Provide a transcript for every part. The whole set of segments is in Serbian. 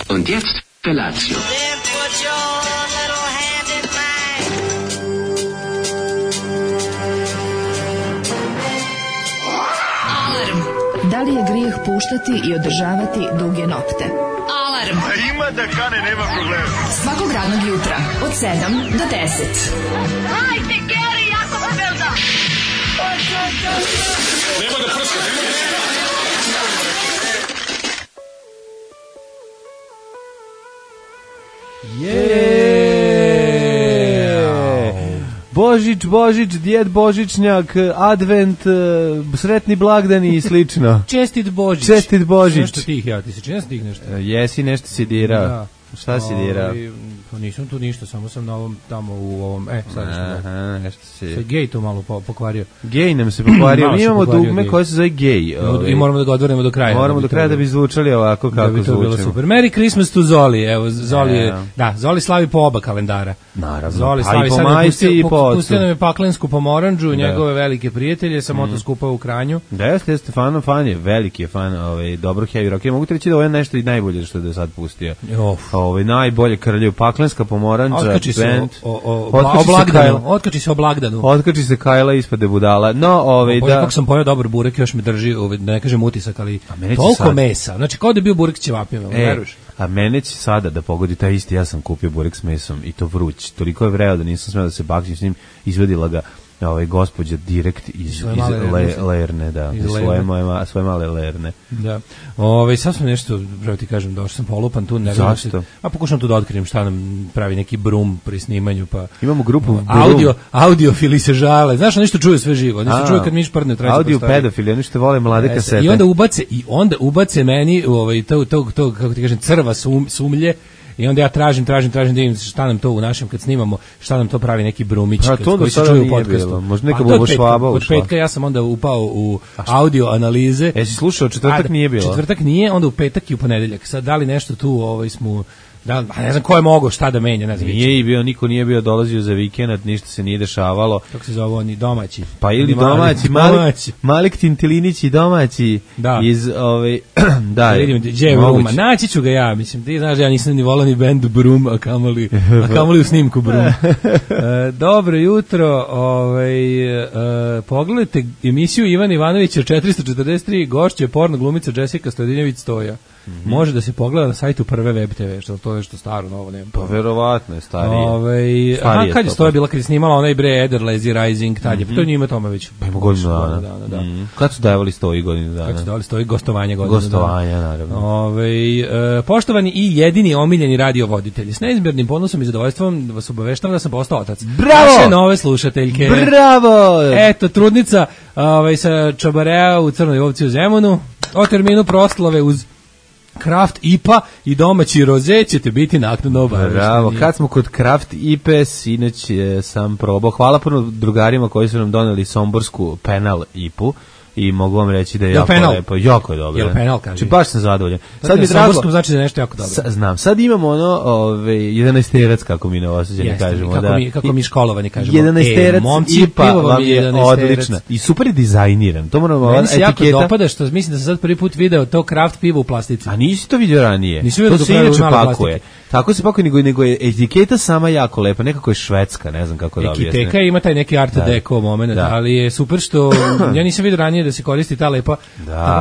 Und jetzt Felatio. Da li je grijeh puštati i održavati duge nokte? Alarm! A ima da kane, nema problema. Svakog radnog jutra, od 7 do 10. Hajde, Geri, jako se velda! Nema da prska, nema da Božić, djed Božićnjak, advent, sretni blagdani i slično. Čestit Božić. Nešto tih, ja ti se čini tih nešto. Jesi, nešto si dirao. Da. Šta si dirao? Pa nisam tu ništa, samo sam na ovom, tamo u ovom, sad Aha, nešto si... Se gej to malo pokvario. Gej nam se pokvario, mi imamo dugme koje se zove gej. I moramo da ga odvrnemo do kraja. Moramo do kraja da bi zvučali ovako kako zvučimo. Da bi to bilo super. Merry Christmas to Zoli, evo, Zoli je, da, Zoli slavi po oba kalendara. Naravno, Zoli slavi, sad je pustio nam je paklensku pomoranđu, njegove velike prijatelje, sam to skupao u Kranju. Da, jeste fan je, veliki je fan dobro heavy rock. Ja mogu ti reći da ovo je nešto i najbolje što je do sad pustio. Najbolje krlju, paklenska pomoranđa, band. Otkači se o blagdanu. Otkači se Kajla ispade budala. No, da. Kako sam pojeo dobar burek, još me drži, da ne kažem utisak, ali toliko mesa. Znači, kao da je bio burek s ćevapima, veruješ? A mene će sada da pogodi taj isti, ja sam kupio burek s mesom i to vruć. Toliko je vreo da nisam smeo da se bakćim s njim, izvedila ga gospođa direkt iz Lerne, da, iz svoje male Lerne. Da. Sad sam nešto, pravo ti kažem, došao sam polupan tu. Zašto? Pokušam tu da otkrijem šta nam pravi neki brum pri snimanju, pa... Imamo grupu audiofili se žale, znaš, nešto čuju sve živo, oni se čuju kad mi šprdne traži. Audio pedofili, oni što vole mlade kasete. I onda ubace meni, to, kako ti kažem, crva sumlje. I onda ja tražim da vidim šta nam to u našem, kad snimamo, šta nam to pravi neki brumić koji se čuju u podcastu. Možda neka bubošvaba ušla. Od petka ja sam onda upao u audio analize. Jesi slušao, četvrtak nije bilo? Četvrtak nije, onda u petak i u ponedeljak. Sad, da li nešto tu smo... ne znam ko je mogao šta da menja, ne znam. Niko nije bio dolazio za vikend, ništa se nije dešavalo. Kako se zove oni, domaći? Pa ili domaći, Malik Tintilinić i domaći iz da, vidim, gdje je Bruma, naći ću ga ja, mislim, ti znaš, ja nisam ni volao ni band Brum, a kamoli u snimku Brum. Dobro jutro, pogledajte emisiju Ivan Ivanovića 443, gošće porno glumica Jessica Stojadinjević Stoja. Može da se pogleda na sajtu Prve Web TV, što to je što staro, novo nema. Pa verovatno je starije. Kad je Stoja bila, kad je snimala onaj bre Eder, Lazy Rising, tad je, to je njima tome već. Pa ima godinu dana. Kad su davali Stoji godinu dana? Kad su davali Stoji gostovanja godinu dana. Gostovanja, naravno. Poštovani i jedini omiljeni radiovoditelji, s neizmjernim ponosom i zadovoljstvom vas obaveštavam da sam postao otac. Bravo! Naše nove slušateljke. Bravo! Eto, trudnica sa Čabarea u Crnoj Ovci u Zemunu, o terminu proslave uz Kraft IPA i domaći roze ćete biti naknadno obavešteni. Bravo, kad smo kod Kraft IPA, sinoć sam probao. Hvala puno drugarima koji su nam doneli somborsku penal IPU. I mogu vam reći da je jako lepo, jako je dobro. Jel penal, kaže? Znači, baš sam zadovoljan. Sad mi drago, znači da je nešto jako dobro. Znam, sad imamo 11-terac, kako mi Novosađani kažemo. Kako mi školovani kažemo. 11-terac IPA vam je odlična. I super je dizajniran. To moramo, meni se jako dopada što mislim da sam sad prvi put video to Kraft pivo u plastici. A nisi to vidio ranije? Nisi vidio to se inače pakuje. Tako se pakuje, nego je etiketa sama jako lepa, nekako je švedska, ne znam kako da objasnim. Etiketa ima taj neki art deco moment, ali je super što ja nisam vidio ranije da se koristi ta lepa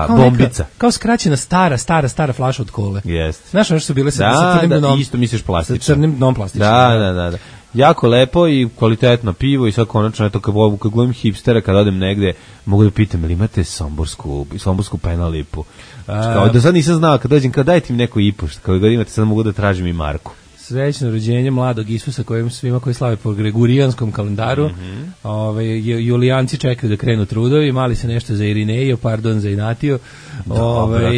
bombica. Kao skraćena stara flaša od kole. Jeste. Znaš ono što su bile sa crnim dnom? Isto misliš plastično. Sa crnim dnom plastično. Da. Jako lepo i kvalitetno pivo i sad konačno, eto, kad gledam hipstera, kad odem negde, mogu da pitam, ili imate somborsku penal ipu? Da sad nisam znao, kad dođem, kad dajte mi neku ipu, kao god imate, sad mogu da tražim i marku. Srećno rođenje mladog Isusa svima koji slave po gregorijanskom kalendaru. Julijanci čekaju da krenu trudovi, mali se nešto za Irinejo, za Inatio.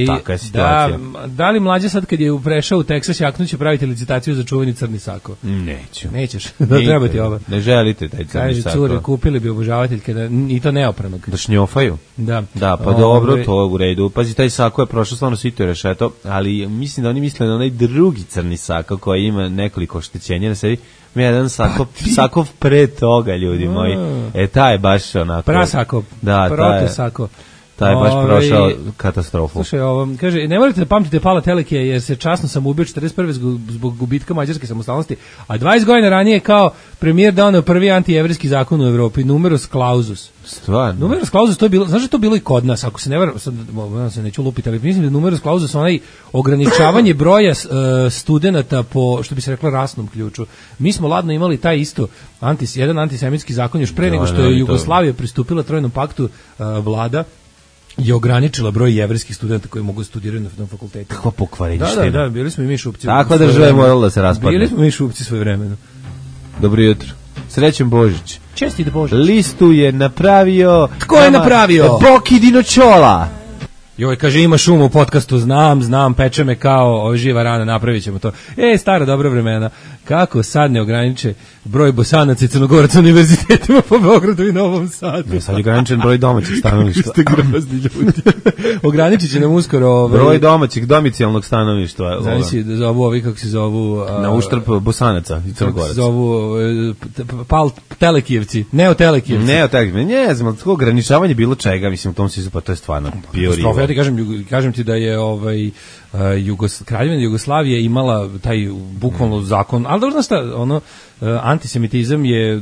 Taka je situacija. Da li mlađe sad kad je prešao u Teksas jaknuće praviti licitaciju za čuveni crni sako? Neću. Nećeš? Da treba ti ovo. Ne želite taj crni sako. Kaže, cure, kupili bi obožavateljke i to neopranog. Da šnjofaju? Da. Da, pa dobro, to je u redu. Pazi, taj sako je prošao stvarno svito je rešeto, ali mislim da oni misle na onaj drugi crni sako koji ima nekoliko oštećenja na sebi. Jedan sakov pre toga, ljudi moji. Taj je baš onako... Prasakov. Da, Protosako. Taj je baš prošao katastrofu. Slušaj, kaže, ne morate da pamtite Pala Telekija jer se časno sam ubio 41. zbog gubitka mađarske samostalnosti, a 20 godina ranije kao premijer doneo prvi antijevrijski zakon u Evropi, numerus clausus. Stvarno? Numerus clausus, to je bilo, znaš da to bilo i kod nas, ako se ne varam, sad se neću lupiti, ali mislim da numerus clausus onaj ograničavanje broja studenata po, što bi se reklo, rasnom ključu. Mi smo ladno imali taj isto jedan antisemitski zakon još pre nego što je Jugoslavija pristupila Trojnom paktu, vlada je ograničila broj jevrejskih studenta koji mogu studirati na fakultetu. Kakva pokvarenština. Da, bili smo i mi šupci. Takva država je morala da se raspadne. Bili smo mi šupci svoje vremena. Dobro jutro. Srećen Božić. Čestite Božić. Listu je napravio... Tko je napravio? Boki Dinočola. Joj, kaže, ima šum u podcastu, znam, peče me kao živa rana, napravit ćemo to. Stara dobra vremena. Kako sad ne ograniče broj Bosanaca i Crnogoraca univerzitetima po Beogradu i Novom Sadu? Sad je ograničen broj domaćih stanovništva. Ste grozni ljudi. Ograničit će nam uskoro... Broj domaćih domicijalnog stanovništva. Znači, da zovu ovi, kako se zovu... Na uštrb Bosanaca i Crnogoraca. Zovu Telekijevci, Neotelekijevci. Ne znam, to ograničavanje bilo čega, mislim, u tom smislu, pa to je stvarno bio rivo. Ja ti kažem ti da je Kraljevina Jugoslavije imala taj bukvalno zakon, ali dobro znaš šta, antisemitizam je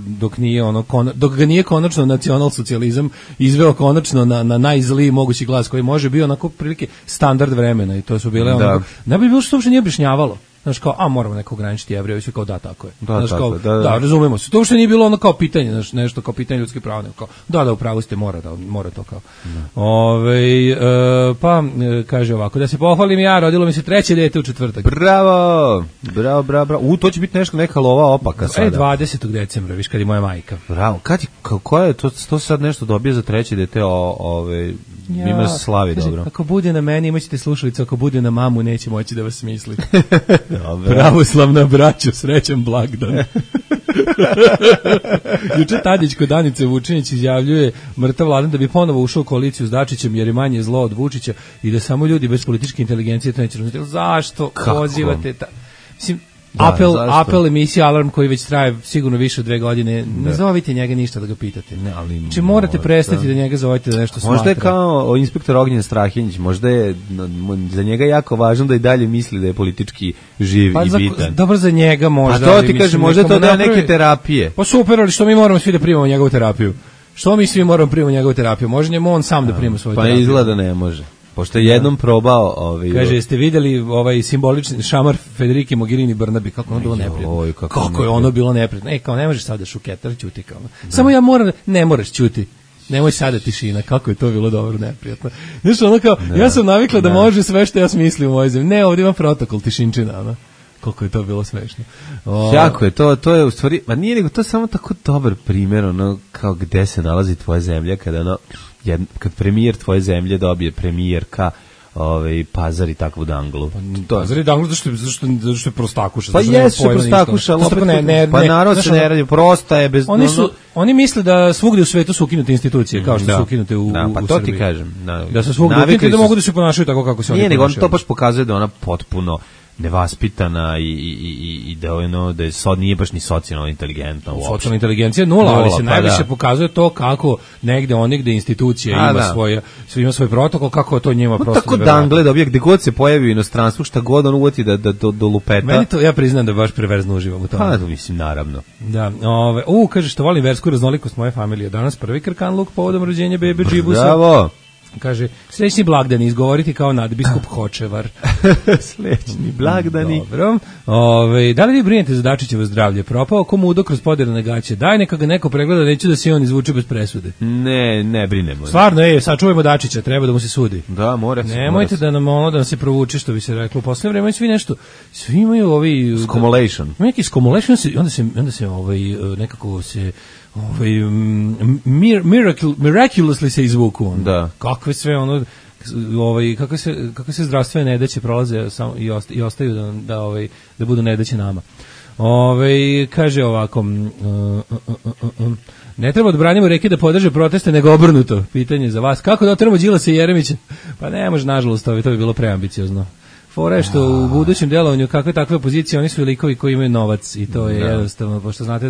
dok ga nije konačno nacionalsocijalizam izveo konačno na najzliji mogući glas koji može bio onako prilike standard vremena i to su bile onako, ne bi bilo što uopšte nije objašnjavalo. Znaš kao, moramo neko ograničiti Jevreje, svi kao da, tako je. Da, razumemo se. To uopšte nije bilo ono kao pitanje, znaš, nešto kao pitanje ljudskih prava, nego kao, da, u pravu ste, mora to kao. Pa, kaže ovako, da se pohvalim ja, rodilo mi se 3. dete u četvrtak. Bravo. To će biti neka lova opaka sada. 20. decembra, viš kad je moja majka. Bravo, ko je to sad nešto dobije za 3. dete, ima slavi, dobro. Ako bude na meni, imaćete slušalicu, ako bude na mamu, neće moći da vas smisli. Pravoslavna braćo, srećan blagdan. Juče Tadić kod Danice Vučinić izjavljuje mrtav Vladan da bi ponovo ušao u koaliciju s Dačićem jer je manje zlo od Vučića i da samo ljudi bez političke inteligencije to neće razumjeti. Zašto pozivate mislim, apel emisija Alarm koji već traje sigurno više od 2 godine, ne zovite njega ništa da ga pitate. Znači morate prestati da njega zovete da nešto smatra. Možda je kao inspektor Ognjen Strahinjić, možda je za njega jako važno da i dalje misli da je politički živ i bitan. Dobro za njega možda. Pa to ti kažem, možda to da neke terapije. Pa super, ali što mi moramo svi da primamo njegovu terapiju? Što mi svi moramo primati njegovu terapiju? Može njemu on sam da prima svoju terapiju? Pa izgleda ne može. Pošto je jednom probao... Kaže, jeste vidjeli ovaj simbolični šamar Federike Mogherini Brnabi, kako ono bilo neprijatno? Kako je ono bilo neprijatno? Kao ne možeš sada šuketar, ćuti kao. Samo ja moram, ne moraš ćuti. Nemoj sada tišina, kako je to bilo dobro neprijatno. Znaš, ono kao, ja sam navikla da može sve što ja smislim u ovoj zemlji. Ne, ovdje ima protokol tišinčina, ono. Koliko je to bilo smešno. Jako je, to je u stvari, ma nije nego, to je samo tako dobar primjer, ono, kao gde se nalazi tvoja zemlja, kada kad premijer tvoje zemlje dobije premijerka Pazar i takvu danglu. Pazar i danglu zašto je prostakuša. Pa jesu prostakuša, pa narod se ne radi, prosta je bez... Oni misle da svugdje u svetu su ukinute institucije, kao što su ukinute u Srbiji. Pa to ti kažem. Da su svugdje ukinute da mogu da se ponašaju tako kako se oni ponašaju. Nije, nego to baš pokazuje da ona potpuno nevaspitana i da je nije baš ni socijalno inteligentna uopšte. Socijalna inteligencija nula, ali se najviše pokazuje to kako negde institucija ima svoj protokol, kako to njima prosto tako dangle dobije, gde god se pojavi u inostranstvu, šta god on uvati da do lupeta. Meni to, ja priznam da baš preverzno uživam u tome. Pa, mislim, naravno. Da, kaže što volim versku raznolikost moje familije. Danas prvi krkanluk povodom rođenja bebe Džibusa. Bravo! Kaže, srećni blagdani, izgovoriti kao nadbiskup Hočevar. Srećni blagdani. Dobro. Da li vi brinete za Dačićevo zdravlje? Propao komudo kroz poderane gaće. Daj, neka ga neko pregleda, neću da se on izvuče bez presude. Ne brinemo. Stvarno, sačuvajmo Dačića, treba da mu se sudi. Da, mora se. Nemojte da nam se provuče, što bi se reklo. U posljednje vreme svi imaju ovi... Scomulation. Neki scomulation, onda se nekako se... miraculously se izvuku on. Da. Kakve sve kakve se zdravstvene nedaće prolaze i ostaju da budu nedaće nama. Kaže ovako, ne treba da branimo reke da podrže proteste, nego obrnuto. Pitanje za vas, kako da otremo Đilasa i Jeremića? Pa ne može, nažalost, to bi bilo preambiciozno. Fora je što u budućem delovanju kakve takve opozicije, oni su likovi koji imaju novac i to je jednostavno, pošto znate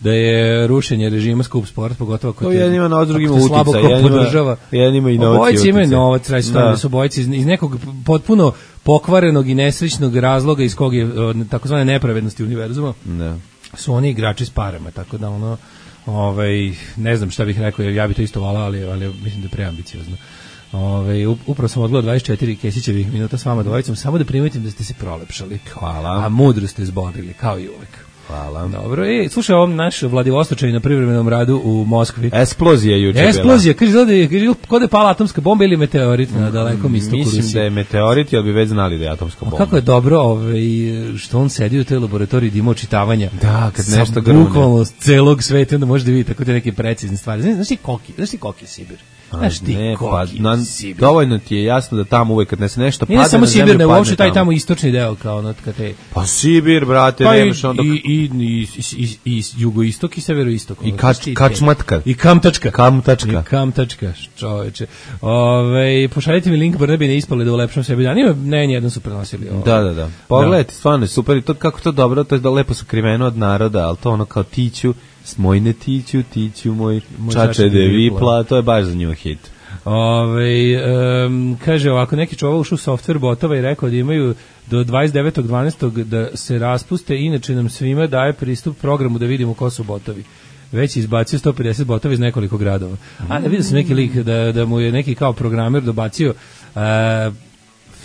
da je rušenje režima skup sport, pogotovo ako to jednima na drugima slabo ko podržava. Jednima i novac. Obojci imaju novac, da su obojci iz nekog potpuno pokvarenog i nesrećnog razloga iz kog je takozvane nepravednosti univerzuma. Da. Su oni igrači s parama, tako da ono ne znam šta bih rekao, jer ja bih to isto volao, ali mislim da je preambiciozno. Upravo sam odgledao 24 Kesićevih minuta s vama dvojicom, samo da primetim da ste se prolepšali. Hvala. A mudro ste zborili, kao i uvek. Hvala. Dobro, slušaj, ovom naš Vladivostočani na privremenom radu u Moskvi. Eksplozija juče bila. Eksplozija, kaže kod je pala atomska bomba ili meteorit na dalekom istoku Rusije. Mislim da je meteorit, ali bi već znali da je atomska bomba. Kako je dobro što on sedi u toj laboratoriji da ima očitavanja. Da, kad nešto grune. Bukvalno celog sveta, onda možete vidjeti tako te neke precizne stvari. Znaš ti koki Sibir? Znaš ti koki Sibir? Dovoljno ti je jasno da tamo uvek kad se nešto padne na zemlju, samo Sibir, ne uopšte taj tamo istočni deo kao kad te... Pa Sibir, brate, pa nemaš onda... I jugoistok i severoistok. I Kačmatka. I Kamtačka. Kamtačka, čoveče. Pošaljite mi link, bar ne bi ne ispali da ulepšam sebi dan. Ne, nijedan su prenosili. Da. Pogledajte, stvarno je super i to kako to dobro, to je da lepo sakriveno od naroda, ali to ono kao tiću, smojne tiću moj čače de vipla, to je baš za nju hit. Kaže ovako, neki čovjek ušao u software botova i rekao da imaju do 29.12. da se raspuste, inače nam svima daje pristup programu da vidimo ko su botovi. Već izbacio 150 botova iz nekoliko gradova. A ne vidio sam neki lik da mu je neki kao programer dobacio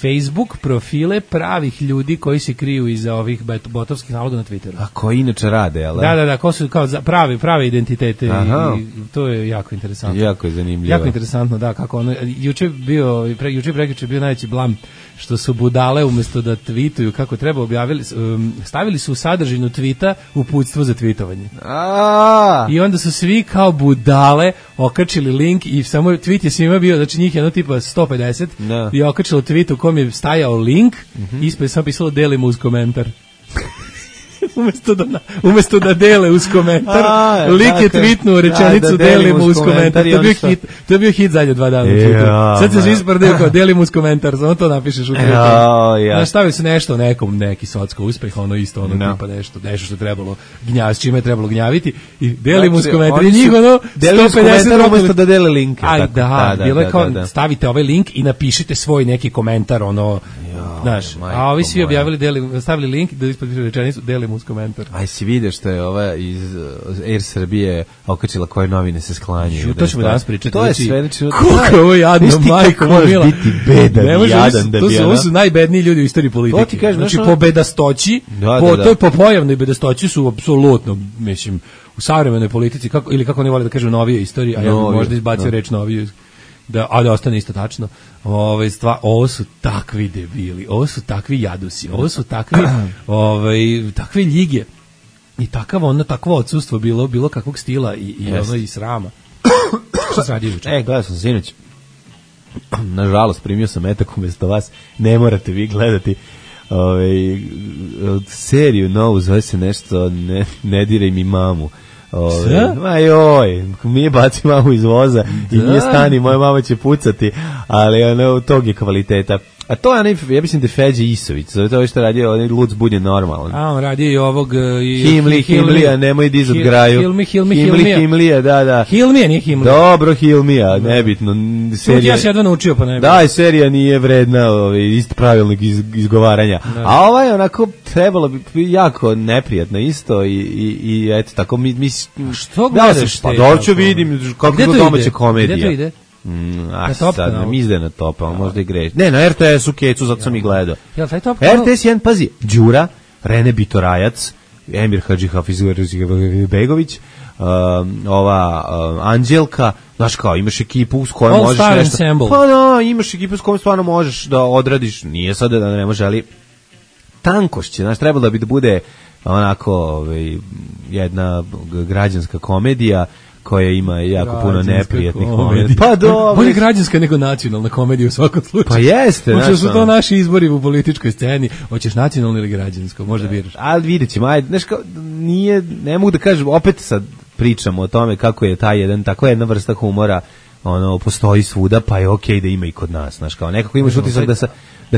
Facebook profile pravih ljudi koji se kriju iza ovih botovskih naloga na Twitteru. A koji inače rade, jel? Da, ko su kao prave identitete i to je jako interesantno. Jako je zanimljivo. Jako interesantno, da, kako ono, juče prekjuče bio najveći blam što su budale umjesto da tweetuju kako treba stavili su u sadržinu tweeta uputstvo za tweetovanje. I onda su svi kao budale okačili link i samo tweet je svima bio, znači njih jedno tipa 150 i okačilo tweet u kom je stajao link, ispred sam pisalo delimo uz komentar. Umjesto da dele uz komentar, lik je tweetnuo rečenicu delimo uz komentar. To je bio hit zadnje 2 dana. Sad se svi sprdaju kao delimo uz komentar, samo to napišeš u Twitteru. Stavili su nešto neki socko uspeh, ono isto, tipa nešto što je trebalo s čime je trebalo gnjaviti i delimo uz komentar. I njih 150 umjesto da dele link. Bilo je kao stavite ovaj link i napišite svoj neki komentar, znaš, a ovi svi objavili, stavili link da ispod rečenicu delimo uz komentar. Aj si vidio što je ova iz Air Srbije okačila koje novine se sklanjaju. To ćemo danas pričati. To je sve. Koliko je ovo jadno, majko mila. Biti bedan, jadan da bi. Ovo su najbedniji ljudi u istoriji politike. Znači po bedastoći, po pojavnoj bedastoći su apsolutno, mislim, u savremenoj politici, ili kako oni vole da kažu novije istorije, a ja bih možda izbacio reč noviju, da ostane isto tačno. Ovo su takvi debili, ovo su takvi jadusi, ovo su takve ljige i takvo odsustvo bilo kakvog stila i srama. Šta se radi juče? Gledao sam sinoć. Nažalost, primio sam metak umjesto vas. Ne morate vi gledati seriju novu, zove se nešto Ne diraj mi mamu. Mi baci mamu iz voza i nije stani, moja mama će pucati, ali tog je kvaliteta. A to je ja mislim da je Feđe Isović, zove to što radio onaj lud zbunjen normalan. A on radio i ovog Himlija, nemoj dizat graju. Himlija, da. Hilmija, nije Himlija. Dobro, Hilmija, nebitno. Ja se jedva naučio, pa ne bi. Da, serija nije vredna isto pravilnog izgovaranja. A ovaj onako trebalo bi jako neprijatno isto i eto tako mi što gledaš? Pa doću vidim kako je domaća komedija. Gde to ide? Sad nam izde na top, ali možda i greš. Ne, na RTS-u Kecu, zato sam ih gledao. RTS 1, pazi, Đura, Rene Bitorajac, Emir Hadžihafizović, ova Anđelka, znaš kao, imaš ekipu s kojom možeš nešto... Pa da, imaš ekipu s kojom stvarno možeš da odradiš, nije sad da ne može, ali tankošće, znaš, trebalo bi da bude onako jedna građanska komedija, koja ima jako puno neprijatnih komedija. Pa dobro. Bolje građanska nego nacionalna komedija u svakom slučaju. Pa jeste. Možda su to naši izbori u političkoj sceni. Hoćeš nacionalno ili građansko, možda biraš. Ali vidjet ćemo, ajde, znaš kao, ne mogu da kažem, opet sad pričamo o tome kako je tako jedna vrsta humora, postoji svuda, pa je okej da ima i kod nas, znaš kao, nekako imaš utisak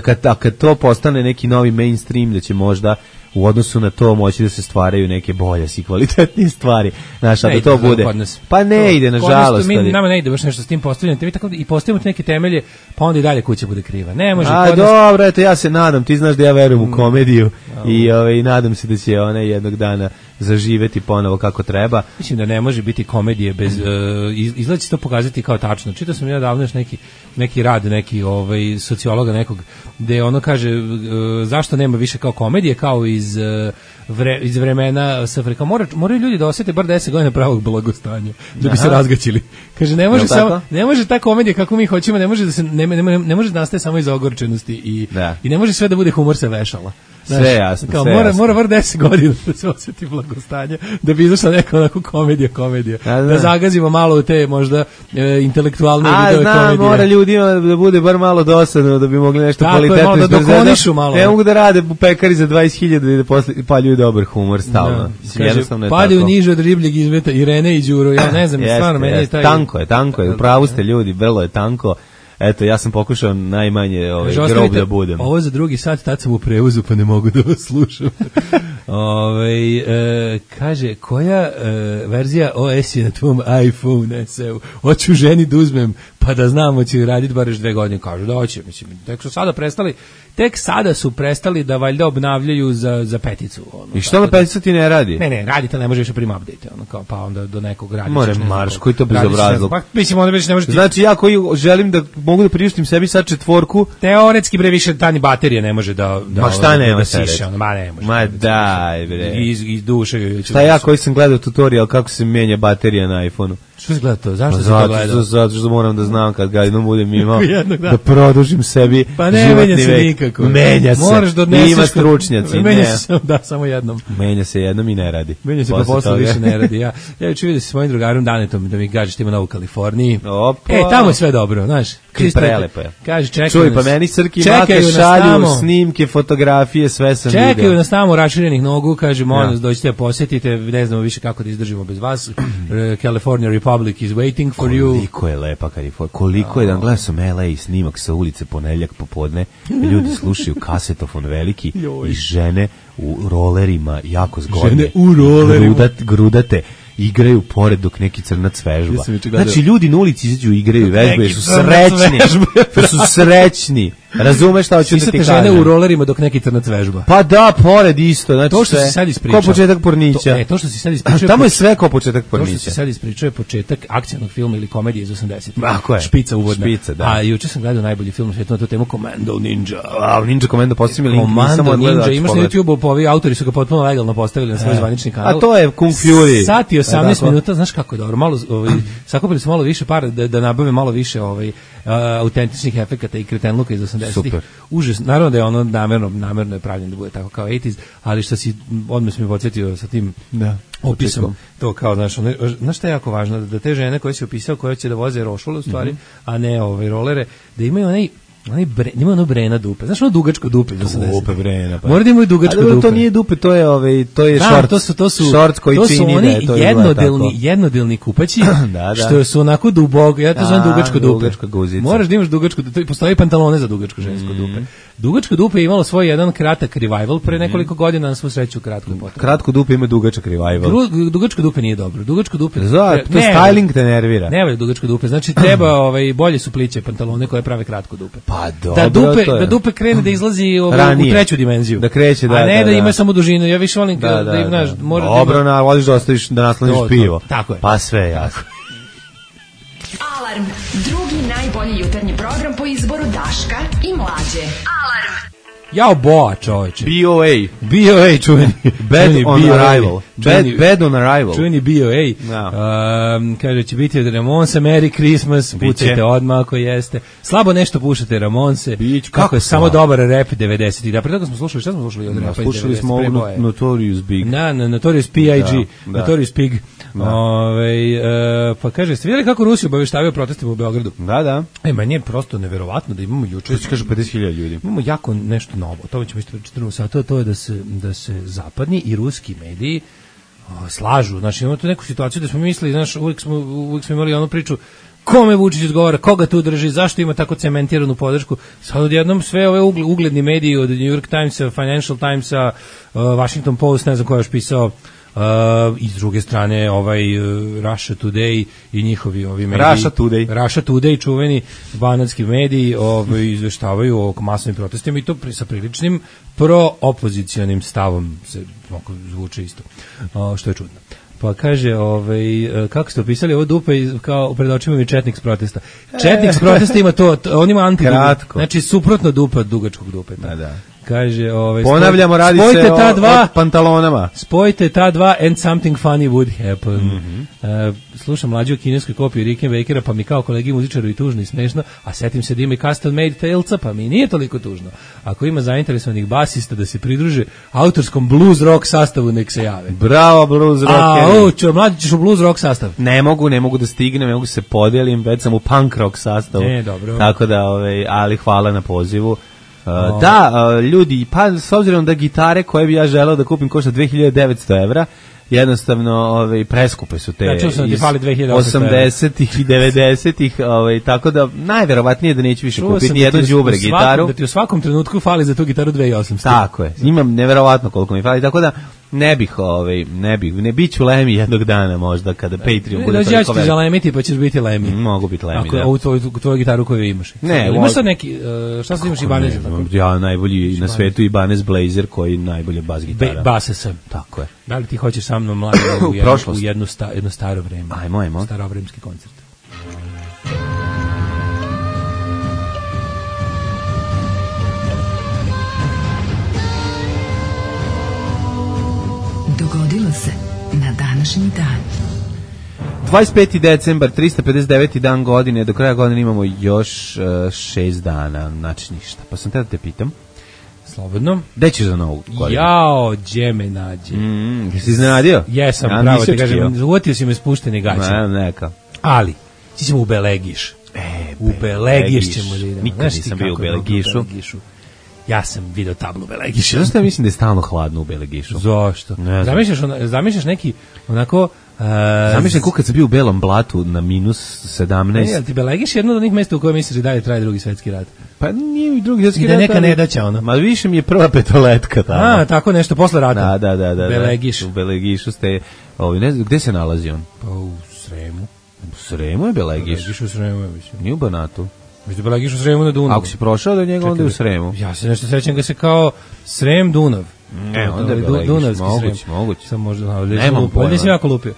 da kad to postane neki novi mainstream, da će možda u odnosu na to moći da se stvaraju neke bolje i kvalitetnije stvari. Znaš, da to bude. Pa ne ide, nažalost. Nama ne ide baš nešto s tim postavljanjem. Vi tako i postavimo neke temelje, pa onda i dalje kuća bude kriva. Ne može. Dobro, eto, ja se nadam, ti znaš da ja verujem u komediju i nadam se da će ona jednog dana zaživeti ponovo kako treba. Mislim da ne može biti komedije bez izgleda će to pokazati kao tačno. Čitao sam ja davno još neki rad neki sociologa nekog gde ono kaže zašto nema više kao komedije kao iz vremena sa Afrika. Moraju ljudi da osete bar 10 godina pravog blagostanja da bi se razgaćili. Kaže ne može ta komedija kako mi hoćemo, ne može da se ne može da nastaje samo iz ogorčenosti i ne može sve da bude humor sa vešala. Sve jasno. Kao mora bar 10 godina da se osjeti blagostanje, da bi izašla neka onako komedija. Da zagazimo malo u te možda intelektualne vidove komedije. Mora ljudima da bude bar malo dosadno, da bi mogli nešto kvalitetno da dokonišu malo. Ne mogu da rade u pekari za 20.000 i da posle paljuju dobar humor stalno. Jednostavno je tako. Padaju niže od ribljeg izmeta Irene i Đuro, ja ne znam, stvarno meni je taj... Tanko je, upravo ste ljudi, vrlo je tanko. Eto, ja sam pokušao najmanje grob da budem. Ovo za drugi sat, tad sam u prevozu, pa ne mogu da vas slušam. Kaže, koja verzija OS je na tvom iPhone SE-u? Hoću ženi da uzmem, pa da znam, hoće raditi bar još 2 godine. Kažu da hoće, mislim, tek sada su prestali da valjda obnavljaju za peticu. I što na peticu ti ne radi? Ne, radi to, ne može više prima update, pa onda do nekog radi. More marš, koji to bezobrazluk. Pa, mislim, onda već ne može... Znači, ja koji želim da mogu da priuštim sebi sad 4, teoretski bre više tani baterije ne može da ma šta nema da siše, ma ne može. Ma daj bre. Iz duše. Šta ja koji sam gledao tutorial kako se menja baterija na iPhonu. Što si gledao to? Zašto si to gledao? Zato što moram da znam kad ga jednom budem imao da produžim sebi pa ne menja se nikako. Menja se. Moraš da odneseš. Ima stručnjaci. Menja se samo jednom. Menja se jednom i ne radi. Menja se pa posle više ne radi. Ja juče vidio sa svojim drugarom Danetom da mi kažeš ima u Kaliforniji. Tamo je sve dobro, znaš. Prelepo je. Kaže čekaj. Čuj, pa meni Srki mate šalju snimke, fotografije, sve sam vidio. Čekaju nas tamo raširenih nogu, kaže molim vas dođite posjetite, ne znamo više kako da izdržimo bez vas. California Republic is waiting for you. Koliko je lepa Kalifornija. Koliko je, gledao sam LA snimak sa ulice ponedeljak popodne, ljudi slušaju kasetofon veliki i žene u rolerima jako zgodne. Žene u rolerima. Grudate. Igraju pored dok neki crnac vežba. Znači ljudi na ulici izađu i igraju vežbe, su srećni. Su srećni. Razumeš šta hoću da ti kažem? Žene u rolerima dok neki crnac vežba. Pa da, pored isto, znači to što se sad ispričao. Ko početak Pornića. To što se sad ispričao. Tamo je sve kao početak Pornića. To što se sad ispričao je početak akcionog filma ili komedije iz 80-ih. Špica uvodna. Špica, da. A juče sam gledao najbolji film na tu temu Commando Ninja. Ninja Commando postavili link, Commando Ninja, imaš na YouTubeu, pa ovi autori su ga potpuno legalno postavili na svoj zvanični kanal. A to je Kung Fury. Sat i 18 minuta, znaš kako je dobro. Malo sakupili su malo više para da nabave malo više autentičnih efekata i kretenluka iz 80-ih. Užas, naravno da je ono namerno je pravljeno da bude tako kao 80s, ali što si odmah mi podsjetio sa tim opisom, to kao, znaš šta je jako važno, da te žene koje si opisao, koje će da voze rošule u stvari, a ne rolere, da imaju ima ono brena dupe. Znaš ono dugačko dupe? Dupe brena. Mora da imaju dugačko dupe. To nije dupe, to je šort koji čini da je to jednodelni kupaći, što su onako duboko, ja to zovem dugačko dupe. Moraš da imaš dugačko dupe, postoji pantalone za dugačko žensko dupe. Dugačko dupe je imalo svoj jedan kratak revival pre nekoliko godina, na svu sreću kratko je potrebno. Kratko dupe ima dugačak revival. Dugačko dupe nije dobro. Dugačko dupe. To styling te nervira. Ne valja dugačko dupe. Znači treba bolje su pliće pantalone koje prave kratko dupe. Pa dobro, da dupe krene da izlazi u treću dimenziju. Da kreće, a ne da ima samo dužinu. Ja više volim da im znaš, može dobro, voliš da ostaviš da nasloniš pivo. Tako je. Pa sve jasno. Alarm, drugi najbolji jutarnji program po izboru Daška i Mlađe. Alarm. Jao boa, čoveče. BOA čuveni. Bad on arrival. Bad on arrival. Čuveni BOA. Kaže, će biti od Ramonsa, Merry Christmas, pucajte odmah ako jeste. Slabo nešto pušate Ramonse. Kako je samo dobar rap 90-ih. Da, pre toga smo slušali, šta smo slušali od rapa 90-ih? Slušali smo Notorious Big. Notorious P.I.G. Notorious Pig. Pa kaže, ste vidjeli kako Rusi obaveštavaju protestima u Beogradu? Da. Meni je prosto neverovatno da imamo juče. Što kaže 50.000 ljudi. Imamo jako nešto novo. To ćemo isto čitati sata, to je da se zapadni i ruski mediji slažu. Znači imamo tu neku situaciju da smo mislili, znaš, uvijek smo imali onu priču kome Vučić odgovara, koga tu drži, zašto ima tako cementiranu podršku. Sad odjednom sve ove ugledni mediji od New York Timesa, Financial Timesa, Washington Post, ne znam ko je još pisao, i s druge strane Russia Today i njihovi ovi mediji. Russia Today, čuveni banatski mediji, izveštavaju o masovnim protestima i to sa priličnim pro-opozicionim stavom, se zvuči isto, što je čudno. Pa kaže, kako ste opisali ovo dupe, kao pred očima mi četnik s protesta. Četnik s protesta ima to, on ima antidupe, znači suprotno dupe od dugačkog dupeta. Da. Kaže, ponavljamo, radi se o pantalonama. Spojite ta dva and something funny would happen. Slušam mlađu o kineskoj kopiji Rickenbackera, pa mi kao kolegi muzičaru i tužno i smešno, a setim se da ima i custom made tailca, pa mi nije toliko tužno. Ako ima zainteresovanih basista da se pridruže autorskom blues rock sastavu, nek se jave. Bravo, blues rock. Mlađi ćeš u blues rock sastav. Ne mogu da stignem, ne mogu se podelim, već sam u punk rock sastavu. Dobro. Tako da, ali hvala na pozivu. Ljudi, pa s obzirom da gitare koje bi ja želeo da kupim košta 2900 evra, jednostavno preskupe su te iz 80-ih i 90-ih, tako da najverovatnije da neću više kupiti ni jednu đubre gitaru. Da ti u svakom trenutku fali za tu gitaru 2800. Tako je, imam neverovatno koliko mi fali, tako da ne biću Lemi jednog dana možda kada Patreon bude toliko veliki. Ja ću ti zalemiti pa ćeš biti Lemi. Mogu biti Lemi, da. Ako tvoju gitaru koju imaš. Imaš sad neki, šta sad imaš Ibanez? Ja najbolji na svetu Ibanez Blazer koji najbolje bas gitara. Base sam. Tako je. Da li ti hoćeš sa mnom mladim u jedno staro vreme? Ajmo. Starovremski koncert. Dogodilo se na današnji dan. 25. decembar, 359. dan godine, do kraja godine imamo još 6 dana, znači ništa. Pa sam te da te pitam. Slobodno. Gde ćeš za novu godinu? Jao, gdje me nađe. Jesi iznenadio? Jesam, pravo te kažem, uvatio si me spušteni gaće. Neka. Ali, ti ćemo u Belegiš. U Belegiš ćemo da idemo. Nikad nisam bio u Belegišu. Ja sam vidio tablu Belegiša. Zašto ja mislim da je stalno hladno u Belegišu? Zašto? Zamišljaš neki onako... Zamišljam kako kad sam bio u Belom blatu na minus 17. Jel ti Belegiš jedno od onih mesta u kojoj misliš da dalje traje drugi svjetski rat? Pa nije i drugi svjetski rat. I da neka nedaća ono. Ma više mi je prva petoletka tamo. Tako nešto, posle rata. Da. Belegiš. U Belegišu ste... Ne znam, gde se nalazi on? Pa u Sremu. U Sremu je Belegiš? Belegiš u Sremu je, mislim. Nije u Banatu. Mislim da Belegiš u Sremu na Dunavu. Ako si prošao do njega, onda je u Sremu. Ja se nešto sećam ga se kao Srem Dunav. Onda je Belegiš, moguće. Sam možda, nemam pojma. Ovdje sam jako lupio.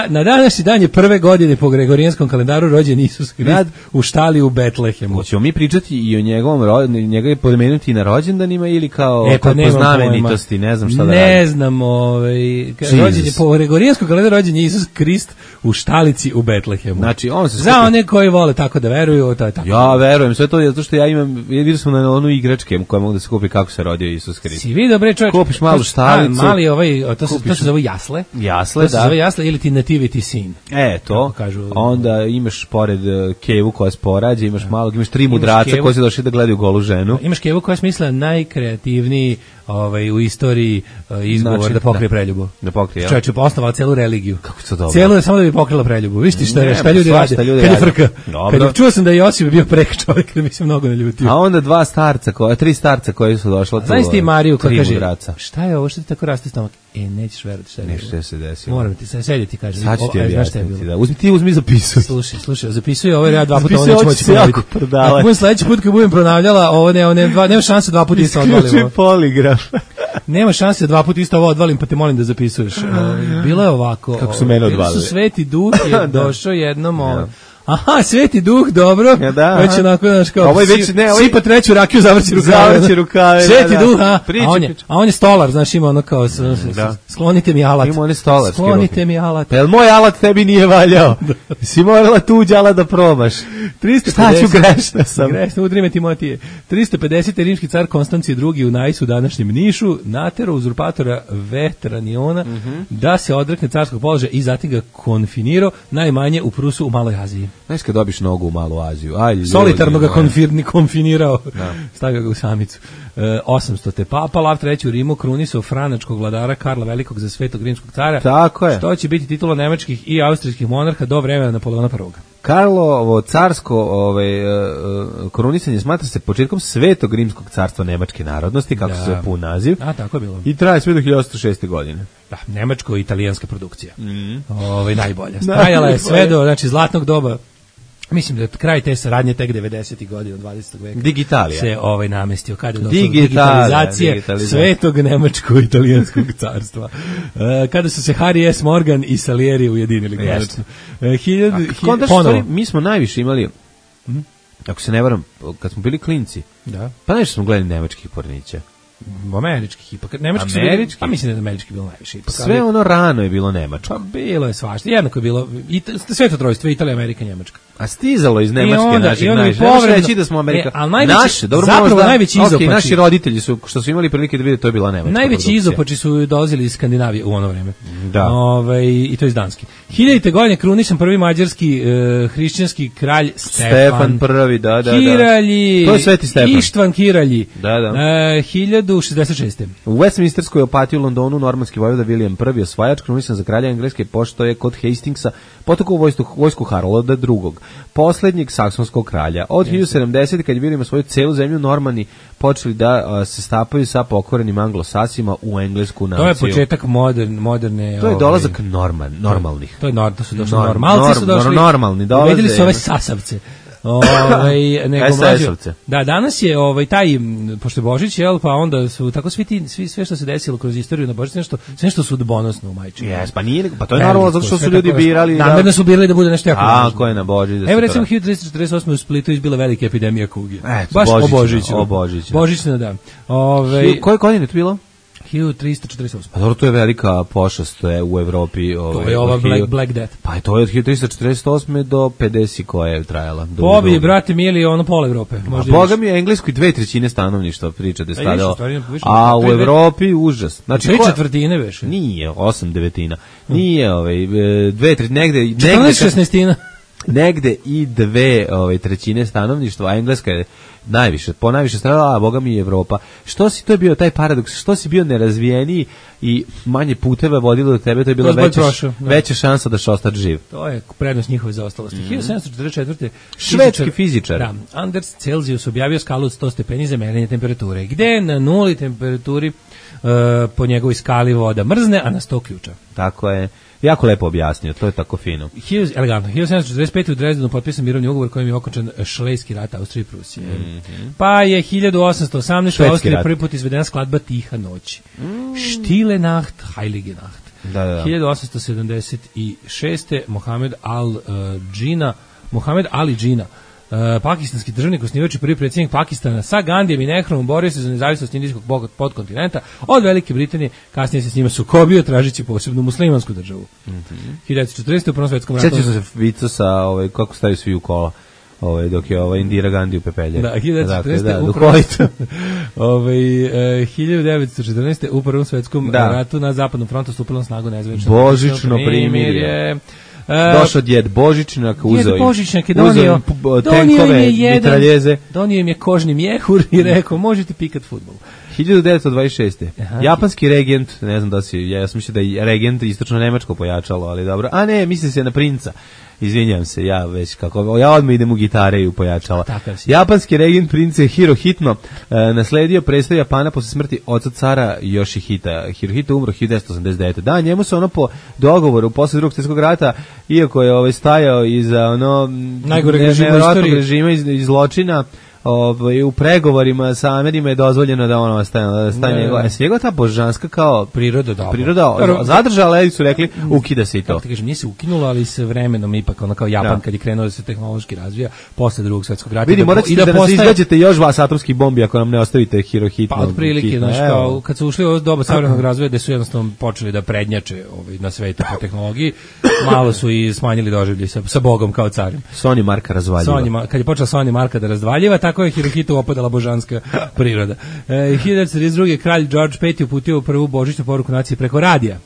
Na današnji dan je prve godine po Gregorijanskom kalendaru rođen Isus Hrist u štali u Betlehemu. Hoćemo mi pričati i o njega je pomenuti na rođendanima ili kao po znamenitosti, ne znam šta da radi. Ne znam, rođen je po Gregorijanskom kalendaru rođen je Isus Hrist u štalici u Betlehemu. Znači, on se za one koji vole tako da veruju, to je tako. Ja verujem, sve to je zato što ja vidio sam na onu igračke koja mogu da se kupi kako se rodio Isus Hrist. Si vidio, bre, čovječ, kupiš malu štalicu. Mali to se zove jasle. Jasle, to se zove jasle ili ti nativity scene. To. Onda imaš pored kevu koja se porađa, imaš malog, imaš 3 mudraca koji su došli da gledaju golu ženu. Imaš kevu koja je smislila najkreativniji u istoriji izgovor da pokrije preljubu. Da pokrije, čovječe, osnovala celu religiju. Kako to dobro. Celu je samo da bi pokrila preljubu. Viš ti šta ljudi rade? Kad je frka. Čuo sam da je Josip bio prek čovjek, da bi se mnogo naljutio. A onda 3 starca koji su došla tu. Znaš ti Mariju koja kaže, šta je ovo, što ti tako raste stomak? Nećeš verovati šta je. Nešto se desilo. Moram ti se sedjeti, kaže. Sad ću ti objasniti, da. Uzmi zapisuj. Slušaj, zapisuj, ovo ja 2 puta ovo neću moći ponavljati. Ako budem sledeći put kad budem ponavljala, ovo nema šanse 2 puta isto odvalim. Isključi poligraf. Nema šanse 2 puta isto ovo odvalim, pa te molim da zapisuješ. Bilo je ovako. Kako su mene odvalili. Sveti Duh je došao jednom Aha, Sveti Duh, dobro. Već onako, znaš kao, sipa treću rakiju, zavrći rukave. Sveti Duh, a on je stolar, znaš, ima ono kao, sklonite mi alat. Ima on je stolarski. Sklonite mi alat. Pa jel moj alat tebi nije valjao? Si morala tuđ alat da probaš. Šta ću grešna sam? Grešna, udrime Timotije. 350. rimski car Konstancije II u Najsu, današnjem Nišu, natero uzurpatora Vetraniona da se odrekne carskog položaja i zatim ga konfinirao najmanje u Prusu u Maloj Aziji. Znaš kad dobiš nogu u Malu Aziju. Solitarno ga konfinirao. Stavio ga u samicu. 800. Papa Lav III u Rimu krunisao franačkog vladara Karla Velikog za Svetog rimskog cara. Tako je. Što će biti titula nemačkih i austrijskih monarha do vremena Napoleona I. Karlovo carsko krunisanje smatra se početkom Svetog rimskog carstva nemačke narodnosti, kako se zove pun naziv. Tako je bilo. I traje sve do 1806. godine. Da, nemačko-italijanska produkcija. Najbolja. Stajala je sve do zlatnog doba. Mislim da je kraj te saradnje tek 90. godina 20. veka. Digitalija. Se namestio kada je došlo do digitalizacije Svetog nemačko-italijanskog carstva. Kada su se Harry S. Morgan i Salieri ujedinili konačno. Mi smo najviše imali, ako se ne varam, kad smo bili klinci, pa nešto smo gledali nemačkih pornića. Američkih ipak. Nemački su bili, pa mislim da je američki bilo najviše. Ipak, sve ono rano je bilo nemačko. Pa bilo je svašta. Jednako je bilo Sveto trojstvo, Italija, Amerika, Njemačka. A stizalo iz Nemačke naših najviše. Možeš reći da smo Amerika. Naši, zapravo najveći izopači. Naši roditelji su, što su imali prilike da vide, to je bila Nemačka. Najveći izopači su dolazili iz Skandinavije u ono vreme. Da. I to iz Danske. 1000. godine krunisan prvi mađarski hrišćanski kralj Stefan I, da. Kiralji. To je Sveti Stefan. Ištvan Kiralji. Da. 1066. U Westminsterskoj opatiji u Londonu normanski vojvoda William I osvajač krunisan za kralja Engleske, pošto je kod Hastingsa potekao vojsku Harolda II, poslednjeg saksonskog kralja. Od 1070. kad je William svoju celu zemlju, Normani počeli da se stapaju sa pokorenim Anglosasima u englesku naciju. To je početak moderne... To je dolazak normalnih. To su došli normalci, su došli... Normalni dolaze. Uvedili su ove sasavce. Da, danas je taj, pošto je Božić, pa onda su tako sve što se desilo kroz istoriju na Božić, nešto sudbonosno u majčini. Pa nije, pa to je normalno zato što su ljudi birali. Namerno su birali da bude nešto jako važno. Ko je na Božić? Evo recimo 1348. u Splitu izbila velika epidemija kuge. Baš o Božiću. Božićna, da. Koje godine je to bilo? 1348. Pa dobro, to je velika pošast u Evropi. To je ova Black Death. Pa to je od 1348. do 50 koja je trajala. Pobi, brate, mili, pola Evrope. Boga mi je Engleskoj 2/3 stanovništva priča da je stradalo. A u Evropi užas. Znači, 3/4 veše. Nije, 8/9. Nije 2/3, negde... 14/16. Negde i 2/3 stanovništva, a Engleska je najviše stradala, a boga mi je Evropa. To je bio taj paradoks, što si bio nerazvijeniji i manje puteva vodilo do tebe, to je bila veća šansa da će ostati živ. To je prednost njihove zaostalosti. 1744. Švedski fizičar. Da, Anders Celsius objavio skalu od 100 stepeni za merenje temperature, gde na 0 temperaturi po njegovoj skali voda mrzne, a na 100 ključa. Tako je. Jako lepo objasnio, to je tako fino. Elegantno. 1745. u Dresdenu potpisan mirovni ugovor kojim je okončan Šlejski rat Austrije i Prusije. Pa je 1818. u Austriji prvi put izvedena skladba Tiha noć. Stille Nacht, Heilige Nacht. Da. 1876. Mohamed Ali Džina, pakistanski državnik, osnivač i prvi predsjednik Pakistana, sa Gandijem i Nehruom borio se za nezavisnost indijskog podkontinenta od Velike Britanije, kasnije se s njima sukobio tražeći posebnu muslimansku državu. 1914. u Prvom svetskom ratu. Sjećam se vica sa kako staju svi u kola. Dok je Indira Gandhi u pepelje. Da, 1914. u Prvom svetskom ratu na zapadnom frontu stupilo na snagu nezavisno božićno primirje. Došao djed Božićnjak, uzeo tenkove, mitraljeze. Donio im je kožni mjehur i rekao, možete pikat fudbal. 1926. Japanski regent, ne znam da ja sam mislio da je regent istočno nemačko pojačalo, ali dobro. A ne, misli se na princa. Izvinjam se, ja odmah idem u gitare i u pojačala. Japanski regent prince Hirohito nasledio predstav Japana posle smrti oca cara Yoshihita. Hirohito umro 1989. Da, njemu se po dogovoru posle Drugog svjetskog rata, iako je stajao iza najgoreg režima i zločina, u pregovorima sa Amerima je dozvoljeno da ostane njegova. Njegova ta božanska kao priroda zadržala, ali su rekli ukida se i to. Kako ti kažem, nije se ukinulo, ali se vremenom ipak kao Japan kad je krenuo da se tehnološki razvija posle Drugog svjetskog rata. Vidi, morat ćete da nas izgađete još vas atomskih bombi ako nam ne ostavite Hirohito. Pa otprilike, kad su ušli u doba savremenog razvoja gde su jednostavno počeli da prednjače na svetu po tehnologiji, malo su i smanjili doživljaj sa Bogom kao carim. Sony Marka razvaljiva. Kad je počela Sony Marka da razvaljiva, tako je Hirohito opadala božanska priroda. 1932. kralj George V uputio prvu božićnu poruku naciji preko radija.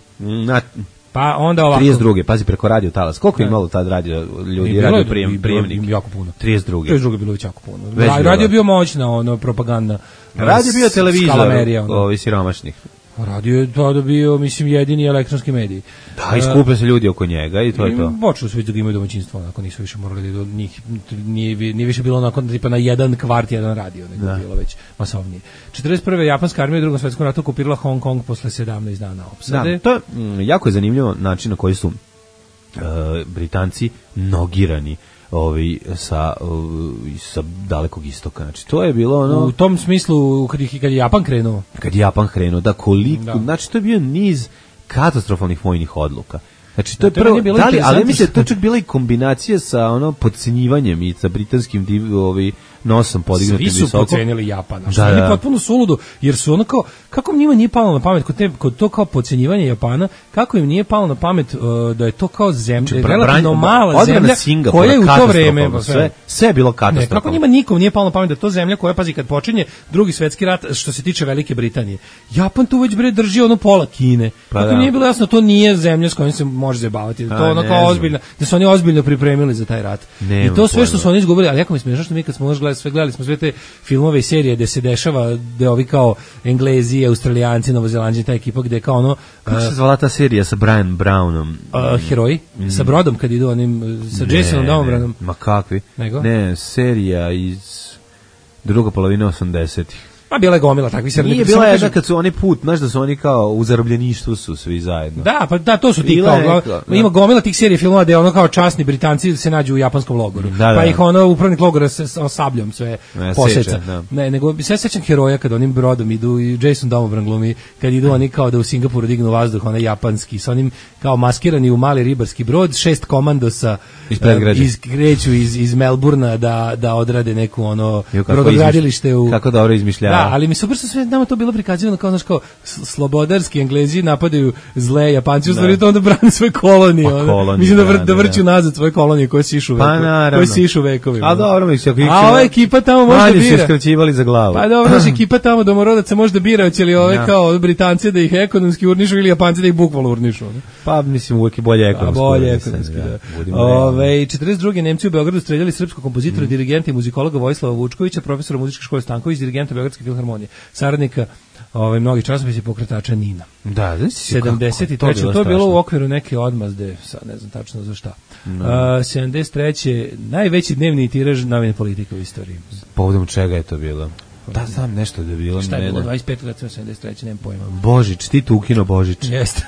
Pa onda ovako. 32. Pazi, preko radio talas. Koliko je imalo tad radio ljudi, radio prijemnik? Jako puno. 32. 32. bilo već jako puno. Radio Već bio moćna, propaganda. Radio bio televizor, skalamerija, ovi siromašnih. Radio je tada bio, mislim, jedini elektronski medij. Da, i skupe se ljudi oko njega i to je to. Počeli su već da ga imaju domaćinstvo, onako nisu više morali da njih, nije više bilo onako tipa na jedan kvart, jedan radio, nego bilo već masovnije. 41. japanska armija u Drugom svetskom ratu okupirala Hong Kong posle 17 dana opsade. Da, to je jako je zanimljivo način na koji su Britanci nogirani sa dalekog istoka. Znači, to je bilo ono... U tom smislu, kad je Japan krenuo. Kad je Japan krenuo, da koliko... Znači, to je bio niz katastrofalnih vojnih odluka. Znači, to je prvo... Ali mislim, to je čak bila i kombinacija sa podcenjivanjem i sa britanskim nosom podignutim visoko. Svi su podcenili Japana. Što je potpuno suludo, jer su ono kao... Kako njima nije palo na pamet, kod to kao podcenjivanje Japana, kako im nije palo na pamet da je to kao zemlja, relativno mala zemlja, koja je u to vreme... Sve je bilo katastrofalno. Kako njima nikom nije palo na pamet da to zemlja koja, pazi, kad počinje Drugi svetski rat, što se tiče Velike Britanije, Japan tu već drži pola Kine. Kako nije bilo jasno, to nije zemlja s kojom se može zabavati, da to ono kao ozbiljno, da su oni ozbiljno pripremili za taj rat. I to sve što su oni izgubili, ali jako mi smiješno što mi kad smo gledali smo sve te filmove i serije gde se dešava, gde ovi kao Englezi, Australijanci, Novozelanđani, ta ekipa gde kao ono... Kako se zvala ta serija sa Brian Brownom? Heroji? Sa brodom kad idu onim, sa Jasonom Domobranom? Ma kakvi? Nego? Ne, serija iz druga polovina 80-ih. Pa bila je gomila takvih serija. Nije bila jedna kad su oni znaš da su oni kao u zarobljeništvu su svi zajedno. Da, pa da, to su ti kao, ima gomila tih serija filmova gde ono kao časni Britanci se nađu u japanskom logoru. Pa ih upravnik logora sa sabljom sve poseca. Ne, nego sve sećam Heroja kad onim brodom idu i Jason Domobran glumi, kad idu oni kao da u Singapuru dignu vazduh, onaj japanski, sa onim kao maskirani u mali ribarski brod, 6 komandosa kreću iz Melburna da odrade neku brodogradilište u... Kako dobro izmišljava. Da, ali mi super su sve nama to bilo prikazivano kao, znaš, kao slobodarski Englezi napadaju zle Japanci, u stvari to onda brane svoje kolonije. Mislim da vrću nazad svoje kolonije koje se išu vekovima. A dobro, a ova ekipa tamo možda bira. Su skraćivali za glavu. Pa dobro, ekipa tamo domorodaca možda bira, hoće li ove kao Britanci da ih ekonomski urnišu ili Japanci da ih bukvalno urnišu. Pa mislim uvijek je bolje ekonomski. Bolje ekonomski, da. 42. Nemci u Beogradu streljali srpskog kompozitora, dirigenta i muzikologa Vojislava Vučkovića, profesora muzičke škole Stanković, dirigenta Beogradske filharmonije, saradnika mnogih časopisa i pokretača NIN-a. Da, 73. To je bilo u okviru neke odmazde, sad ne znam tačno za šta. 73. najveći dnevni tiraž novine Politika u istoriji. Povodom čega je to bilo? Da, znam nešto da je bilo. Šta je bilo? 25. 73. Nemam pojma. Božić, Tito ukinuo Božić. Jeste.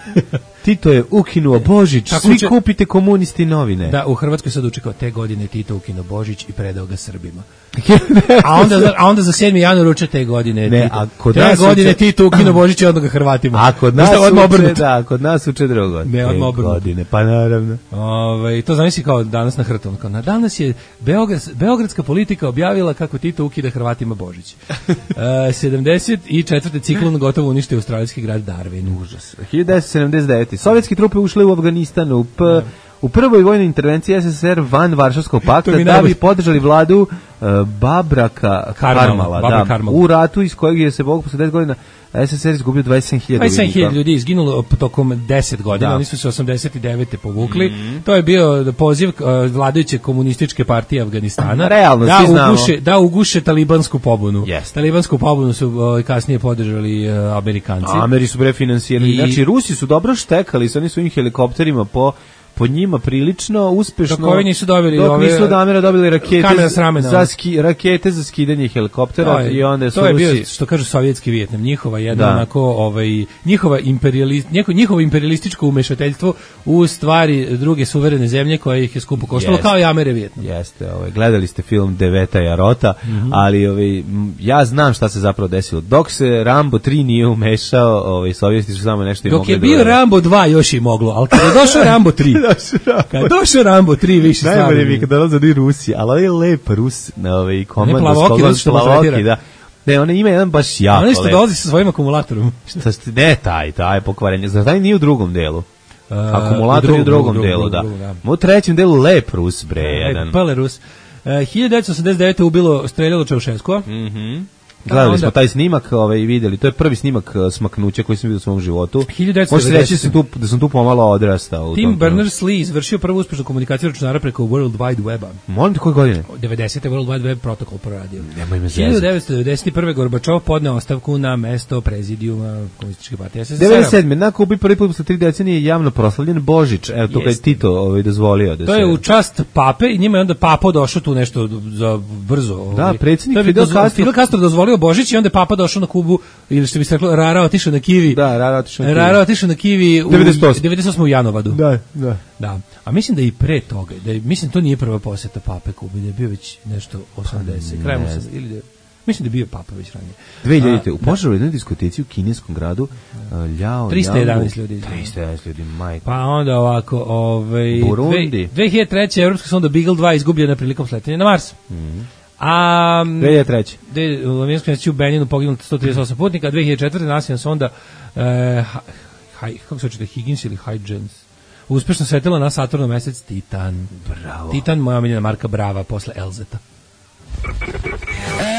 Tito je ukinuo Božić, svi kupite Komunisti novine. Da, u Hrvatskoj sad učekao te godine Tito ukinuo Božić i predao ga Srbima. a onda za 7. januar uče te godine Tito. Te godine Tito ukinuo Božić i odmah ga Hrvatima. A kod nas uče drugo. Ne, odmah obrnuto. Pa naravno. To zamisli kao danas na Hrtom. Na danas je beogradska politika objavila kako Tito ukida Hrvatima Božić. 74. ciklon gotovo uništio australijski grad Darwin. Užas. 1979. Sovjetski trupe ušle u Afganistan u prvoj vojnoj intervenciji SSSR van Varšavskog pakta da bi podržali vladu Babraka Karmala. U ratu iz kojeg je se posle 10 godina SSSR izgubio 27.000 ljudi izginulo tokom 10 godina, oni su se 89. povukli. To je bio poziv vladajuće komunističke partije Afganistana da uguše talibansku pobunu. Talibansku pobunu su kasnije podržali Amerikanci. Ameri su finansirali. Znači Rusi su dobro štekali sa onim svojim helikopterima po njima prilično uspešno. Dok ovi nisu dobili nisu od Amera dobili rakete za skidanje helikoptera i onda su to je bio, što kažu, sovjetski Vijetnam, njihova jedna onako njihovo imperialističko umešateljstvo u stvari druge suverene zemlje koje ih je skupo koštalo, kao i Amere Vijetnam. Jeste, gledali ste film Deveta Jarota, ali ja znam šta se zapravo desilo. Dok se Rambo 3 nije umešao, sovjeti su samo nešto i mogli. Dok je bio Rambo 2 još i moglo, ali kada je došao Rambo 3 kad došao Rambo 3 više stvarno. Najbolje mi kada dolaze do Rusije, ali on je lep Rus na komando. Plavoki, da. Ne, on ima jedan baš jako lep. On nešto dolazi sa svojim akumulatorom. Ne, taj pokvarenje. Zar taj nije u drugom delu? Akumulator je u drugom delu, da. U trećem delu lep Rus, bre, jedan. Pale Rus. 1989. streljalo Čaušeskova. Gledali smo taj snimak i videli. To je prvi snimak smaknuća koji sam vidio u svom životu. 1990. Može se reći da sam tu pomalo odrastao. Tim Berners-Lee izvršio prvu uspešnu komunikaciju računara preko World Wide Weba. Molim te koje godine? 90. World Wide Web protokol proradio. Nemoj me zezati. 1991. Gorbačov podneo ostavku na mesto prezidijuma Komunističke partije SSSR. 97. Na Kubi prvi put posle 3 decenije javno proslavljen Božić. Evo to je Tito dozvolio da se. To je u čast pape i njima je onda papa došao tu nešto za brzo. Da, predsjednik Fidel Castro dozvolio Božić i onda je papa došao na Kubu, ili što bi se reklo, Rara otišao na Kivi. Da, Rara otišao na Kivi u 98. u Janovadu. Da. A mislim da i pre toga, mislim to nije prva poseta pape Kubi, da je bio već nešto 80, krajem 80, ili mislim da je bio papa već ranije. 2000. U požaru u jednoj diskoteci u kineskom gradu 311 ljudi. 311 ljudi, majko. Pa onda ovako, Burundi. 2003. Evropska sonda Beagle 2 izgubljena prilikom sletanja na Mars. A 2003. U američkom mjesecu u Beninu poginulo 138 putnika, a 2004. nasilna sonda kako se očite, Higgins ili Huygens uspešno sletela na Saturnov mesec Titan. Bravo. Titan, moja omiljena marka Brava posle Elzeta.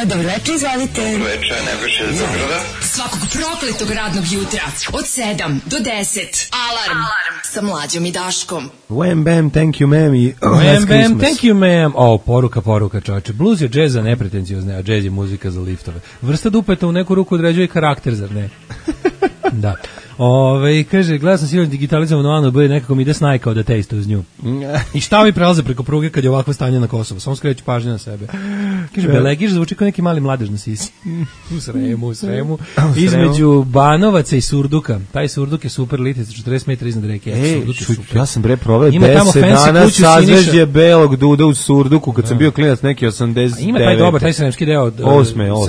Dobro večer, izvolite. Dobro večer, Nebojša iz Beograda. Svakog prokletog radnog jutra od 7 do 10. Alarm sa Mlađom i Daškom. Wham bam, thank you ma'am. Wham bam, thank you ma'am. Poruka čoveče. Blues je džez za nepretenciozne, a džez je muzika za liftove. Vrsta dupeta u neku ruku određuje karakter, zar ne? Da. Kaže, gledao sam silno digitalizovano Anu B, nekako mi ide snajkao da tejste uz nju. I šta vi prelaze preko pruge kad je ovakvo stanje na Kosovu? Samo skreću pažnju na sebe. Kaže, Belegiš zvuči kao neki mali mladež na sisi. U Sremu. Između Banovaca i Surduka. Taj Surduk je super litic, 40 metara iznad reke. Ja sam proveo 10 dana sazvežđe belog duda u Surduku kad sam bio klinac neki 89. Ima taj dobar, taj sremski deo.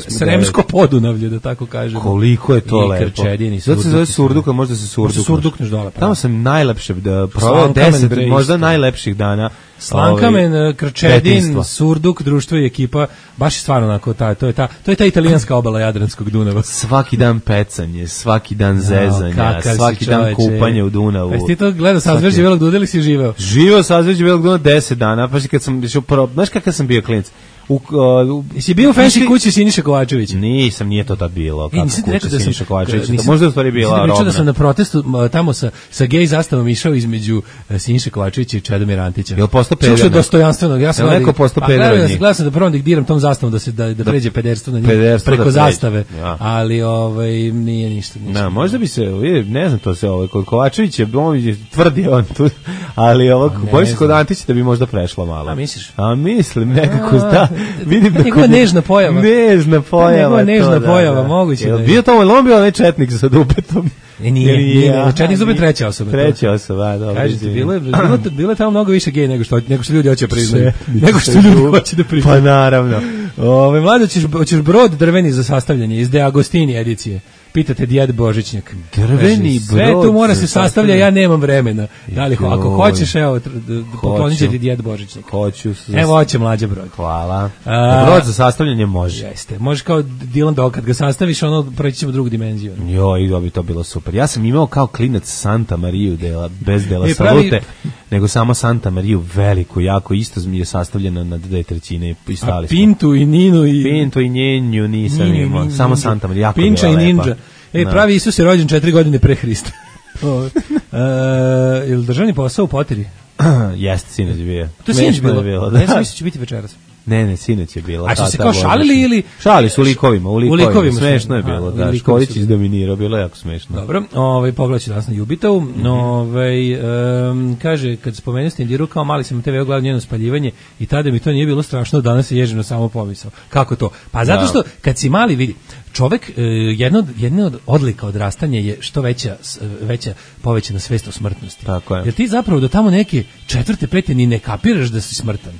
Sremsko podunavlje, da tako kažemo. Koliko je to lepo. Zato se zove Surduka, možda se Surdukneš dole. Tamo sam najlepše proveo 10 možda najlepših dana. Slankamen, Krčedin, Surduk, društvo i ekipa, baš je stvarno onako, to je ta italijanska obala Jadranskog Dunava. Svaki dan pecanje, svaki dan zezanja, svaki dan kupanje u Dunavu. Pa ti to gledao sazvežđe belog duda ili si živeo? Živeo sazvežđe belog duda 10 dana, pa kad sam išao znaš kakav sam bio klinac? Jesi bio u fancy kući Siniše Kovačevića? Nisam, nije to tad bilo. Nisam ti rekao da Siniša Kovačevića. Možda je u stvari bila Romna. Da sam na protestu tamo sa gej zastavom išao između Siniše Kovačevića i Čedomira Antića. Jel postao peder? Slušao dostojanstveno. Ja sam neko postao peder od njih. Gledao sam da prvom diktiram tom zastavom da pređe pederstvo na njih preko zastave. Ali nije ništa. Možda bi se, ne znam to se kod Kovačevića, tvrdi on tu, ali bojim se kod Antića da bi možda prešlo malo. A misliš? A mislim, nekako da. Vidim da njegova nežna pojava. Nežna pojava, moguće. Jel bio to on bio onaj četnik sa dupetom? Nije. Četnik zube treća osoba. Treća osoba, dobro. Kažete, bilo je tamo mnogo više gej nego što ljudi hoće priznati. Nego što ljudi hoće da priznaju. Pa naravno. Mlado, hoćeš brod drveni za sastavljanje iz De Agostini edicije. Pitate Djed Božićnjak. Drveni brod. Sve tu mora se sastavlja, ja nemam vremena. Da li, ako hoćeš, evo, poklonit će ti Djed Božićnjak. Hoću. Evo, hoće mlađa brod. Hvala. Brod za sastavljanje može. Jeste. Može kao Dylan Dog, kad ga sastaviš, preći ćemo drugu dimenziju. Joj, bi to bilo super. Ja sam imao kao klinac Santa Mariju, bez dela salute, nego samo Santa Mariju, veliku, jako, isto mi je sastavljena na 2/3 i stali smo. Pintu i Ninu Pintu i Njenju nisam imao, samo Santa Marija, jako Pinča i Ninja. Pravi Isus je rođen 4 godine pre Hrista. Je li državni posao u Poteri? Jeste, sinoć je bio. To je sinoć bilo? Ja sam mislio će biti večeras. Ne, sinoć je bilo. A su se kao šalili ili? Šali su u likovima. Smešno je bilo, da. Školić izdominirao, bilo je jako smešno. Dobro, pogledat ću danas na Jubitovu. Kaže, kad spomenuo Stendiru, kao mali sam TV gledao njeno spaljivanje i tada mi to nije bilo strašno, danas je ježino samo pomisao. Kako to? Pa zato što, kad si mali, vidi, čovek, jedna od odlika odrastanja je što veća povećana svest o smrtnosti. Tako je. Jer ti zapravo do tamo neke 4. 5. ni ne kapiraš da si smrtan.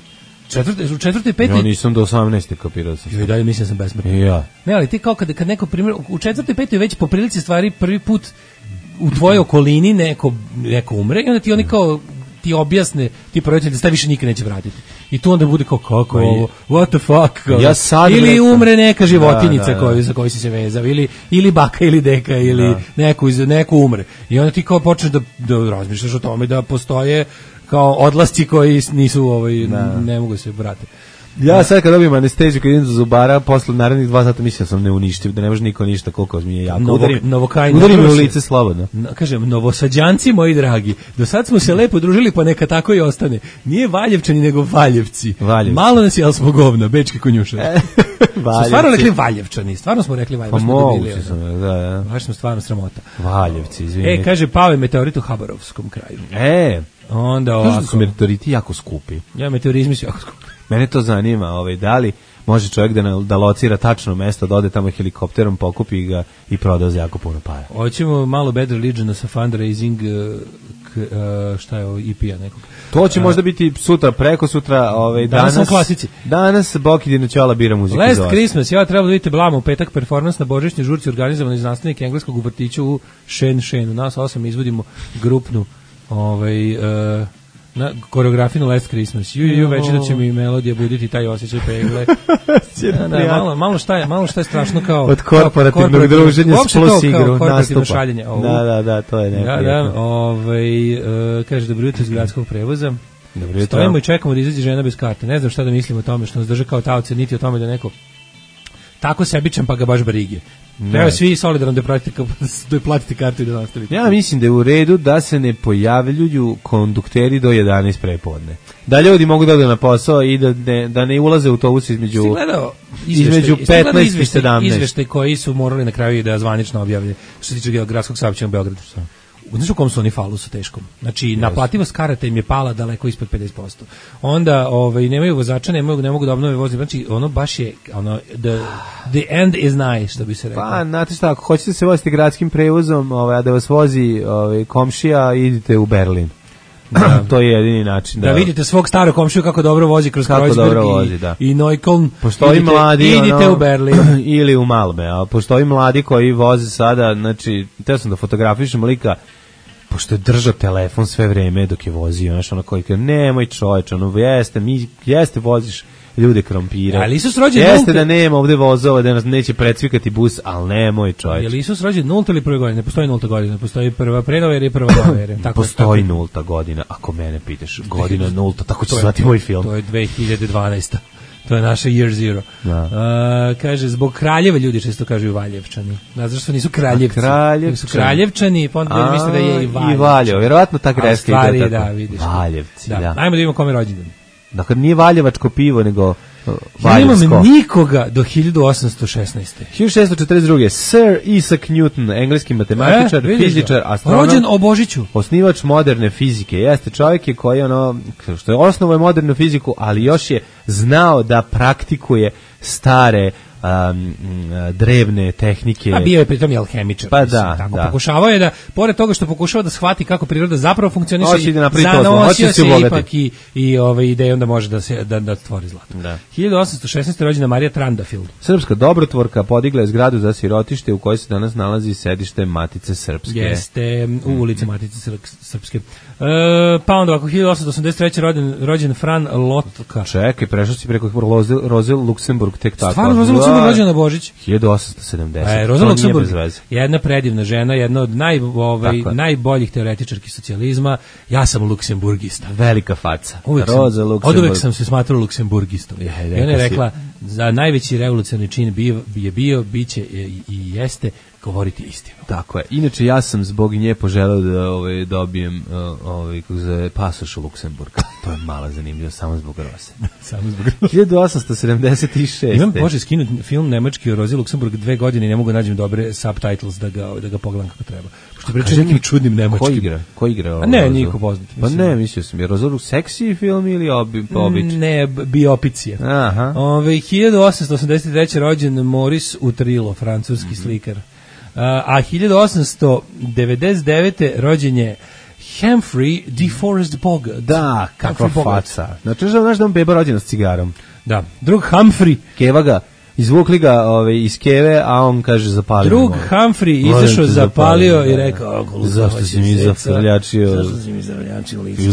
U 4. 5. Ja nisam do 18. kapirao sam. I dalje mislim da sam besmrtan. Ja. Ne, ali ti kao kad neko primjer, u 4. 5. već po prilici stvari prvi put u tvojoj okolini neko umre i onda ti oni kao ti objasne, ti roditelji da se više nikad neće vratiti. I tu onda bude kao kako ovo, what the fuck, ili umre neka životinjica za koju si se vezao, ili baka ili deka, ili neko umre. I onda ti kao počneš da razmišljaš o tome da postoje kao odlasci koji nisu ne mogu se vratiti. Ja sad kad dobijem anesteziju, kad idem do zubara, posle narednih 2 sata mislim da sam neuništiv, da ne može niko ništa, koliko mi je jako. Udarim me u lice slobodno. Kažem, novosađanci moji dragi, do sad smo se lepo družili, pa neka tako i ostane. Nije Valjevčani, nego Valjevci. Malo nas je, ali smo govna, bečki konjušari. Smo stvarno rekli Valjevčani, stvarno smo rekli Valjevčani. Pa moguće sam, da. Baš smo stvarno sramota. Valjevci, izvinite. Kaže, pao je meteorit u Habarovskom kraju. Onda ovako. Kažu su meteoriti jako skupi. Ja, meteorizmi su jako skupi. Mene to zanima, da li može čovjek da locira tačno mesto, da ode tamo helikopterom, pokupi ga i proda za jako puno para. Hoćemo malo Bad Religion sa fundraising, šta je ovo, EP-a nekog. To će možda biti sutra, preko sutra, danas sam klasici. Danas Boki Dinoćola bira muziku. Last Christmas, ja trebalo da vidite Blama u petak, performans na božićnoj žurci organizovan iz nastavnika engleskog u vrtiću u Shenu. Nas 8 izvodimo grupnu na koreografiju Last Christmas. Ju već da će mi melodija buditi taj osjećaj pegle. Malo šta je strašno kao od korporativnog druženja s plus igru nastupa. Šaljenje. Da, to je neprijatno. Kaže, dobro jutro iz gradskog prevoza. Stojimo i čekamo da izađe žena bez karte. Ne znam šta da mislim o tome, što nas drže kao taoce, niti o tome da neko tako sebičan pa ga baš brige. Treba svi solidarno da platite kartu i da nastavite. Ja mislim da je u redu da se ne pojavljuju kondukteri do 11 prepodne. Da ljudi mogu da odu na posao i da ne ulaze u autobus između 15 i 17. Izveštaj koji su morali na kraju da zvanično objavlje što se tiče gradskog saobraćaja u Beogradu. Znaš u kom su oni falusu teškom? Znači, naplativost karata im je pala daleko ispod 50%. Onda nemaju vozača, ne mogu da obnove vozi. Znači, ono baš je, the end is nigh, što bi se rekao. Pa, znate šta, ako hoćete se voziti gradskim prevozom, a da vas vozi komšija, idite u Berlin. To je jedini način. Da vidite svog starog komšiju kako dobro vozi kroz Kreuzberg i Neukölln. Postoji mladi, idite u Berlin. Ili u Malme, a postoji mladi koji voze sada, znači, teo sam da fotografišem lika, pošto je držao telefon sve vreme dok je vozio, znaš, ono koji kaže, nemoj čoveč, jeste voziš ljude krompira. Ali Isus rođen jeste da nema ovde vozova, da nas neće precvikati bus, ali nemoj čoveč. Je li Isus rođen 0 ili 1. godine? Ne postoji 0. godina, postoji prva pre-nove ere i prva nove ere. Postoji 0. godina, ako mene pitaš. Godina 0, tako će zvati moj film. To je 2012. To je naša Year Zero. Kaže, zbog kraljeva ljudi često kažu Valjevčani. Zašto nisu kraljevci? Su kraljevčani, pa onda misle da je i Valjev. I Valjev, vjerovatno ta greska ide tako. Vidiš. Valjevci, da. Ajmo da vidimo kome rođendan. Dakle, nije valjevačko pivo, nego valjevsko. Ja nemam nikoga do 1816. 1642. Sir Isaac Newton, engleski matematičar, fizičar, astronom. Rođen o Božiću. Osnivač moderne fizike. Jeste čovjek je koji što je osnovao modernu fiziku, ali još je znao da praktikuje stare drevne tehnike. A bio je pritom i alhemičar. Pa da. Pokušavao je da, pored toga što pokušava da shvati kako priroda zapravo funkcioniše, zanosio se ipak i idejom da može da stvori zlato. 1816. rođena Marija Trandafil. Srpska dobrotvorka podigla je zgradu za sirotište u kojoj se danas nalazi sedište Matice Srpske. Jeste, u ulici Matice Srpske. Pa onda ovako, 1883. rođen Fran Lotka. Čekaj, prešao si preko Roze Luksemburg tek tako. Stvarno, Roza Luksemburg rođena na Božić. 1870. Roza Luksemburg, jedna predivna žena, jedna od najboljih teoretičarki socijalizma. Ja sam luksemburgista. Velika faca. Oduvek sam se smatrao luksemburgistom. I ona je rekla, za najveći revolucionarni čin je bio, biće i jeste govoriti istinu. Tako je. Inače, ja sam zbog nje poželeo da dobijem pasoš u Luksemburga. To je malo zanimljivo, samo zbog Rose. Samo zbog Rose. 1876. Imam Bože skinut film nemački o Rozi Luksemburg 2 godine i ne mogu nađem dobre subtitles da ga pogledam kako treba. Pošto priča nekim čudnim nemačkim. Ko igra? A ne, niko poznat. Pa ne, mislio sam. Je Roza seksi film ili običan? Ne, biopicija. Aha. 1883. rođen Maurice Utrillo, francuski slikar. A 1899. rođen je Humphrey DeForest Bogart. Da, kakva faca. Znači, znaš da on beba rođena s cigarom. Da, drug Humphrey. Keva ga, izvukli ga iz keve, a on kaže zapalio. Drug Humphrey izašao, zapalio i rekao, zašto si mi zafrljačio? Zašto si mi zafrljačio lice?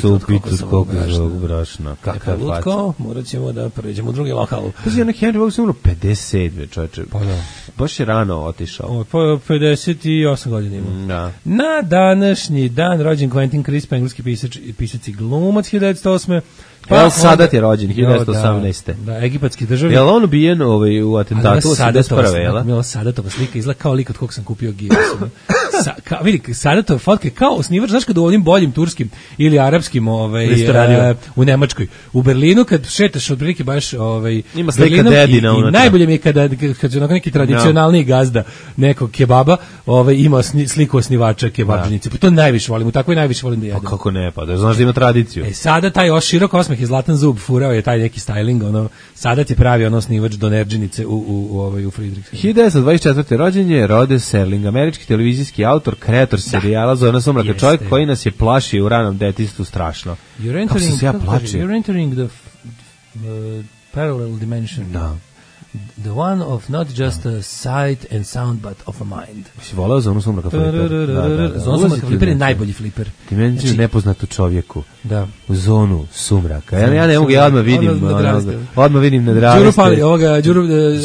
Supitu skog zbog brašna. Kakva faca. Morat ćemo da pređemo u drugi lokal. Pa si Henry Bogart umro 57. čovječe. Pa da. Baš je rano otišao. 58 godina ima. Da. Na današnji dan rođen Quentin Crisp, engleski pisac i glumac 1908. El Sadat je rođen 1918. Da, egipatski državnik. Je li on ubijen u atentatu 81. jel? Mila Sadatova slika izgleda kao lik od kog sam kupio gilas. Vidi, Sadatova fotka kao osnivač, znaš kad u ovim boljim turskim ili arapskim u Nemačkoj. U Berlinu kad šetaš otprilike baš ima slika dedina unutra. I najbolje mi je kad je neki tradicionalniji gazda nekog kebaba ima sliku osnivača kebabžnice. Pa to najviše volim, u takvoj najviše volim da jedem. Pa kako ne, pa da znaš da ima tradiciju. Sada taj širok osmeh i zlatan zub furao je taj neki styling, Sadat je pravi osnivač donerđenice u Friedrichshainu. 1924. rođen je Rod Serling, američki televizijski autor, kreator serijala Zona sumraka, čovjek koji nas je plašio u ranom detinjstvu strašno. Kako se ja plačio? You're entering the parallel dimension. Da. The one of not just a sight and sound, but of a mind. Si volao Zonu sumraka fliper? Zonu sumraka fliper je najbolji fliper. Dimenziju nepoznatu čovjeku. Da. U zonu sumraka. Ja ne mogu, ja odmah vidim na Dravište. Đuru Pali,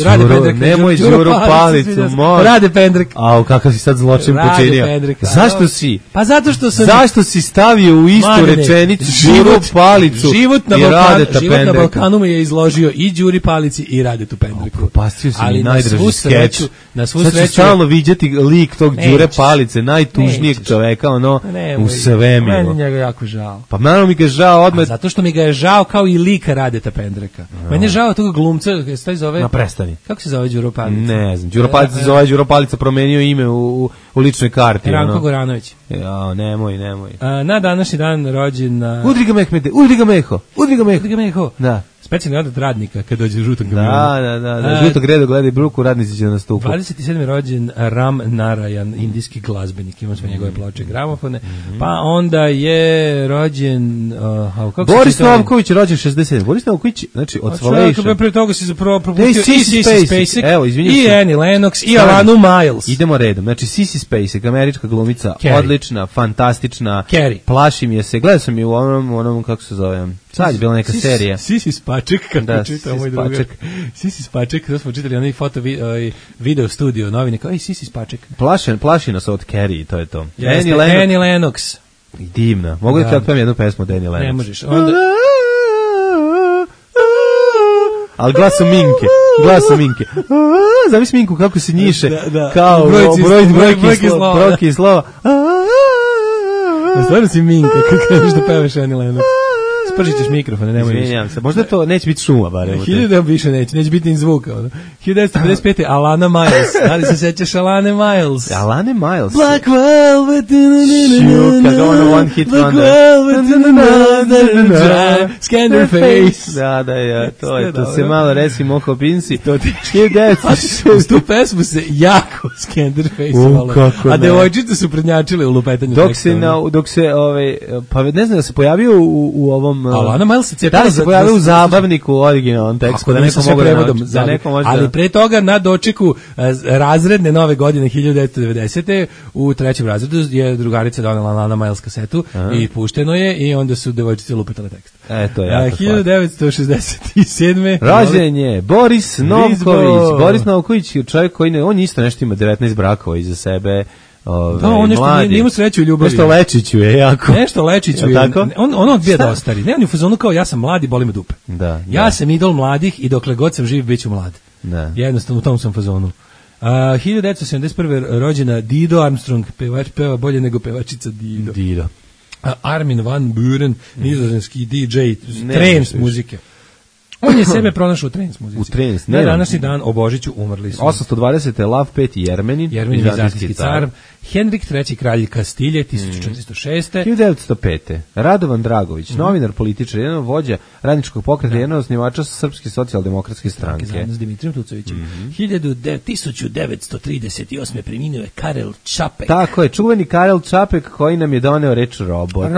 Rade Pendrek. Nemoj Đuru Palicu, moj. Rade Pendrek. Au, kakav si sad zločin počinio. Zašto si? Pa zato što sam... Zašto si stavio u istu rečenicu Đuru Palicu i Radeta Pendreka? Život na Balkanu me je izložio i Đuri Palici i Radetu Pendreku. Propastio si mi najdraži skeč. Na svu sreću... Sad ću stalno viđati lik tog Đure Palice, najtužnijeg čoveka, u svemiru. Meni njega jako žao. Pa malo mi ga žao odmah. Zato što mi ga je žao kao i lika Radeta Pendreka. Meni je žao toga glumca, se zove... Na prestani. Kako se zove Đuro Palica? Ne znam, Đuro Palica se zove Đuro Palica, promenio ime u ličnoj karti. Ranko Goranović. Ja, nemoj. Na današnji dan rođen... Udri ga Mehmede, udri ga Meho. Da. Specijalni odat radnika kad dođe u žutom kamionu. Da. Žutog redu gledaj bruku, radnici će na stupu. 27. rođen Ram Narayan, indijski glazbenik, imamo sve njegove ploče i gramofone. Pa onda je rođen... Boris Novković je rođen 67. Boris Novković, znači od Svalation. Pre toga si zapravo propustio i Sissy Spacek, evo, i Annie Lennox, i Alanu Miles. Idemo redom. Znači Sissy Spacek, američka glumica, odlična, fantastična. Carrie. Plašim je se. Gledao sam je u onom kako se zove... Sad je bila neka serija. Sissy Spaček, kako čitao moj drugar. Sissy Spaček, to smo čitali onaj video studio novine, kao Sissy Spaček. Plaši nas od Carrie, to je to. Annie Lennox. Divna. Mogu da ti otpevam jednu pesmu od Annie Lennox? Ne možeš. Onda... Ali glasom Minke. Zamisli Minku kako se njiše, kao brojke i slova. Stvarno si Minka, kako kažeš da pevaš Annie Lennox. Spržit ćeš mikrofone, nemoj više. Izvinjam se, možda to neće biti šuma, barem. 1000 više neće biti ni zvuka. 1955. Alana Miles. Da li se sećaš Alane Miles? Alane Miles? Black Velvet, kako ono one hit Black Velvet, Scanderface. Da, to je to. Se malo resi moho pinsi. To ti uz tu pesmu se jako Scanderface a devojčice su prednjačile u lupetanju teksta. Dok se, pa ne znam da se pojavio u ovom... Alana Miles se cijepila se pojavio u zabavniku u originalnom tekstu, da neko mogu da neko može. Ali pre toga na dočeku razredne nove godine 1990. u trećem razredu je drugarica donela Alana Miles kasetu i pušteno je i onda su devojčice lupetale tekst. To je jako 1967. rođen je Boris Novković. Boris Novković je čovjek koji on isto nešto ima 19 brakova iza sebe. On nešto nije imao sreću u ljubavi. Nešto Lečiću je jako. Nešto Lečiću je. On odbija da ostari. Ne, on je u fazonu kao ja sam mlad i boli me dupe. Ja sam idol mladih i dokle god sam živ bit ću mlad. Jednostavno u tom sam fazonu. 1971. rođena Dido Armstrong, peva bolje nego pevačica Dido. Armin van Buuren, nizozemski DJ, trance muzike. On je sebe pronašao u trance muzici. U trance, na današnji dan o Božiću umrli su. 820. Lav V Jermenin, vizantijski car. Henrik III. kralj Kastilje, 1406. 1905. Radovan Dragović, novinar, političar, jedan vođa radničkog pokreta, jedan osnivača Srpske socijaldemokratske stranke. Zajedno s Dimitrijem Tucovićem. 1938. preminuo je Karel Čapek. Tako je, čuveni Karel Čapek koji nam je doneo reč robot.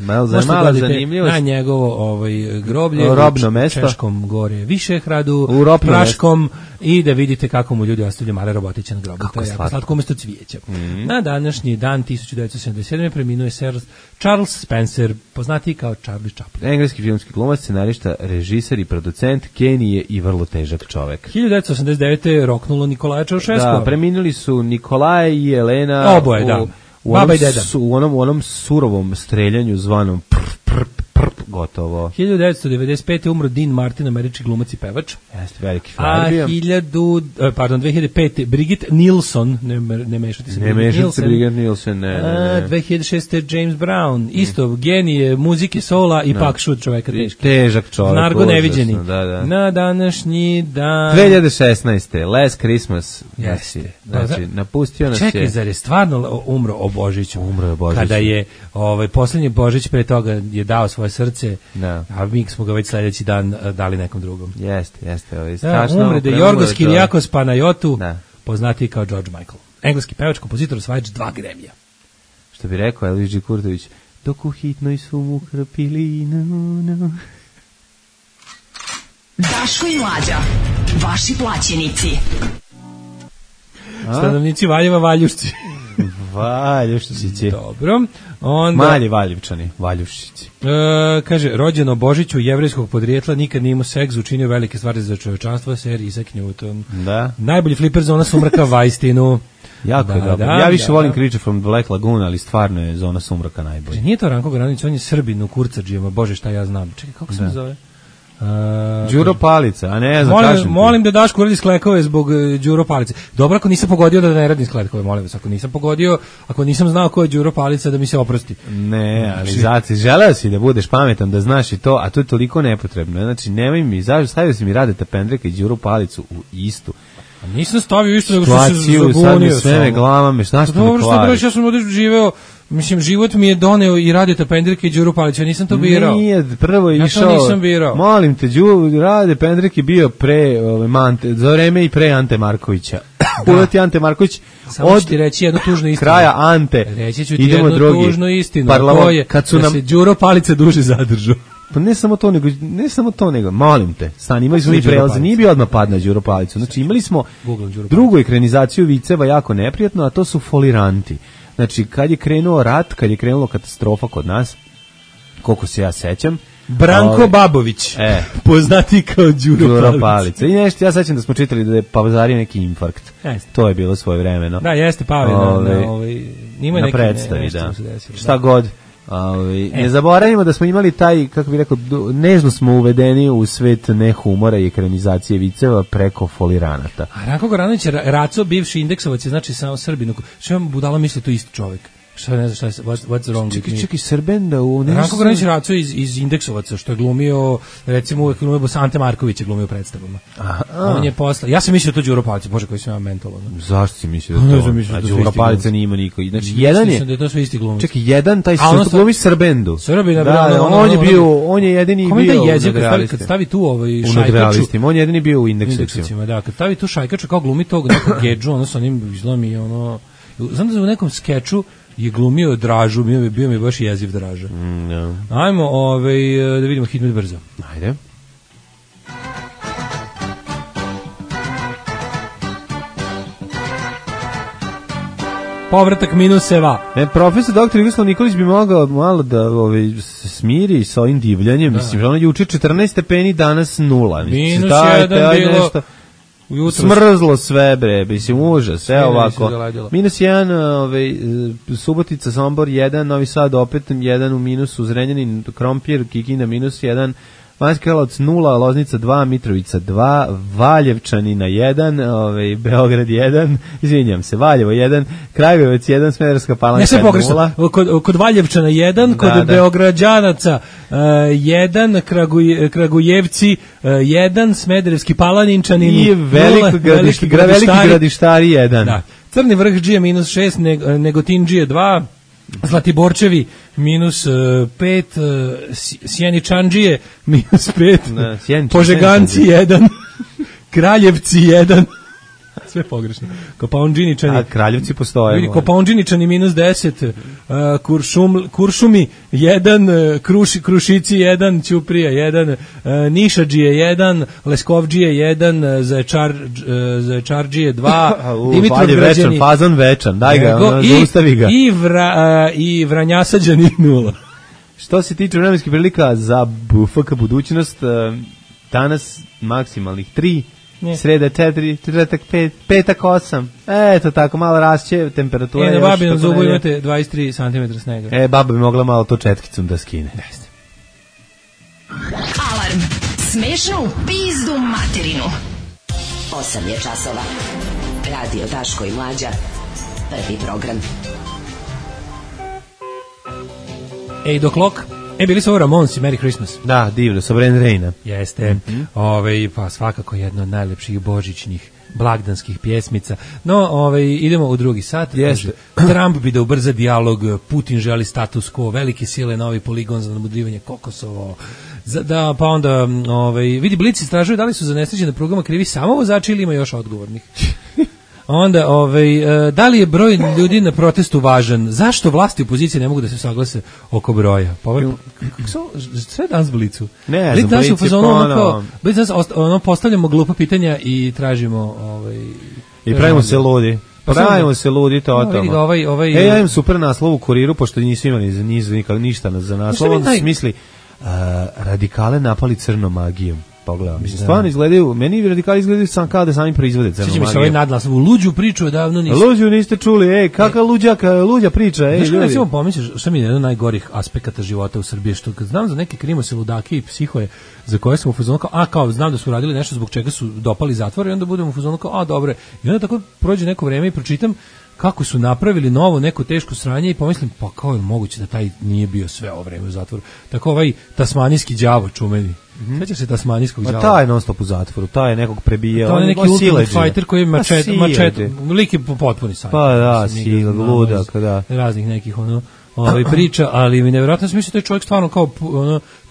Malo zanimljivo. Na njegovo groblje, robno mesto. Češkom gore Višehradu, Praškom i da vidite kako mu ljudi ostavljaju male robotiće na grobu. To je jako slatko umjesto cvijeća. Na današnji dan 1977. preminuo je Sir Charles Spencer, poznatiji kao Charlie Chaplin. Engleski filmski glumac, scenarista, režiser i producent, genije i vrlo težak čovek. 1989. roknulo Nikolaja Čaušesku. Da, preminuli su Nikolaj i Elena. Oboje, da. Baba i deda. U onom surovom streljanju zvanom Gotovo. 1995. umro Dean Martin, američki glumac i pevač. Jeste, veliki frajer bio. 2005. Brigitte Nielsen, ne mešati se. Ne mešati se Brigitte Nielsen, ne. 2006. James Brown, isto genije muzike, sola i pak šut čoveka teški. Težak čovjek. Nargo neviđeni. Da. Na današnji dan. 2016. Last Christmas. Jeste. Znači, napustio nas je. Čekaj, zar je stvarno umro o Božiću? Umro je Božić. Kada je posljednji Božić pre toga je dao svoje srce, a mi smo ga već sledeći dan dali nekom drugom. Jeste. Strašno. Umre da Jorgos Kirijakos Panayotou, poznatiji kao George Michael. Engleski pevač, kompozitor, osvajač 2 Grammy-a. Što bi rekao Elvis G. Kurtović, dok u hitnoj su mu krpili, no. Daško i Mlađa, vaši plaćenici. Stanovnici Valjeva, Valjušci. Valjuščići. Dobro. Onda, mali Valjevčani, Valjuščići. Kaže, rođeno Božiću jevrejskog podrijetla, nikad nije imao seks, učinio velike stvari za čovečanstvo, Sir Isaac Newton. Da. Najbolji fliper Zona sumraka Vajstinu. Jako je dobro. Ja više volim Creature from the Black Lagoon, ali stvarno je Zona sumraka najbolja. Nije to Ranko Granić, on je Srbin u kurcađijama, bože šta ja znam. Čekaj, kako se zove? Đuro Palica, a ne znam, molim da Daško uradi sklekove zbog Đuro Palice. Dobro, ako nisam pogodio da ne radim sklekove, molim vas, ako nisam znao ko je Đuro Palica, da mi se oprosti. Ne, ali zaci, želeo si da budeš pametan, da znaš i to, a to je toliko nepotrebno. Znači, nemoj mi, stavio si mi Radeta Pendreka i Đuro Palicu u istu. A nisam stavio isto, nego što se zabunio. Sad mi sve me glavama, znaš što me kvariš. Dobro što ja sam ovdje živeo. Mislim, život mi je doneo i Radeta Pendreka i Đuru Palića, ja nisam to birao. Nije, prvo je išao. Ja to nisam birao. Molim te, Rade Pendrek je bio za vreme i pre Ante Markovića. Uleti Ante Marković samo ću ti reći jednu tužnu istinu. Kraja Ante. Reći ću ti jednu tužnu istinu. To je da se Đuro Palica duže zadržao. Pa ne samo to nego, molim te, stani, imali smo i prelaze, nije bio odmah pad na Đuro Palicu. Znači, imali smo drugu ekranizaciju viceva jako neprijatno, a to su foliranti. Znači, kad je krenuo rat, kad je krenula katastrofa kod nas, koliko se ja sećam, Branko Babović, poznati kao Đuro Palica. I nešto, ja sećam da smo čitali da je pavazario neki infarkt. To je bilo svoje vremeno. Da, jeste pavio na predstavi, da. Šta god. Ne zaboravimo da smo imali taj, kako bih rekao, nežno smo uvedeni u svet nehumora i ekranizacije viceva preko foliranata. A Ranko Goranović je Raco, bivši indeksovac, je znači samo Srbinu. Što vam budala misli, to isti čovjek? Šta ne znam šta je, what's wrong with me? Čekaj, Srben da u... Ranko Goranović je Raco iz indeksovaca, što je glumio, recimo uvek glumio Ante Marković je glumio predstavama. On je posle... Ja sam mislio to Đuro Palica, bože koji sam ja mentolo. Zašto si mislio da to? A Đuro Palica nije ima niko. Znači, jedan je... Mislim da je to sve isti glumic. Čekaj, jedan, taj glumi Srbendu. Srbina, on je jedini bio u Negralistima. Kad stavi tu šajkaču... On je jedini bio u indeksovcima. Da, kad stavi tu šajkaču kao glumi tog nekog gedžu, ono sa onim izlomi, ono... Znam da u nekom skeču je glumio Dražu, bio mi baš jeziv Draža. Ajmo da vidimo hitmet brzo. Ajde. Povratak minuseva. Profesor doktor Jugoslav Nikolić bi mogao malo da se smiri sa ovim divljanjem. Mislim, ono juče 14 stepeni, danas 0. Minus 1 bilo... Smrzlo sve, bre, mislim, užas, sve ovako. Minus 1, Subotica, Sombor 1, Novi Sad opet 1 u minusu, Zrenjanin, Krompir, Kikinda minus 1, Banjski Karlovac 0, Loznica 2, Mitrovica 2, Valjevčani na 1, Beograd 1, izvinjam se, Valjevo 1, Kragujevac 1, Smederevska Palanka 0. Kod Valjevčana 1, kod Beograđanaca 1, Kragujevci 1, Smederevski Palaninčanin i Veliki Gradištari 1. Da. Crni vrh Džije minus 6, Negotin-Džije 2, Zlatiborčevi minus 5, Sjeničandžije minus 5, Požeganci 1, Kraljevci 1, sve pogrešno. Kopaondžiničani. A Kraljevci postoje. Kopaondžiničani minus 10, Kuršumi 1, Krušici 1, Ćuprija 1, Nišadžije 1, Leskovdžije 1, Zaječardžije 2, Dimitrovgrađani. Fazon večan, daj ga, zaustavi ga. I Vranjasađani 0. Što se tiče vremenskih prilika za FK budućnost, danas maksimalnih 3, sreda 4, četvrtak 5, petak 8. Eto tako, malo rasće temperatura. Na Babinom zubu imate 23 cm snega. Baba bi mogla malo to četkicom da skine. Jeste. smešno u pizdu materinu. 8 je časova. Radio Daško i Mlađa. Prvi program. 8 o'clock. Bili su ovo Ramonsi, Merry Christmas. Da, divno, sa Brand Raina. Jeste, pa svakako jedno od najlepših božićnih blagdanskih pjesmica. No, idemo u drugi sat. Jeste. Trump bi da ubrza dijalog, Putin želi status quo, velike sile, novi poligon za namudrivanje Kokosovo. Da, pa onda, vidi, Blic istražuje da li su za nesreće na prugama krivi samo vozači ili ima još odgovornih. Onda, da li je broj ljudi na protestu važan? Zašto vlasti i opozicije ne mogu da se saglase oko broja? Pa sve danas Blicu. Ne znam, Blic je ponovo. Blic danas postavljamo glupa pitanja i tražimo... I pravimo se ludi. Pravimo se ludi totalno. Ja imam super naslov u Kuriru, pošto nisu imali ništa za naslov. On smisli radikale napali crnom magijom. Pogledam, mislim, stvarno izgledaju, meni radikali izgledaju sam kao da sami proizvode crnu magiju. Sjeća mi se ovaj nadlas, u luđu priču odavno niste. Luđu niste čuli, kakva luđa priča, ljudi. Znaš, recimo pomisliš, šta mi je jedan od najgorih aspekata života u Srbiji, što kad znam za neke krimose, ludake i psihoje, za koje sam u fazonu kao, znam da su radili nešto zbog čega su dopali zatvor, i onda budem u fazonu kao, dobre, i onda tako prođe neko vreme i pročitam kako su napravili novo neko teško sranje i pomislim, pa kao je moguće da taj nije bio sve ovo vreme u zatvoru. Tako ovaj tasmanijski đavo čumeni. Sećaš se tasmanijskog đava? Taj je non stop u zatvoru, taj je nekog prebijao. To je neki ultimate fighter koji je mačete, lik je potpuni sajt. Pa da, sila, ludak, da. Raznih nekih priča, ali mi nevjerojatno sam mislio da je čovjek stvarno kao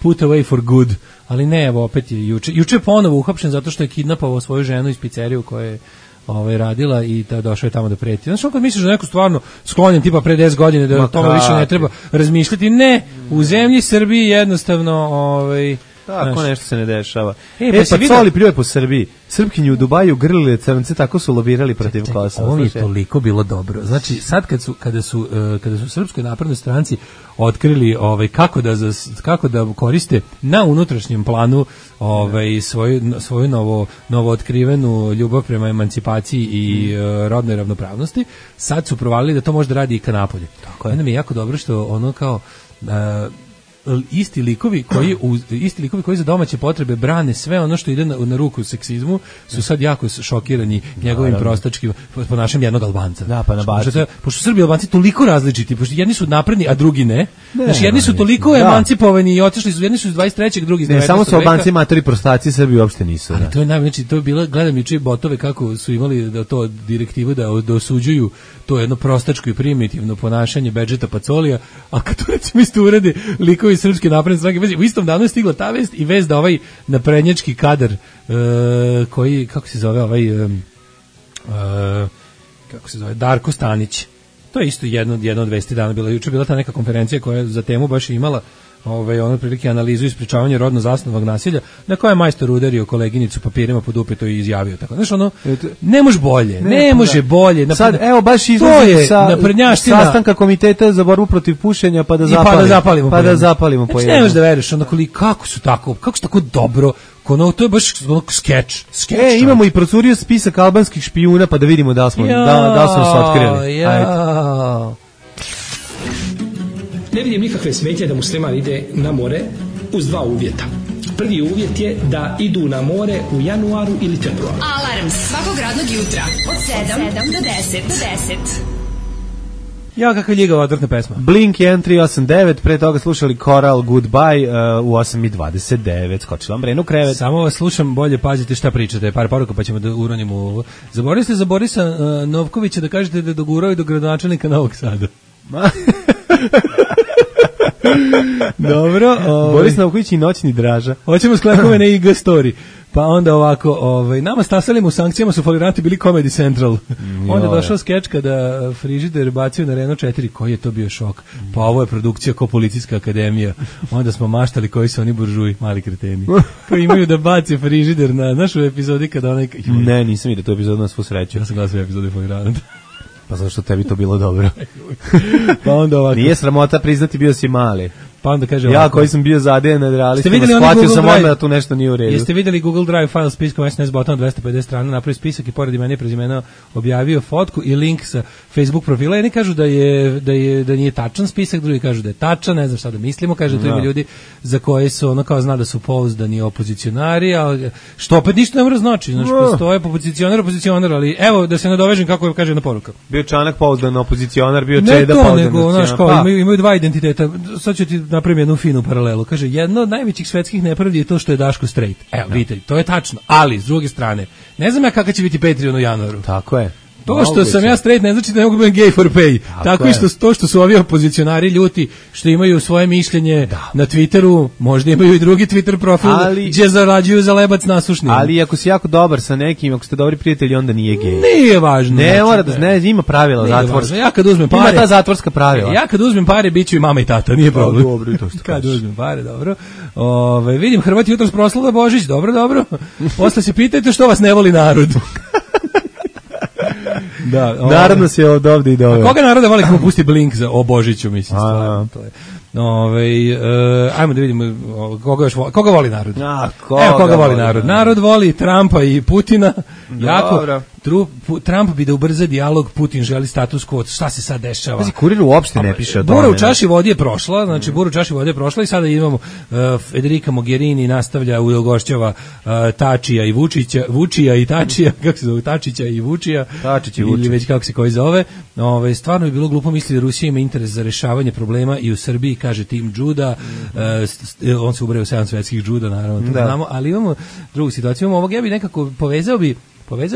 put away for good, ali ne, evo opet je juče je ponovo uhapšen zato što je kidnapovao svoju ženu iz pizzeriju koja je radila i došao je tamo da preti. Znaš, kad misliš da neko stvarno sklonjen tipa pre 10 godina da o tome više ne treba razmišljati, ne, u zemlji Srbiji jednostavno tako nešto se ne dešava. Pa Coli pljuje po Srbiji. Srpkinju u Dubaju grlile crnce, tako su lobirali protiv Kosova. Ovo mi je toliko bilo dobro. Znači, sad kada su Srpskoj naprednoj stranci otkrili kako da koriste na unutrašnjem planu svoju novo otkrivenu ljubav prema emancipaciji i rodnoj ravnopravnosti, sad su provalili da to može da radi i ka napolje. Onda mi je jako dobro što ono kao isti likovi koji za domaće potrebe brane sve ono što ide na ruku seksizmu su sad jako šokirani njegovim prostačkim ponašanjem jednog Albanca. Da, pa pošto Srbi i Albanci toliko različiti, pošto jedni su napredni, a drugi ne. Znači, jedni su toliko emancipovani i otišli su, jedni su iz 23. drugi iz 19. Ne, samo su Albanci matori prostaci, Srbi uopšte nisu. Ali to je znači, to je bilo, gledam juče botove kako su imali da to direktivu da osuđuju to jedno prostačko i primitivno ponašanje Bedžeta Pacolija, a kad to recimo isto urede likovi Srpske napredne stranke, u istom danu je stigla ta vest i vest da ovaj naprednjački kadar koji, kako se zove, Darko Stanić, to je isto jedno od vesti dana bila, juče bila ta neka konferencija koja za temu baš imala ono prilike analizu i sprečavanje rodno zasnovanog nasilja, na kojoj je majstor udario koleginicu papirima pod upeto i izjavio tako. Znaš, ne može bolje, ne može bolje. Sad, evo, baš izlazi sa sastanka komiteta za borbu protiv pušenja, pa da zapalimo. Znači, ne možeš da veriš, kako su tako dobro, to je baš skeč. Imamo i procurio spisak albanskih špijuna, pa da vidimo da li smo se otkrili. Ne vidim nikakve smetnje da musliman ide na more uz dva uvjeta. Prvi uvjet je da idu na more u januaru ili februaru. Alarm svakog radnog jutra od 7 do 10. Ja, kakva ljigava odvrtna pesma. Blink 1389, pre toga slušali Coral Goodbye u 8:29, skočila vam Brenu u krevet. Samo vas slušam, bolje pazite šta pričate, par poruka pa ćemo da uronimo ovo. Zaboravili ste za Borisa Novkovića da kažete da je dogurao i do gradonačelnika Novog Sada. Dobro, Boris Novković i noćni Draža. Hoćemo sklepove na IG story. Pa onda ovako, nama stasalima u sankcijama su foliranti bili Comedy Central. Onda je došao skeč kada frižider bacio na Renault 4, koji je to bio šok. Pa ovo je produkcija ko Policijska akademija. Onda smo maštali koji su oni buržuji, mali kreteni. Koji imaju da baci frižider na našu epizodi kada onaj... Ne, nisam vidio tu epizodu na svu sreću. Ja sam gledao sve epizode foliranta. Pa zašto tebi to bilo dobro? Pa onda ovako. Nije sramota priznati, bio si mali. Pa onda kaže Ja ovako, koji sam bio zadejan nad realistima, onaj shvatio Google sam Drive? odmah da tu nešto nije u redu. Jeste vidjeli Google Drive file spiskom SNS bottom 250 strana, napravio spisak i pored imena i prezimena objavio fotku i link sa Facebook profila. Jedni kažu da nije tačan spisak, drugi kažu da je tačan, ne znam šta da mislimo, kaže tu ima ljudi za koje su ono kao zna da su pouzdani opozicionari, ali što opet ništa ne mora znači, znači postoje opozicionar, ali evo da se nadovežem kako kaže jedna poruka. Bio Čanak pouzdan opozicionar, bio Ne Čeda to, pouzdan nego, znaš, kao, opozicionar. imaju dva identiteta. Sad ću ti napravim jednu finu paralelu. Kaže, jedna od najvećih svetskih nepravdi je to što je Daško straight. Evo, vidite, to je tačno. Ali, s druge strane, ne znam ja kakav će biti Patreon u januaru. Tako je. To što sam ja straight ne znači da ne mogu biti gay for pay. Tako i što su ovi opozicionari ljuti, što imaju svoje mišljenje na Twitteru, možda imaju i drugi Twitter profil, gdje zarađuju za lebac nasušni. Ali ako si jako dobar sa nekim, ako ste dobri prijatelji, onda nije gej. Nije važno. Ne, znači, mora da ima pravila zatvorska. Ja kad uzmem pare, ima ta zatvorska pravila. Ja kad uzmem pare, biću i mama i tata, nije problem. Dobro, to što kad uzmem pare, dobro. Vidim Hrvati jutros proslava Božić, dobro. Posle se pitajte što vas ne voli narod. Da, naravno se ovdje i doveo. Koga naroda voli kako pusti Blink o Božiću, mislim, stvarno, to je. Ajmo da vidimo koga voli narod. Evo koga voli narod. Narod voli Trumpa i Putina. Jako. Trump bi da ubrza dijalog, Putin želi status quo. Šta se sad dešava? Pazi, Kurir uopšte ne piše o tome. Bura u čaši vode je prošla, znači Bura u čaši vode je prošla i sada imamo Federica Mogherini nastavlja ugošćava Tačija i Vučija i Tačija, kako se zove, Tačića i Vučija. Tačić i Vučić. Ili već kako se koji zove. Stvarno bi bilo glupo misliti da Rusija ima interes za rešavanje problema i u Srbiji, kaže Tim Juda, on se ubreo 7 svetskih Juda, naravno, to znamo, ali imamo drugu situaciju, imamo ovog, ja bi nekako povezao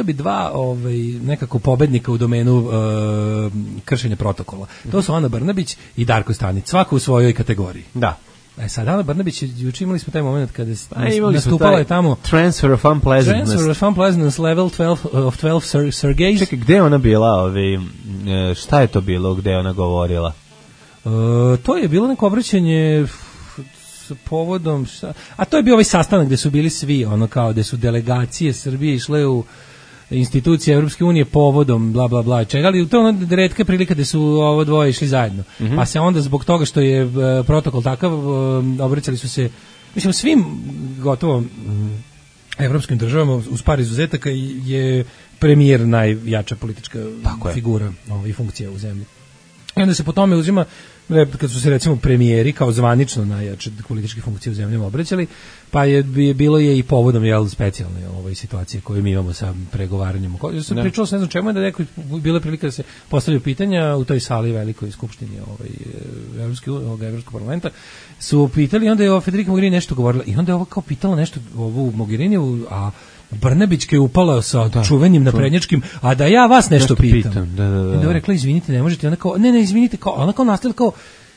bi dva nekako pobednika u domenu kršenja protokola. To su Ana Brnabić i Darko Stanić, svako u svojoj kategoriji. Da. Sad Ana Brnabić, juče imali smo taj moment kada nastupala je tamo Transfer of Unpleasantness level 12 of 12 Sergejs. Čekaj, gde je ona bila? Šta je to bilo gde je ona govorila? To je bilo neko obraćanje s povodom, a to je bio ovaj sastanak gde su bili svi, ono kao gde su delegacije Srbije išle u institucije Evropske unije povodom bla bla bla čega, ali to je ona retka prilika gde su ovo dvoje išli zajedno. Pa se onda zbog toga što je protokol takav obraćali su se, mislim, svim gotovo evropskim državama uz par izuzetaka je premijer najjača politička figura i funkcija u zemlji. I onda se po tome uzima, kad su se recimo premijeri kao zvanično najjače političke funkcije u zemljama obraćali, pa bilo je i povodom specijalne situacije koje mi imamo sa pregovaranjem. Pričalo se ne znam čemu je da neko bila prilika da se postavljaju pitanja u toj sali velikoj skupštini Evropskog parlamenta, su pitali, onda je Federica Mogherini nešto govorila i onda je ovo kao pitala nešto ovu Mogheriniju, a Brnabićka je upala sa čuvenim naprednjačkim, a da ja vas nešto pitam. I onda je rekla, izvinite, ne možete. Ona kao, ne, izvinite, ona kao nastavila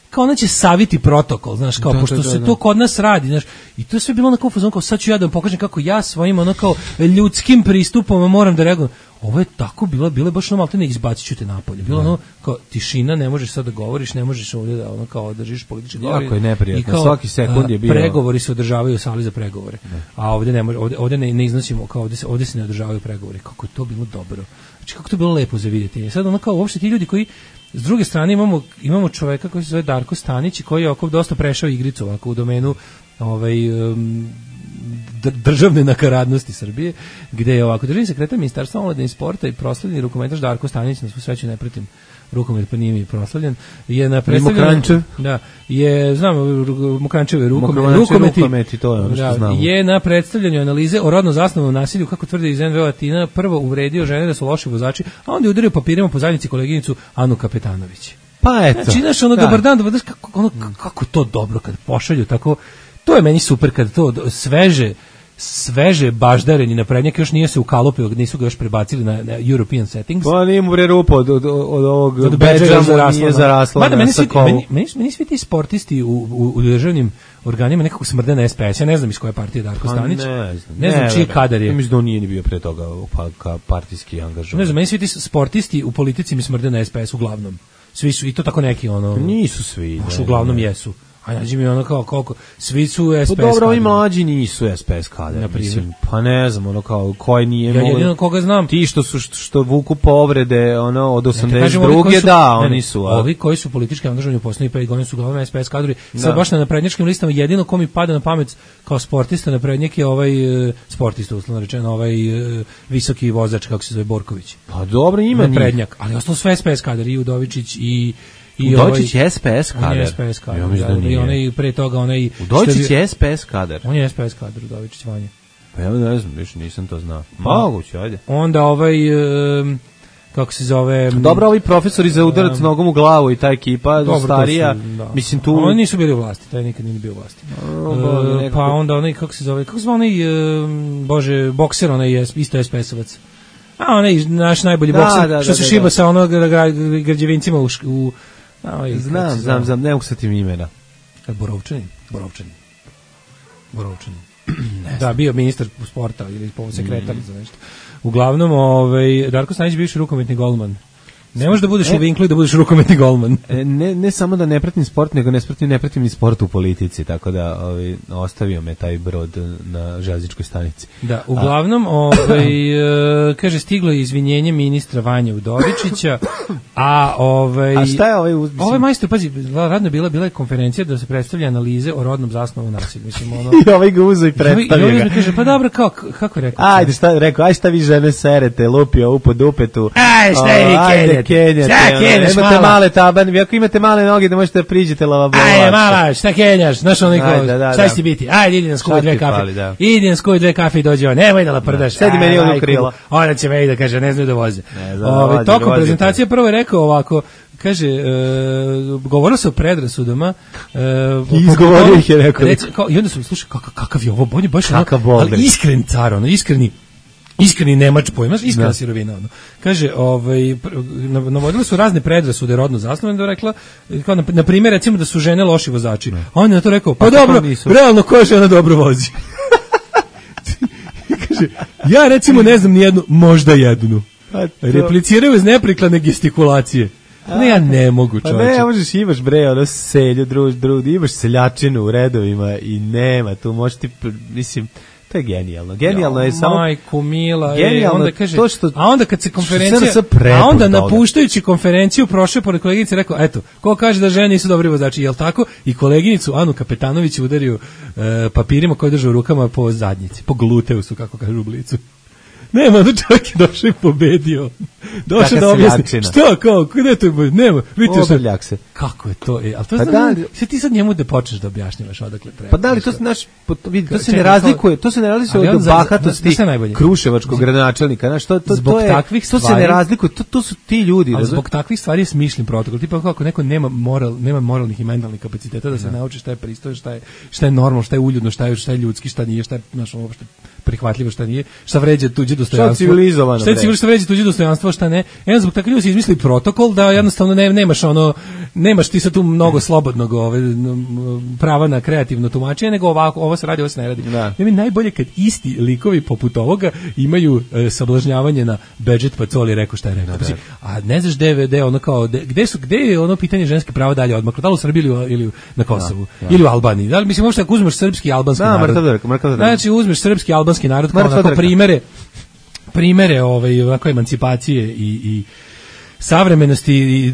kao ona će saviti protokol, znaš, kao, pošto se to kod nas radi, znaš, i to je sve bilo onako u fazonu, kao sad ću ja da vam pokažem kako ja svojim, ono kao, ljudskim pristupom moram da reagujem. Ovo je tako bilo je baš ono maltene izbacit ću te napolje. Bilo ono kao tišina, ne možeš sad da govoriš, ne možeš ovdje da ono kao držiš politički govor. Jako je neprijatno, svaki sekund je bio. Pregovori se održavaju u sali za pregovore. A ovdje ne može, ovdje ne iznosimo, kao ovdje se ne održavaju pregovori. Kako je to bilo dobro. Znači kako to bilo lepo za vidjeti. Sad ono kao uopšte ti ljudi koji s druge strane imamo čoveka koji se zove Darko Stanić i koji je oko dosta prešao igricu ovako u domenu državne nakaradnosti Srbije, gde je ovako državni sekretar Ministarstva omladine i sporta i proslavljeni rukometaš Darko Stanić, na svu sreću ne pratim rukomet, pa nije mi proslavljen, je na predstavljanju, Mokrančeve rukometi, to je ono što znamo. Je na predstavljanju analize o rodno zasnovanom nasilju, kako tvrde iz NVO Atina, prvo uvredio žene da su loši vozači, a onda je udario papirima po zajednici koleginicu Anu Kapetanović. Pa eto. Znači, znaš, dobar dan, kako to dobro kad pošalju tako. To je meni super kad to sveže baždareni naprednjak još nije se ukalupio, nisu ga još prebacili na European settings. Pa nije mu rupa od ovog bedža nije zarasla. Meni svi ti sportisti u državnim organima nekako smrde na SPS. Ja ne znam iz koje partije Darko Stanić. Ne znam čiji kadar je. Mislim da on nije ni bio pre toga partijski angažovan. Ne znam, meni svi ti sportisti u politici mi smrde na SPS uglavnom. Svi su, i to tako neki Nisu svi. Uglavnom jesu. A nađi mi ono kao koliko, svi su SPS kadri. Dobro, ovi mlađi nisu SPS kadri, mislim, pa ne znam, ono kao, koji nije... Ja jedino koga znam. Ti što vuku povrede, ono, od 82. Da, oni su... Ovi koji su politički angažovani u poslednjih 5 godina su uglavnom SPS kadrovi. Sad baš na naprednjačkim listama jedino ko mi pada na pamet kao sportista naprednjak je ovaj sportista, uslovno rečeno, ovaj visoki vozač, kako se zove, Borković. Pa dobro, ima naprednjak, ali ostalo sve SPS kadri, i Udovičić i Udovičić je SPS kadar. On je SPS kadar. I onaj pre toga onaj Udovičić je SPS kadar. On je SPS kadar, Udovičić Vanja. Pa ja ne znam, više nisam to znao. Moguće, ajde. Onda kako se zove... Dobro, ovi profesori za udarac nogom u glavu i ta ekipa, starija, mislim tu... Oni nisu bili u vlasti, taj nikad nije bio u vlasti. Pa onda onaj, kako se zove onaj, bože, bokser, onaj isto SPS-ovac. A onaj naš najbolji bokser, što se šiba sa onog građevincima u Znam, ne mogu sa tim imena. Borovčanin. Da, bio ministar sporta ili sekretar za nešto. Uglavnom, Darko Stanić bivši rukometni golman. Ne možeš da budeš u Vinklu i da budeš rukometni golman. Ne samo da ne pratim sport, nego ne pratim ni sport u politici, tako da ostavio me taj brod na železničkoj stanici. Da, uglavnom, kaže, stiglo je izvinjenje ministra Vanja Udovičića, a šta je ovaj majstor, pazi, radno bila je konferencija da se predstavlja analize o rodnom zasnovu nasilja. Mislim, I ovaj ga uzo i predstavlja ga. I kaže, pa dobro, kako je rekao? Ajde, šta vi žene serete, lupio u po dupetu. Šta je vi Kenjate, imate male tabane, ako imate male noge da možete da priđete lavabovače. Ajde, mala, šta kenjaš, znaš onaj kao, šta će biti? Ajde, idi na skuj 2 kafe. Idi na skuj 2 kafe i dođe on, nemoj da laprdaš. Sedi meni ovdje u krilo. Ona će me i da kaže, ne znaju da voze. Tokom prezentacije prvo je rekao ovako, kaže, govorilo se o predrasudama. Izgovorio ih je rekao. I onda su, slušaj, kakav je ovo, on je baš ali iskren car, iskreni nemač pojma, iskrena sirovina. Kaže, navodili su razne predrasude rodno zasnovane, da je rekla, kao na primjer, recimo da su žene loši vozači. A on je na to rekao, pa dobro, realno koja žena dobro vozi? Kaže, ja recimo ne znam ni jednu, možda jednu. Repliciraju iz neprikladne gestikulacije. Ne, ja ne mogu, čovječe. Pa ne, možeš, imaš selju, imaš seljačinu u redovima i nema, tu možeš ti, mislim... To je genijalno. Genijalno je samo... Majku mila. Onda kaže, a onda kad se konferencija... A onda napuštajući konferenciju prošao pored koleginice rekao, eto, ko kaže da žene nisu dobri vozači, jel tako? I koleginicu Anu Kapetanović udario papirima koje drže u rukama po zadnjici, po gluteusu, kako kažu u Blicu. Nema, onda čovjek je došao i pobedio. Došao da objasni. Šta, kao, gde to je? Nema, vidite šta. Kako je to? Ali to sve ti sad njemu da počneš da objašnjavaš odakle treba. Pa da li, to se ne razlikuje, od bahatosti kruševačkog gradonačelnika. Znaš, to se ne razlikuje, to su ti ljudi. Ali zbog takvih stvari je smišljen protokol. Tipa kako neko nema moralnih i mentalnih kapaciteta da se nauči šta je pristojno, šta je normalno, šta je uljudno, šta je ljudski, šta nije, šta je uopšte prihvatljivo, šta nije, šta vređa tuđe dostojanstvo. Šta je civilizovano? Šta je civilizovano, šta vređa tuđe dostojanstvo, šta ne. Zbog takvih ljudi se izmisli protokol da jednostavno nemaš ti sad tu mnogo slobodnog prava na kreativno tumačenje, nego ovo se radi, ovo se ne radi. Mi najbolje kad isti likovi poput ovoga imaju sablažnjavanje na Bedžet Pacoli, rekao šta je rekao. A ne znaš gde ono kao, gde je ono pitanje ženske prava dalje odmaklo, da li u Srbiji ili na Kosovu, ili u Albaniji. Da li, mislim, možda ako uzmeš srpski i albanski narod. Znači, uzmeš srpski i albanski narod kao onako primere ovako emancipacije i savremenosti i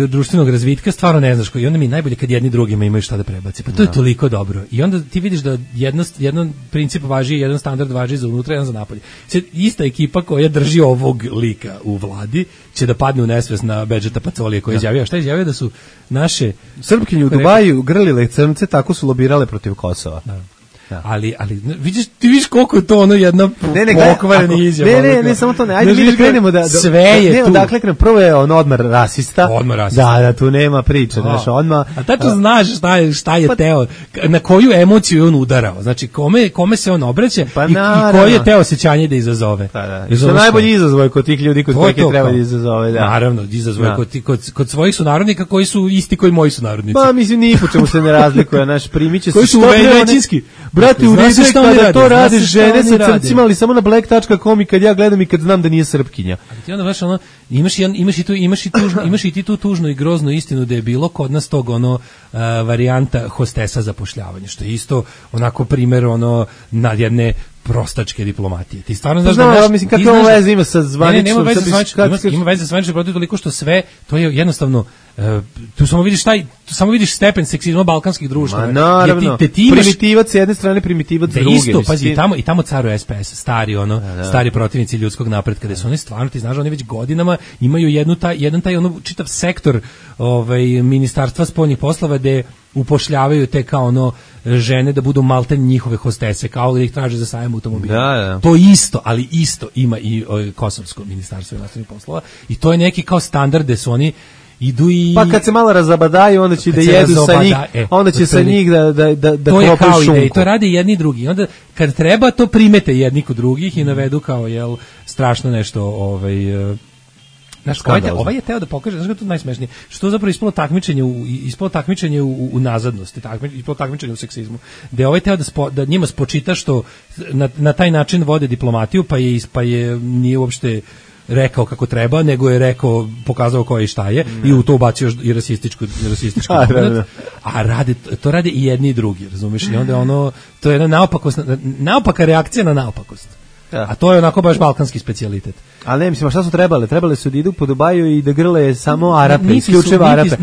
društvenog razvitka, stvarno ne znaš koji. I onda mi najbolje kad jedni drugima imaju šta da prebaci. Pa to je toliko dobro. I onda ti vidiš da jedan princip važi, jedan standard važi za unutra, jedan za napolje. Sad, ista ekipa koja drži ovog lika u vladi će da padne u nesvest na Bedžeta Pacolija koji je izjavio. Šta je izjavio? Da su naše Srpkinje u Dubaju grlile crnce, tako su lobirale protiv Kosova. Da. Ali ti vidiš koliko je to ono jedna pokvarena izjava. Ne, samo to ne. Ajde mi da krenemo da sve je tu. Dakle, prvo je on odmah rasista. Da, tu nema priče, znaš, odmah. A tačno znaš šta je teo, na koju emociju je on udarao. Znači, kome se on obraća i koje je teo osjećanje da izazove. Što najbolji izazov kod tih ljudi kod kojih treba da izazove. Naravno, izazov kod svojih sunarodnika koji su isti koji moji sunarodnici. Pa, mislim, ni po čemu se ne razlikuje, naš primiće koji su većinski. Brate, u redu je kada to rade žene sa crncima, ali samo na black.com i kad ja gledam i kad znam da nije Srpkinja. Ali ti onda baš ono, imaš i ti tu tužnu i groznu istinu da je bilo kod nas tog varijanta hostesa zapošljavanja, što je isto onako primjer nad jedne prostačke diplomatije. Ti stvarno znaš da možeš... mislim, kakve ovo veze ima sa zvaničnom... Ima veze sa zvaničnom protiv toliko što sve, to je jednostavno, tu samo vidiš stepen seksizma balkanskih društva. Ma naravno, primitivac s jedne strane, primitivac s druge. Isto, pazi, i tamo caruje SPS, stari protivnici ljudskog napretka, gde su oni stvarno, ti znaš, oni već godinama imaju jedan taj čitav sektor ministarstva spoljnih poslova gde upošljavaju te kao žene da budu malten njihove hostese, kao da ih traže za sajam automobila. Da. To isto, ali isto ima i Kosovsko ministarstvo inostranih poslova i to je neki kao standard gde su oni idu i... Pa kad se malo razabadaju, onda će da jedu sa njih, onda će sa njih da klopaju šunku. To rade jedni i drugi. Onda kad treba, to primete jedni kod drugih i navedu kao, strašno nešto, znaš, ovaj je teo da pokaže, znaš kako je to najsmešnije, što je zapravo ispalo takmičenje u nazadnosti, ispalo takmičenje u seksizmu, gde ovaj teo da njima spočita što na taj način vode diplomatiju, pa je nije uopšte rekao kako treba, nego je pokazao ko je i šta je, i u to ubacio i rasistički moment, a to rade i jedni i drugi, razumiješ, i onda to je jedna naopaka reakcija na naopakost. A to je onako baš balkanski specijalitet. Ali ne, mislim, a šta su trebale? Trebale su da idu po Dubaju i da grle samo Arape, isključivo Arape.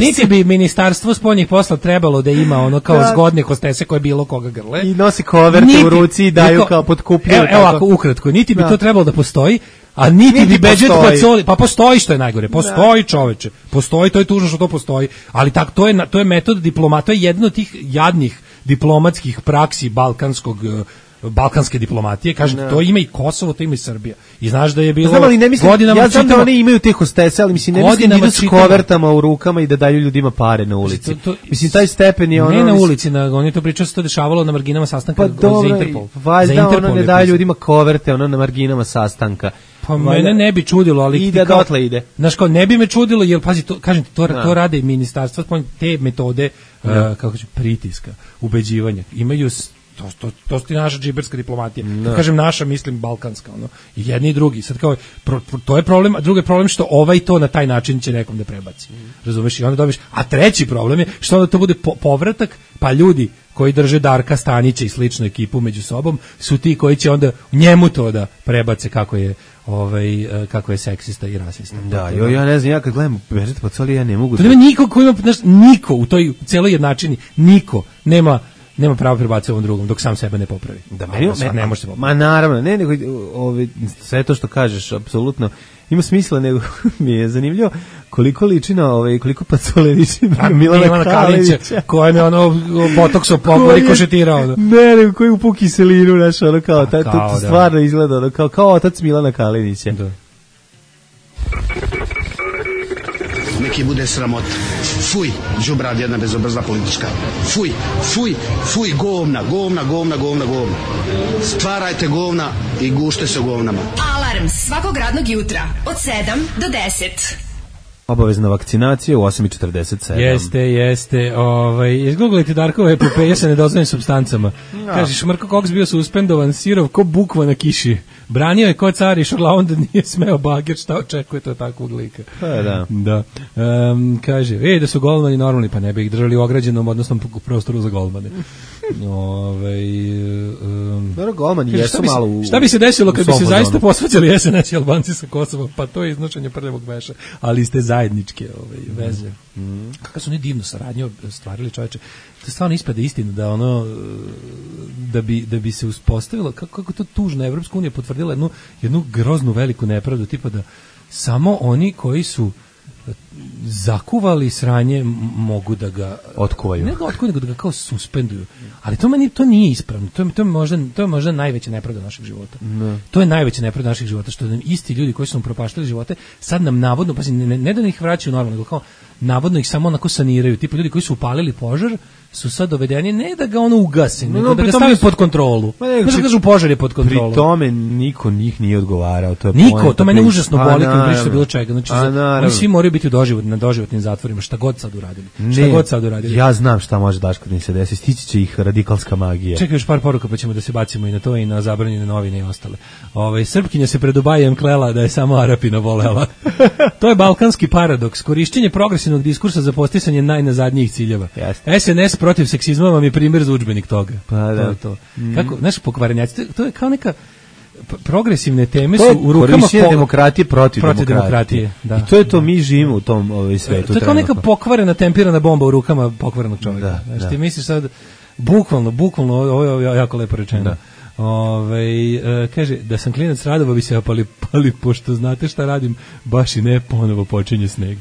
Niti bi ministarstvo spoljnih posla trebalo da ima kao zgodne hostese koje bilo koga grle. I nosi koverte u ruci i daju kao potkupljaju. Evo ovako, ukratko, niti bi to trebalo da postoji, a niti bi Beđet Pacoli, pa postoji, što je najgore, postoji, čoveče, postoji, to je tužno što to postoji, ali to je metod diplomata, to je jedno od tih jadnih diplomatskih praksi balkanske diplomatije, kažem, to ima i Kosovo, to ima i Srbija. I znaš da je bilo godinama... Ja znam da oni imaju te hostese, ali mislim, ne mislim da idu s kovertama u rukama i da daju ljudima pare na ulici. Mislim, taj stepen je Ne na ulici, oni to pričaju se to dešavalo na marginama sastanka za Interpol. Valjda ne daju ljudima koverte, na marginama sastanka. Pa mene ne bi čudilo, ali... Ide dotle ide. Znaš, kao, ne bi me čudilo, jer, pazi, kažem ti, to rade i ministarstva, te metode, kako ću, pritiska, ubeđivanja, imaju... To je naša džiberska diplomatija. Kad kažem naša, mislim balkanska, i jedni i drugi. Sad kao, to je problem, a drugi je problem što to na taj način će nekom da prebaci. Razumeš? I onda dobiš, a treći problem je što onda to bude povratak, pa ljudi koji drže Darka Stanića i sličnu ekipu među sobom su ti koji će onda njemu to da prebace kako je seksista i rasista. Da, ja ne znam, ja kad gledam Bežet Pacoli, ja ne mogu... To nema niko koji ima, niko u toj celoj jednačini, niko nema pravo prebaciti ovom drugom dok sam sebe ne popravi. Ne može se popraviti. Ma naravno, nego sve to što kažeš apsolutno ima smisla, nego mi je zanimljivo koliko liči na koliko Pacole liči na Milana Kalinića, kojem je botokso rikošetirao. Ne, nego koji upu kiselinu, znaš, kao to stvarno izgleda kao otac Milana Kalinića. Da. Neki bude sramota. Fuj, đubrad jedna bezobrazna politička. Fuj, govna. Stvarajte govna i gušte se govnama. Alarm svakog radnog jutra od 7 do 10. Obavezna vakcinacija u 8:47. Jeste. Izgooglite Darkove epopeje sa nedozvoljenim supstancama. Kažeš, Mrko Koks bio suspendovan, sirov ko bukva na kiši. Branio je ko car i šoglavom da nije smeo bager, šta očekujete od takvog lika? Da. Kaže, da su golmani normalni, pa ne bi ih držali u ograđenom, odnosno prostoru za golmane. Golmani jesu malo u... Šta bi se desilo kad bi se zaista posvađali SNS i Albanci sa Kosovom? Pa to je iznošenje prljavog veša, ali ste zajedničke veze. Kako su oni divnu saradnju stvarili, čoveče. To stvarno ispada istina da bi se uspostavilo, kako to tužno, Evropska unija potvrdila jednu groznu veliku nepravdu, tipa da samo oni koji su zakuvali sranje mogu da ga otkuvaju. Ne da ga otkuvaju, nego da ga kao suspenduju. Ali to nije ispravno. To je možda najveća nepravda našeg života. To je najveća nepravda našeg života, što nam isti ljudi koji su nam propaštali živote, sad nam navodno, ne da ih vraćaju normalno, nego kao navodno ih samo onako saniraju, tipa ljudi koji su upalili požar su sad dovedeni ne da ga ono ugase, nego da ga stave pod kontrolu. Znaš da kažu požar je pod kontrolom. Pri tome niko njih nije odgovarao. To mene užasno boli kad priča bilo čega. Znači, oni svi moraju biti na doživotnim zatvorima, šta god sad uradili. Ja znam šta može Daško da im se desi, stići će ih radikalska magija. Čekaj još par poruka pa ćemo da se bacimo i na to i na zabranjene novine i ostale. Srpkinja se pred Dubajem klela da je samo Arapina volela. To je balkanski paradoks. Korišćenje progresivnog diskursa za posticanje najnazadnijih ciljeva. SNS protiv seksizma vam je primjer za udžbenik toga. Pa da. To je to. Kako, znaš, pokvarenjaci, to je kao neka progresivne teme su u rukama korišćenje demokratije protiv demokratije. Da. I to je to, mi živimo u tom svetu. To je kao neka pokvarena tempirana bomba u rukama pokvarenog čovjeka. Znači, ti misliš sad, bukvalno, ovo je jako lepo rečeno. Da. Kaže, da sam klinac radova bi se pali, pošto znate šta radim, baš i ne, ponovo počinje sneg.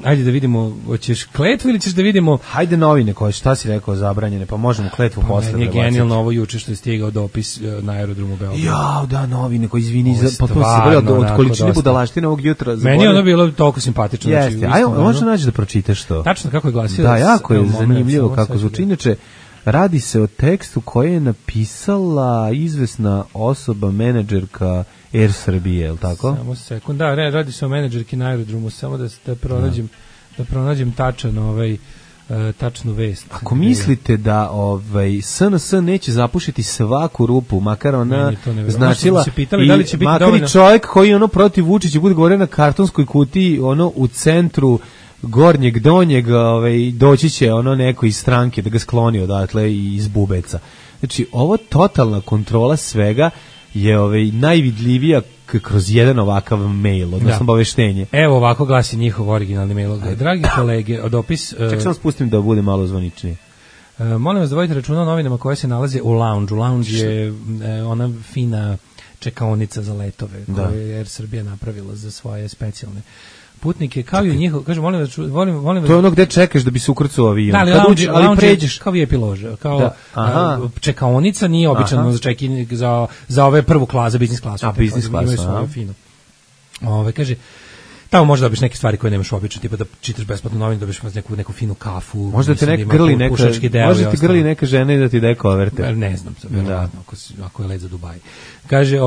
Ajde da vidimo, hoćeš kletvu ili ćeš da vidimo? Hajde novine koje, šta si rekao, zabranjene, pa možemo kletvu posle. Meni je genijalno ovo juče što je stigao dopis na aerodromu Beograd. Jao, da, novine koji, izvini, od količine budalaštine ovog jutra. Meni je ono bilo toliko simpatično. Jeste, ajmo, možda naći da pročitaš to. Tačno kako je glasio. Da, jako je zanimljivo kako zvuči. Inače, radi se o tekstu koji je napisala izvesna osoba, menadžerka Air Srbije, je li tako? Samo sekund, da, radi se o menadžerki na aerodromu, samo da pronađem tačnu vest. Ako mislite da SNS neće zapušiti svaku rupu, makar ona značila makar i čovjek koji ono protiv Vučića bude govorio na kartonskoj kutiji, ono u centru gornjeg, donjeg, doći će ono neko iz stranke da ga skloni odatle i iz bubeca. Znači, ovo totalna kontrola svega je najvidljivija kroz jedan ovakav mail, odnosno obaveštenje. Evo ovako glasi njihov originalni mail. Dragi kolege, dopis... Ček sam spustim da bude malo zvaničnije. Molim vas da vodite računa o novinama koje se nalaze u lounge. Lounge je ona fina čekaonica za letove koju je Air Srbija napravila za svoje specijalne putnike, kao i njihov, kaže, molim vas... To je ono gde čekaš da bi se ukrcao avion. Da, ali pređeš... Kao VIP lože, kao čekaonica nije obično za ove prvu klasu, za biznis klasu. A, biznis klasu, fino. Kaže, tamo možda dobiš neke stvari koje nemaš obično, tipa da čitaš besplatno novine, dobiš neku finu kafu. Možda te grli neka žena i da ti deko overte. Ne znam, verovatno, ako je let za Dubaj. Kaže,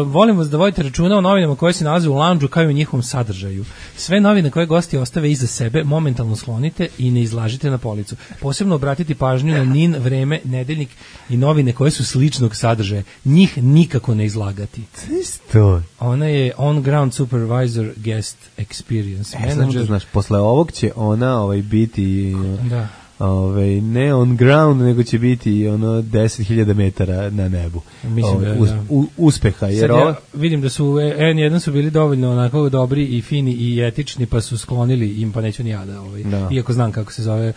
volim vas da vodite računa o novinama koje se nalaze u lounge-u kao i u njihovom sadržaju. Sve novine koje gosti ostave iza sebe momentalno sklonite i ne izlažite na policu. Posebno obratiti pažnju na NIN, Vreme, Nedeljnik i novine koje su sličnog sadržaja. Njih nikako ne izlagati. Isto. Ona je on-ground supervisor guest experience manager. Znaš, posle ovog će ona biti... Da. Ne on ground, nego će biti ono 10.000 metara na nebu. Mislim uspeha. Jer ja vidim da su N1 su bili dovoljno onako dobri i fini i etični, pa su sklonili im, pa neću ni ja da. Iako znam kako se zove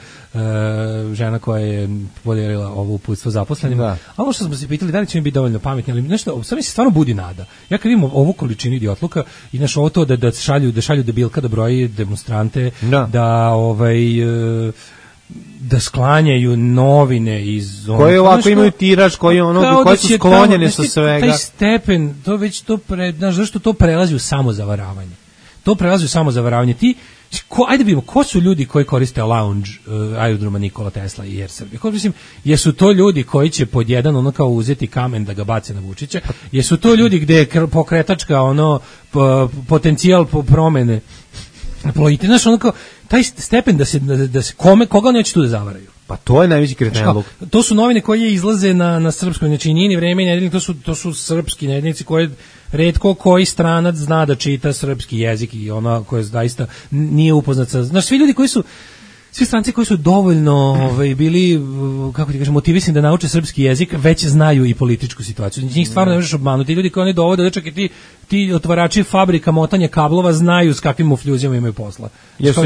žena koja je podijelila ovo uputstvo zaposlenima. A ovo što smo se pitali, da li će mi biti dovoljno pametni, ali nešto, sad mi se stvarno budi nada. Ja kad vidim ovu količinu idiotluka i naš ovo to da šalju debilka da broji demonstrante, da sklanjaju novine iz koje ovako imaju tiraž, koje su sklonjene sa svega. Taj stepen, to već zašto to prelazi u samozavaravanje. To prelazi u samozavaravanje. Ajde vidimo, ko su ljudi koji koriste lounge aerodroma Nikola Tesla i Air Srbije? Mislim, jesu to ljudi koji će pod jedan ono kao uzeti kamen da ga bace na Vučića? Jesu to ljudi gde je pokretačka potencijal promene plojite? Znaš, ono kao taj stepen da se koga neće tu da zavaraju. Pa to je najveći kretenluk. To su novine koje izlaze na srpskoj, znači NIN, Vreme i Nedeljnik, to su srpski nedeljnici koje retko koji stranac zna da čita srpski jezik i ona koja zaista nije upoznat sa... Znaš, svi stranci koji su dovoljno bili, kako ti kažem, motivisani da nauče srpski jezik, već znaju i političku situaciju. Njih stvarno ne možeš obmanuti. Ljudi koji oni dovode, čak i ti otvarači fabrika motanja kablova znaju s kakvim mufljuzima imaju posla. Jesu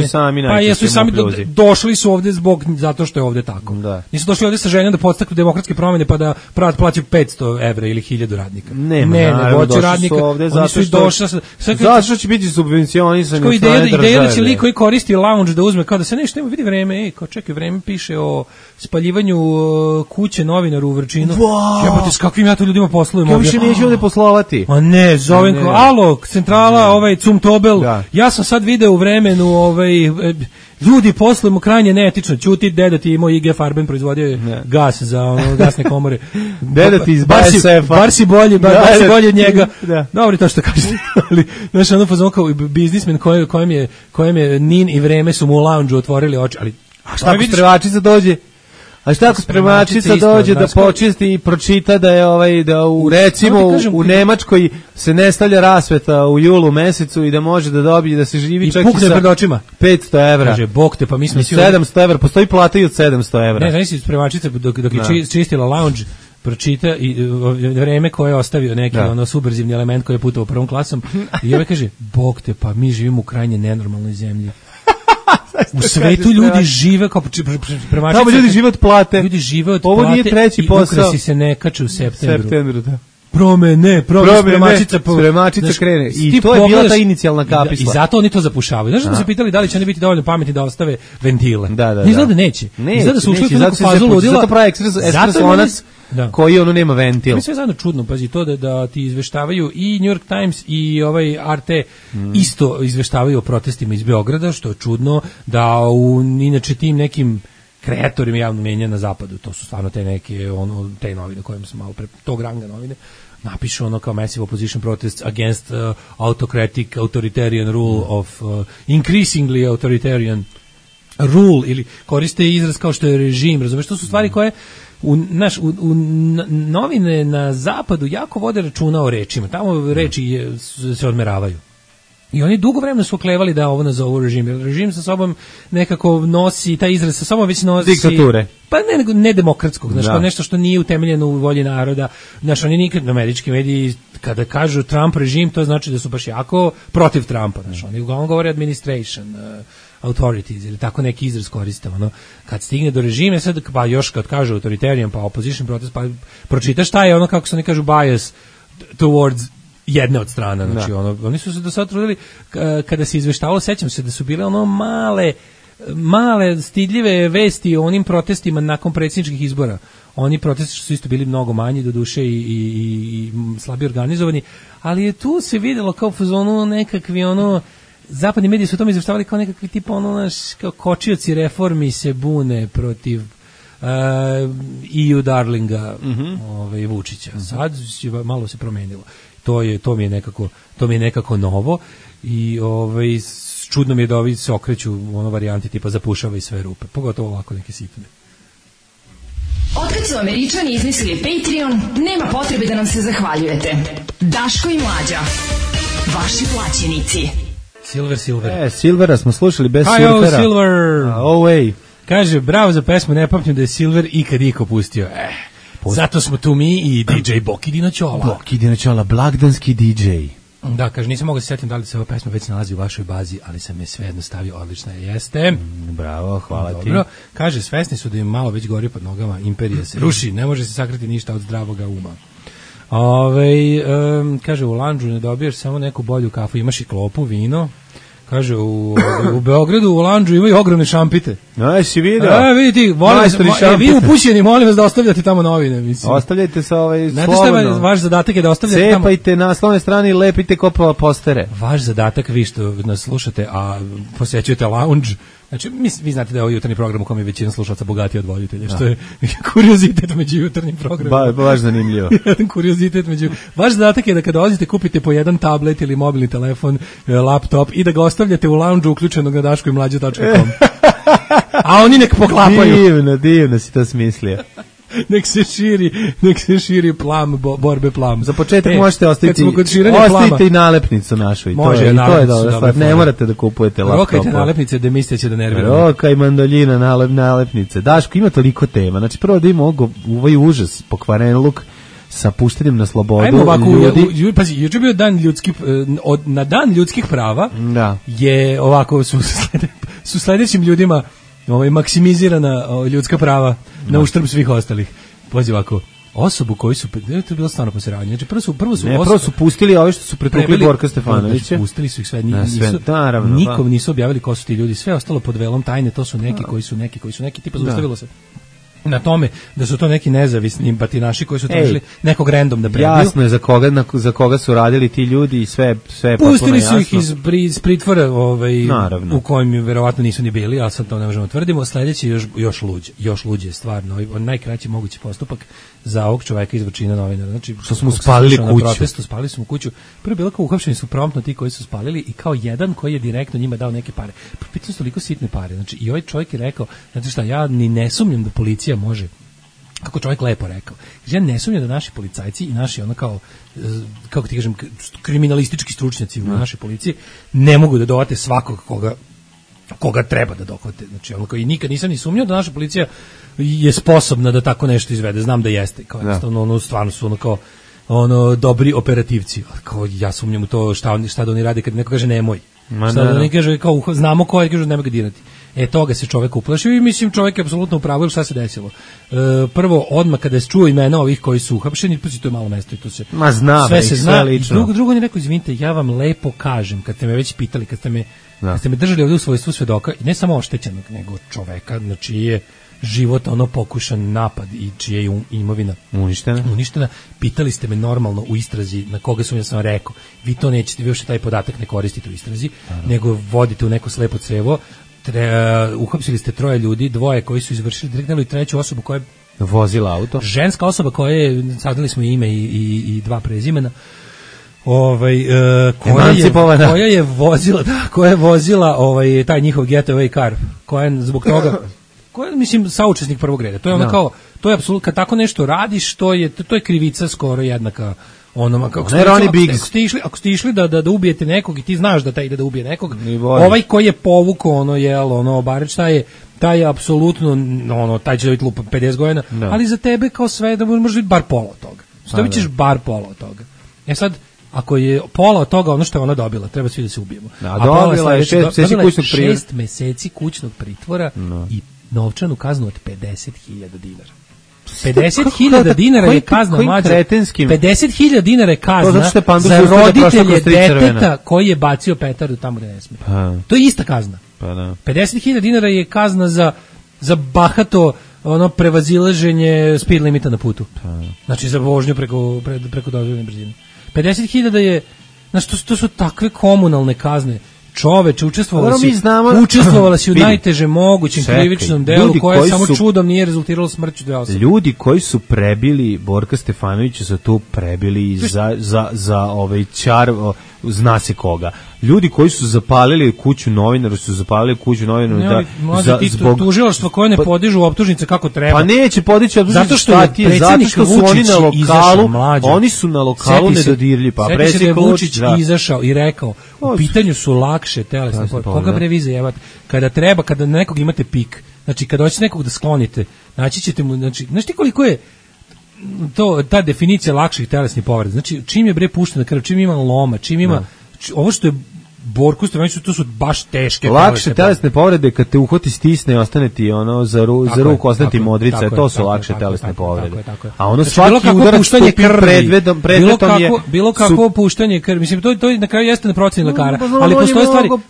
i sami došli su ovde zato što je ovde tako. Da. Nisu došli ovde sa željom da podstaknu demokratske promjene pa da plaćaju 500 evra ili 1000 radnika. Naravno, došli su ovde zato što će biti subvencionisani od strane države. Ideja da će lik koji koristi lounge da uzme, kao da se nešto vidi Vreme, kao čekaj, Vreme piše o spaljivanju kuće novinaru u Vrčinu. Jebote, s kakvim ja to ljudima poslujem Ja ovdje. više neću ovde poslovati. A ne, zovem ko, alo, centrala, Cumtobel, Da. ja sam sad video u Vremenu, ljudi poslujemo krajnje neetično, ćuti, deda ti imao IG Farben, proizvodio je gas za gasne komore. Deda ti iz Bar si- BASF-a. Bar si bolji, bar si bolji od njega. Da. Dobro to što kažeš, ali znaš, ono fazon kao biznismen kojem je Nin i Vreme su mu u lounge otvorili oči, ali Šta ako spremačica dođe? A šta ako spremačica dođe da počisti i pročita da je da u recimo u Nemačkoj se ne stavlja rasveta u julu mesecu i da može da dobije da se živi čak i sa pred očima 500 evra. Kaže, bog te, pa mi smo svi 700 evra, postoji plata i od 700 evra. Ne, znači spremačica dok je čistila lounge pročita i Vreme koje je ostavio neki subverzivni element koji je putovao prvom klasom i kaže, bog te, pa mi živimo u krajnje nenormalnoj zemlji. U svetu ljudi žive kao spremačica. Tamo ljudi žive od plate. Ljudi žive od plate. Ovo nije treći posao. I ukrasi se ne kače u septembru. Da. Promene, spremačica krene. I to je bila ta inicijalna kapisla. I zato oni to zapušavaju. Znaš da su se pitali da li će oni biti dovoljno pametni da ostave ventile. Izgleda neće. Izgleda su ušli u neku fazu ludila. Zato pravi ekspreslonac koji ono nema ventil. To je sve zajedno čudno, pazi, to da ti izveštavaju i New York Times i RT isto izveštavaju o protestima iz Beograda, što je čudno, da inače tim nekim kreatorima javnog mnjenja na zapadu, to su stvarno te neke te novine kojima sam malo pre tog ranga novine, napišu ono kao massive opposition protests against autocratic authoritarian rule of increasingly authoritarian rule, ili koriste izraz kao što je režim, razumeš, to su stvari koje u novine na zapadu jako vode računa o rečima, tamo reči se odmeravaju. I oni dugo vremena su oklevali da ovo nazovu režim. Jer režim sa sobom nekako nosi, taj izraz sa sobom već nosi diktature. Pa ne demokratskog, znači nešto što nije utemeljeno u volji naroda. Znači oni nikad, američki mediji kada kažu Trump režim, to znači da su baš jako protiv Trumpa. Znači oni uglavnom govore administration, authorities ili tako neki izraz koriste. Kad stigne do režima, sad pa još kad kažu authoritarian pa opposition protest, pa pročitaš šta je ono, kako se oni kažu, bias towards jedne od strana, znači oni su se do sada trudili kada se izveštavalo, sećam se da su bile male stidljive vesti o onim protestima nakon predsjedničkih izbora. Oni protesti su isto bili mnogo manji do duše i slabije organizovani, ali je tu se videlo kao fazonu nekakvi zapadni mediji su o tome izveštavali kao nekakvi tipa kao kočioci reformi se bune protiv EU darlinga Vučića. Sad malo se promenilo. To mi je nekako novo i čudno mi je da ovi se okreću varijanti tipa zapušava i sve rupe, pogotovo ovako neke sitne. Otkad su Američani izmislili Patreon, nema potrebe da nam se zahvaljujete. Daško i Mlađa, vaši plaćenici. Silver. Silvera smo slušali bez surfera. Silver. Kaže, bravo za pesmu, ne pamtim da je Silver ikad iko pustio. Zato smo tu mi i DJ Boki Dinoćola. blagdanski DJ. Da, kaže, nisam mogao se sjetiti da li se ova pesma već nalazi u vašoj bazi, ali sam je svejedno stavio, odlična jeste. Bravo, hvala ti. Dobro, kaže, svesni su da im malo već gori pod nogama, imperija se ruši, ne može se sakriti ništa od zdravoga uma. Kaže, u lanđu ne dobiješ samo neku bolju kafu, imaš i klopu, vino. Kaže, u Beogradu u lanđu imaju ogromne šampite. Si vidio? Vidite, vi upućeni, molim vas da ostavljate tamo novine. Mislim. Ostavljajte se slobodno. Znate šta je vaš zadatak je da ostavljate tamo? Cepajte na naslovne strane i lepite kopova postere. Vaš zadatak, vi što nas slušate, a posjećujete lounge, znači, vi znate da je ovo jutarnji program u kom je većina slušalaca bogatija od voditelja, što je kuriozitet među jutarnjim programima. Baš zanimljivo. Jedan kuriozitet među... Vaš zadatak je da kada dolazite kupite po jedan tablet ili mobilni telefon, laptop i da ga ostavljate u lounge uključenog na daškoimlađa.com. A oni nek poklapaju. Divno si to smislio. Nek se širi plam, borbe plam. Za početak možete ostaviti i nalepnicu našu. Može, to je dobra stvar. Ne morate da kupujete laptop. Rokajte nalepnice da mislite će da nervirate. Roka i mandoljina, nalepnice. Daško, ima toliko tema. Znači, prvo da ima ovaj užas, pokvaren luk sa puštenjem na slobodu. Ajmo ovako, pazi, juče bio na dan ljudskih prava je ovako, su sledećim ljudima maksimizirana ljudska prava na uštrb svih ostalih. Pazi ovako, osobu koju su, to je bilo stvarno posiravanje. Znači prvo su pustili ove što su pretukli Borka Stefanovića. Znači, pustili su ih sve, naravno, nikom nisu objavili ko su ti ljudi, sve ostalo pod velom tajne, to su neki koji su neki, tipa zaustavilo se na tome da su to neki nezavisni batinaši koji su tražili nekog random da prebiju. Jasno je za koga su radili ti ljudi i sve pustili su ih iz pritvora u kojem verovatno nisu ni bili, ali sad to ne možemo tvrdimo. Sledeći još luđe stvarno, najkraći mogući postupak za ovog čoveka iz Vrčina, novinara. Znači, što smo spalili kuću. Protestu, spalili smo kuću. Prvo bilo kao uhapšeni su promptno ti koji su spalili i kao jedan koji je direktno njima dao neke pare. Pitali su toliko sitne pare. Znači, i ovaj čovjek je rekao, znači šta, ja ni ne sumnjam da policija može, kako čovjek lepo rekao, ja ne sumnjam da naši policajci i naši ono kao, kako ti kažem, kriminalistički stručnjaci u našoj policiji ne mogu da dovate svakog koga treba da dohvate. Znači, ono kao, i nikad nisam ni sumnjao da naša policija je sposobna da tako nešto izvede. Znam da jeste. Kao jednostavno, ono, stvarno su ono kao dobri operativci. Kao, ja sumnjam u to šta da oni rade kad neko kaže nemoj. Šta da oni kaže, kao, znamo ko je, kaže nemoj ga dirati. Toga se čovjek uplašio i mislim čovjek je apsolutno u pravu. Šta se desilo? Prvo, odmah kada se čuo imena ovih koji su uhapšeni, pa to je malo mesto i to se sve se zna. I drugo on je rekao, izvinite, ja vam lepo kažem, kad ste me već pitali, kad ste me držali ovdje u svojstvu svedoka, i ne samo oštećenog, nego čoveka, na čiji je život pokušan napad i čija je imovina uništena, pitali ste me normalno u istrazi na koga sam sam rekao, vi to nećete, vi još taj podatak ne koristite u istrazi, nego vodite u neko slepo crevo. Uhapsili ste 3 ljudi, 2 koji su izvršili direktno i 3 osobu koja je vozila auto, ženska osoba koja je, saznali smo ime i 2 prezimena, koja je vozila taj njihov getaway car, koja je zbog toga, koja je, mislim, saučesnik prvog reda. To je ono kao, to je apsolutno, kad tako nešto radiš, to je krivica skoro jednaka onoma, ako ste išli da ubijete nekog i ti znaš da taj ide da ubije nekog, ovaj koji je povukao Barić, taj je apsolutno, taj će dobiti lupa 50 godina, ali za tebe kao sve da može biti bar pola od toga. Dobit ćeš bar pola od toga. Sad, ako je pola od toga ono što je ona dobila, treba svi da se ubijemo. Dobila je 6 meseci kućnog pritvora i novčanu kaznu od 50.000 dinara. 50.000 dinara je kazna mlađa. 50.000 dinara je kazna za roditelje deteta koji je bacio petardu tamo gde ne sme. To je ista kazna. 50.000 dinara je kazna za bahato prevazilaženje speed limita na putu. Znači za vožnju preko dozvoljene brzine. 50.000 je, znači to su takve komunalne kazne. Čoveče, učestvovala si u najtežem mogućem krivičnom delu koje samo čudom nije rezultiralo smrću 2 osobe. Ljudi koji su prebili Borka Stefanovića su tu prebili za čar, zna se koga. Ljudi koji su zapalili kuću novinaru zbog tužilaštva koje ne podižu optužnice kako treba. Pa neće podići optužnice, zato što su oni na lokalu, oni su na lokalu nedodirljivi. Pa predsjednik Vučić izašao i rekao, u pitanju su lakše telesne povrede. Koga bre vi zajebate? Kada treba, kada nekog imate pik, znači kada hoćete nekog da sklonite, naći ćete mu, znači, znaš ti koliko je ta definicija lakših telesnih povreda, znači čim je bre puštena krv, čim ima loma, čim ima ovo što je Borku Stefanoviću, to su baš teške lakše telesne povrede, kad te uhvati, stisne i ostane ti za ruku, ostane ti modrica, to su lakše telesne povrede. A ono svaki udarac predmetom je bilo kako puštanje krvi, mislim to na kraju jeste na proceni lekara, ali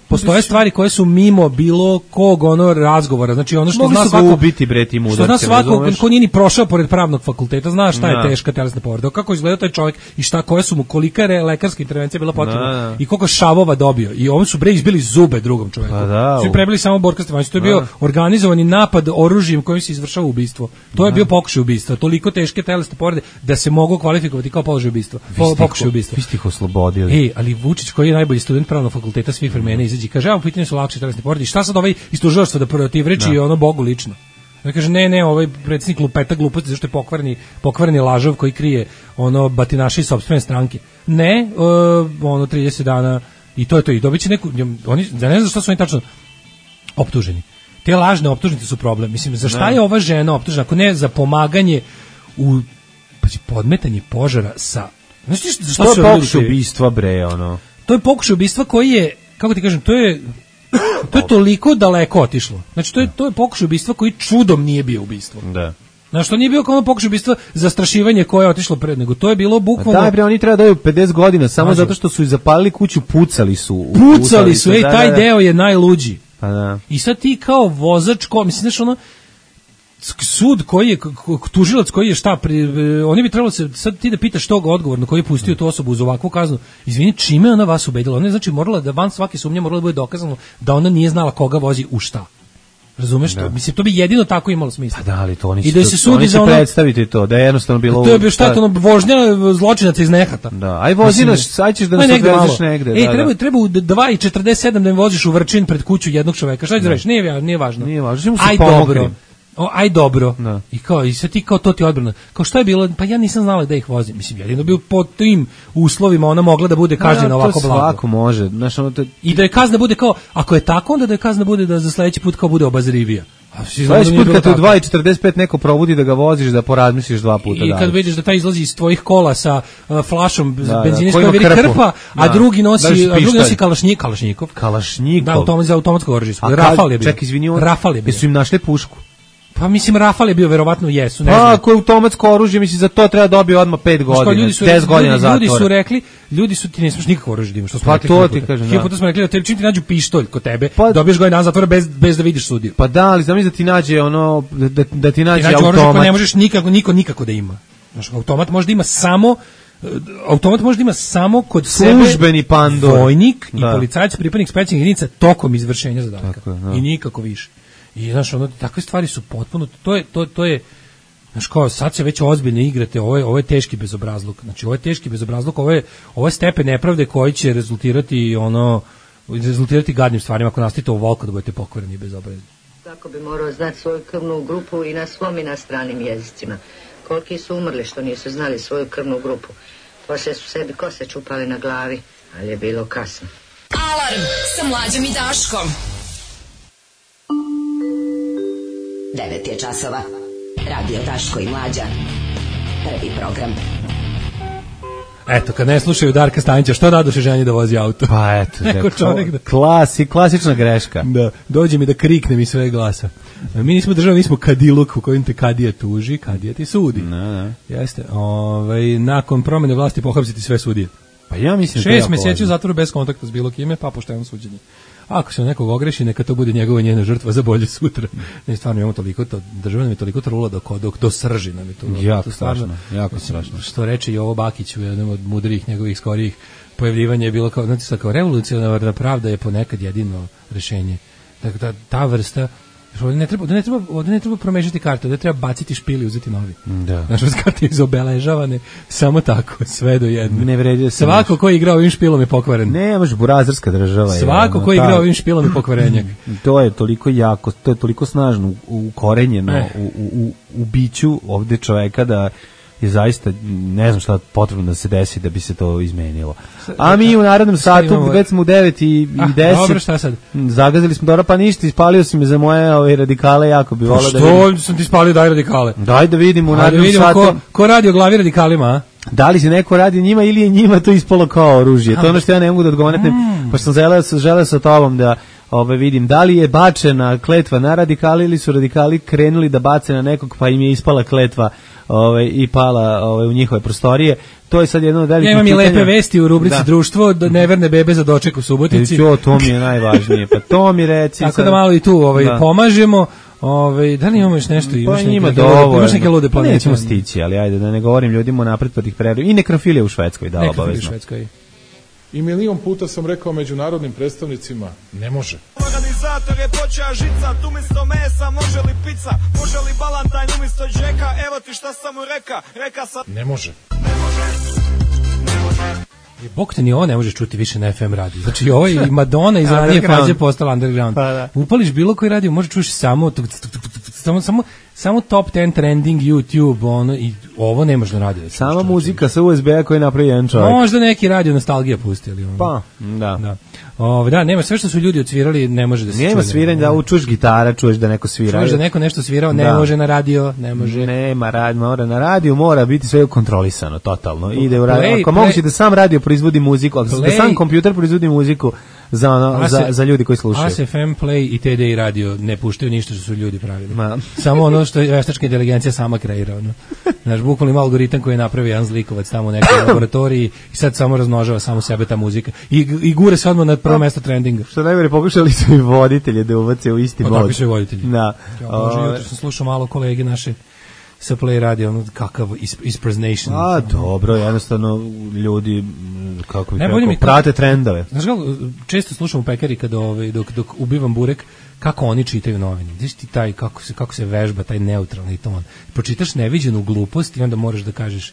postoje stvari koje su mimo bilo kog razgovora, znači ono što zna svako ubiti bre tim udarcem, što zna svako ko nije ni prošao pored pravnog fakulteta, zna šta je teška telesna povreda, kako izgleda taj čovjek i šta, koje su mu, kolika je lekarska intervencija bila potrebna i koliko šavova dobio. I oni su bre izbili zube drugom čovjeku. Svi prebili samo Borka Stefanovića. To je bio organizovani napad oružjem kojim se izvršava ubistvo. To je bio pokušaj ubistva. Toliko teške telesne povrede da se mogu kvalifikovati kao položaj ubistva. Pokušaj ubistva. Vi ste ih oslobodili. Ali Vučić, koji je najbolji student pravnog fakulteta svih vremena, izađe i kaže, u pitanju su lakše telesne povrede. I šta sad ovaj iz tužilaštva da protivreči Bogu lično? Da kaže, ne, ovaj predsjednik lupeta gluposti zašto je pokvareni lažov koji krije batinaši iz sopstvene stranke. Ne, 30 dana i to je to. I dobit će neku, oni, da ne znam što su oni tačno optuženi. Te lažne optužnice su problem. Mislim, za šta je ova žena optužena? Ako ne za pomaganje u podmetanje požara sa... Znaš ti što je pokušaj ubistva, bre, To je pokušaj ubistva koji je, kako ti kažem, to je toliko daleko otišlo. Znači, to je pokušaj ubistva koji čudom nije bio ubistvo. Da. Znaš, to nije bio kao ono pokušaj ubistva zastrašivanje koje je otišlo pred, nego to je bilo bukvalno... Daj bre, oni treba da daju 50 godina, samo zato što su i zapalili kuću, pucali su. Taj deo je najluđi. Pa da. I sad ti kao vozač, mislim, znaš, ono, sud koji je, tužilac koji je oni bi trebalo se, sad ti da pitaš tog odgovorno koji je pustio tu osobu uz ovakvu kaznu, izvini, čime ona vas ubedila? Ona je, znači, morala da van svake sumnje morala da bude dokazano da ona nije znala koga vozi u šta. Razumeš to? Mislim, to bi jedino tako imalo smisla. Pa da, ali to oni I da se sudi za ono... predstaviti to, da je jednostavno bilo... To je bio šta, ono, vožnja zločinaca iz nehata. Da, aj vozi nas, sad ćeš da nas odvezeš negde. Treba u 2:47 da im voziš u Vrčin pred kuću jednog čoveka. Šta ćeš da reći? Nije važno. Aj dobro. Da. I sad ti kao to ti odbrana. Kao što je bilo? Pa ja nisam znala da ih vozim. Mislim, jedino bio po tim uslovima ona mogla da bude kažnjena ovako blago. To svako može. Znaš, I da je kazna bude kao, ako je tako, onda da je kazna bude da za sledeći put kao bude obazrivija. Sledeći put kad te u 2:45 neko probudi da ga voziš, da porazmisliš 2 puta. I kad vidiš da taj izlazi iz tvojih kola sa flašom benzinskog koji veri krpa, a drugi nosi Kalašnjikov. Da, za automatsko oružje. Rafal je bio. Ček, izvini, jesu im našli pušku? Pa mislim, Rafal je bio, verovatno jesu. Ako je automatsko oružje, mislim, za to treba dobiti odmah 5 godina, 10 godina zatvora. Ljudi su ti ne smiješ nikakvo oružje da imaš, što smo rekli. Pa to ti kažem, da. Puta smo rekli da tebi čim ti nađu pištolj kod tebe, dobiješ godina zatvora bez da vidiš sudiju. Pa da, ali znam da ti nađe ono, da ti nađe automat. Oružje koje ne možeš nikako da ima. Znaš, automat može da ima samo kod službeni pandor, vojnik i policajac, pripadnik specijalnih jedinica tokom izvršenja zadatka. I nikako više. I znaš, takve stvari su potpuno, to je, znaš kao, sad se već ozbiljno igrate, ovo je teški bezobrazluk, znači ovo je teški bezobrazluk, ovo je stepen nepravde koji će rezultirati gadnim stvarima ako nastavite ovoliko da budete pokvareni i bezobrazni. Tako bi morao znati svoju krvnu grupu i na svom i na stranim jezicima. Koliki su umrli što nisu znali svoju krvnu grupu. Poslije su sebi kose čupali na glavi, ali je bilo kasno. Alarm sa Mlađom i Daškom. 9 je časova. Radio Daško i Mlađa. Prvi program. Eto, kad ne slušaju Darka Stanića, što radoše ženi da vozi auto? Pa eto, klasična greška. Da, dođe mi da kriknem iz sve glasa. Mi nismo država, mi smo kadiluk u kojem te kadija tuži, kadija ti sudi. Jeste. Nakon promjene vlasti pohapsiti sve sudije. Pa ja mislim 6 mjeseci u zatvoru bez kontakta s bilo kime, pa pošteno suđenje. Ako se nekog ogreši, neka to bude njegova njena žrtva za bolje sutra. Ne, stvarno imamo toliko, država nam je toliko trula do srži nam je to. Jako strašno. Što reče Jovo Bakić u jednom od mudrijih njegovih skorijih pojavljivanja je bilo kao, znači, kao revolucionarna pravda je ponekad jedino rešenje. Dakle, ta vrsta, ovdje ne treba promešati karte, ovdje treba baciti špil i uzeti novi. Da. Znači, karte izobeležavane, samo tako, sve do jedne. Ne vredi se. Svako ko je igrao ovim špilom je pokvaren. Ne, može, burazerska država. Svako ko je igrao ovim špilom je pokvarenjak. To je toliko jako, to je toliko snažno ukorenjeno u biću ovdje čoveka da je zaista, ne znam šta potrebno da se desi da bi se to izmenilo. A mi u narednom satu, već smo u 9:10. Dobro, šta sad? Zagazili smo, dobro, pa ništa, ispalio si me za moje radikale, jako bi volao da vidim. Što sam ti ispalio, daj radikale? Daj da vidimo u narednom satu. Ko radi o glavi radikalima, a? Da li se neko radi njima ili je njima to ispalo kao oružje? To je ono što ja ne mogu da odgovornem, pa što sam želeo sa tobom da vidim da li je bačena kletva na radikali ili su radikali krenuli da bace na nekog pa im je ispala kletva i pala u njihove prostorije. To je sad jedno od velikih pitanja. Ja imam i lepe vesti u rubrici društvo, da neverne bebe za doček u Subotici. To mi je najvažnije, pa to mi reci. Tako da malo i tu pomažemo. Da li imamo još nešto? Imaš neke lude planete? Nećemo stići, ali ajde da ne govorim ljudima napred pa tih predu. I nekrofilija u Švedskoj, da, obavezno. I milion puta sam rekao međunarodnim predstavnicima, ne može. Organizator je počeo žicat, umjesto mesa može li pizza, može li balantajn umjesto džeka, evo ti šta sam mu reka sam... Ne može. Bog te ni ovo ne možeš čuti više na FM radiju. Znači ovo i Madonna iz ranije faze postala underground. Upališ bilo koji radio, možeš čuš samo top 10 trending YouTube, i ovo ne može na radio. Sama muzika sa USB-a koji napravi jedan čovjek. Možda neki radio nostalgija pustili. Pa, da. Da, nema sve što su ljudi odsvirali, ne može da se čuje. Nema sviranja, da čuješ gitara, čuješ da neko svira. Čuješ da neko nešto svirao, ne može na radio, ne može. Mora na radio, mora biti sve kontrolisano, totalno. Ide u radio. Ako moguće da sam radio proizvodi muziku, da sam kompjuter proizvodi muziku, za ljudi koji slušaju. ASFM, Play i TD i radio ne puštaju ništa što su ljudi pravili. Samo ono što je veštačka inteligencija sama kreira. Znaš, bukvalno ima algoritam koji je napravio jedan zlikovac tamo u nekoj laboratoriji i sad samo razmnožava samo sebe ta muzika. I gure se odmah na prvo mesto trendinga. Što najgore, pokušali su i voditelje da uvace u isti mod. Tako su i voditelji. Da. Jutro sam slušao malo kolege naše sa Play radio, kakav ispersonation. Dobro, jednostavno ljudi kako prate trendove. Znaš kako, često slušam u pekari dok ubivam burek, kako oni čitaju novine. Znaš ti taj, kako se vežba taj neutralni ton. Pročitaš neviđenu glupost i onda moraš da kažeš,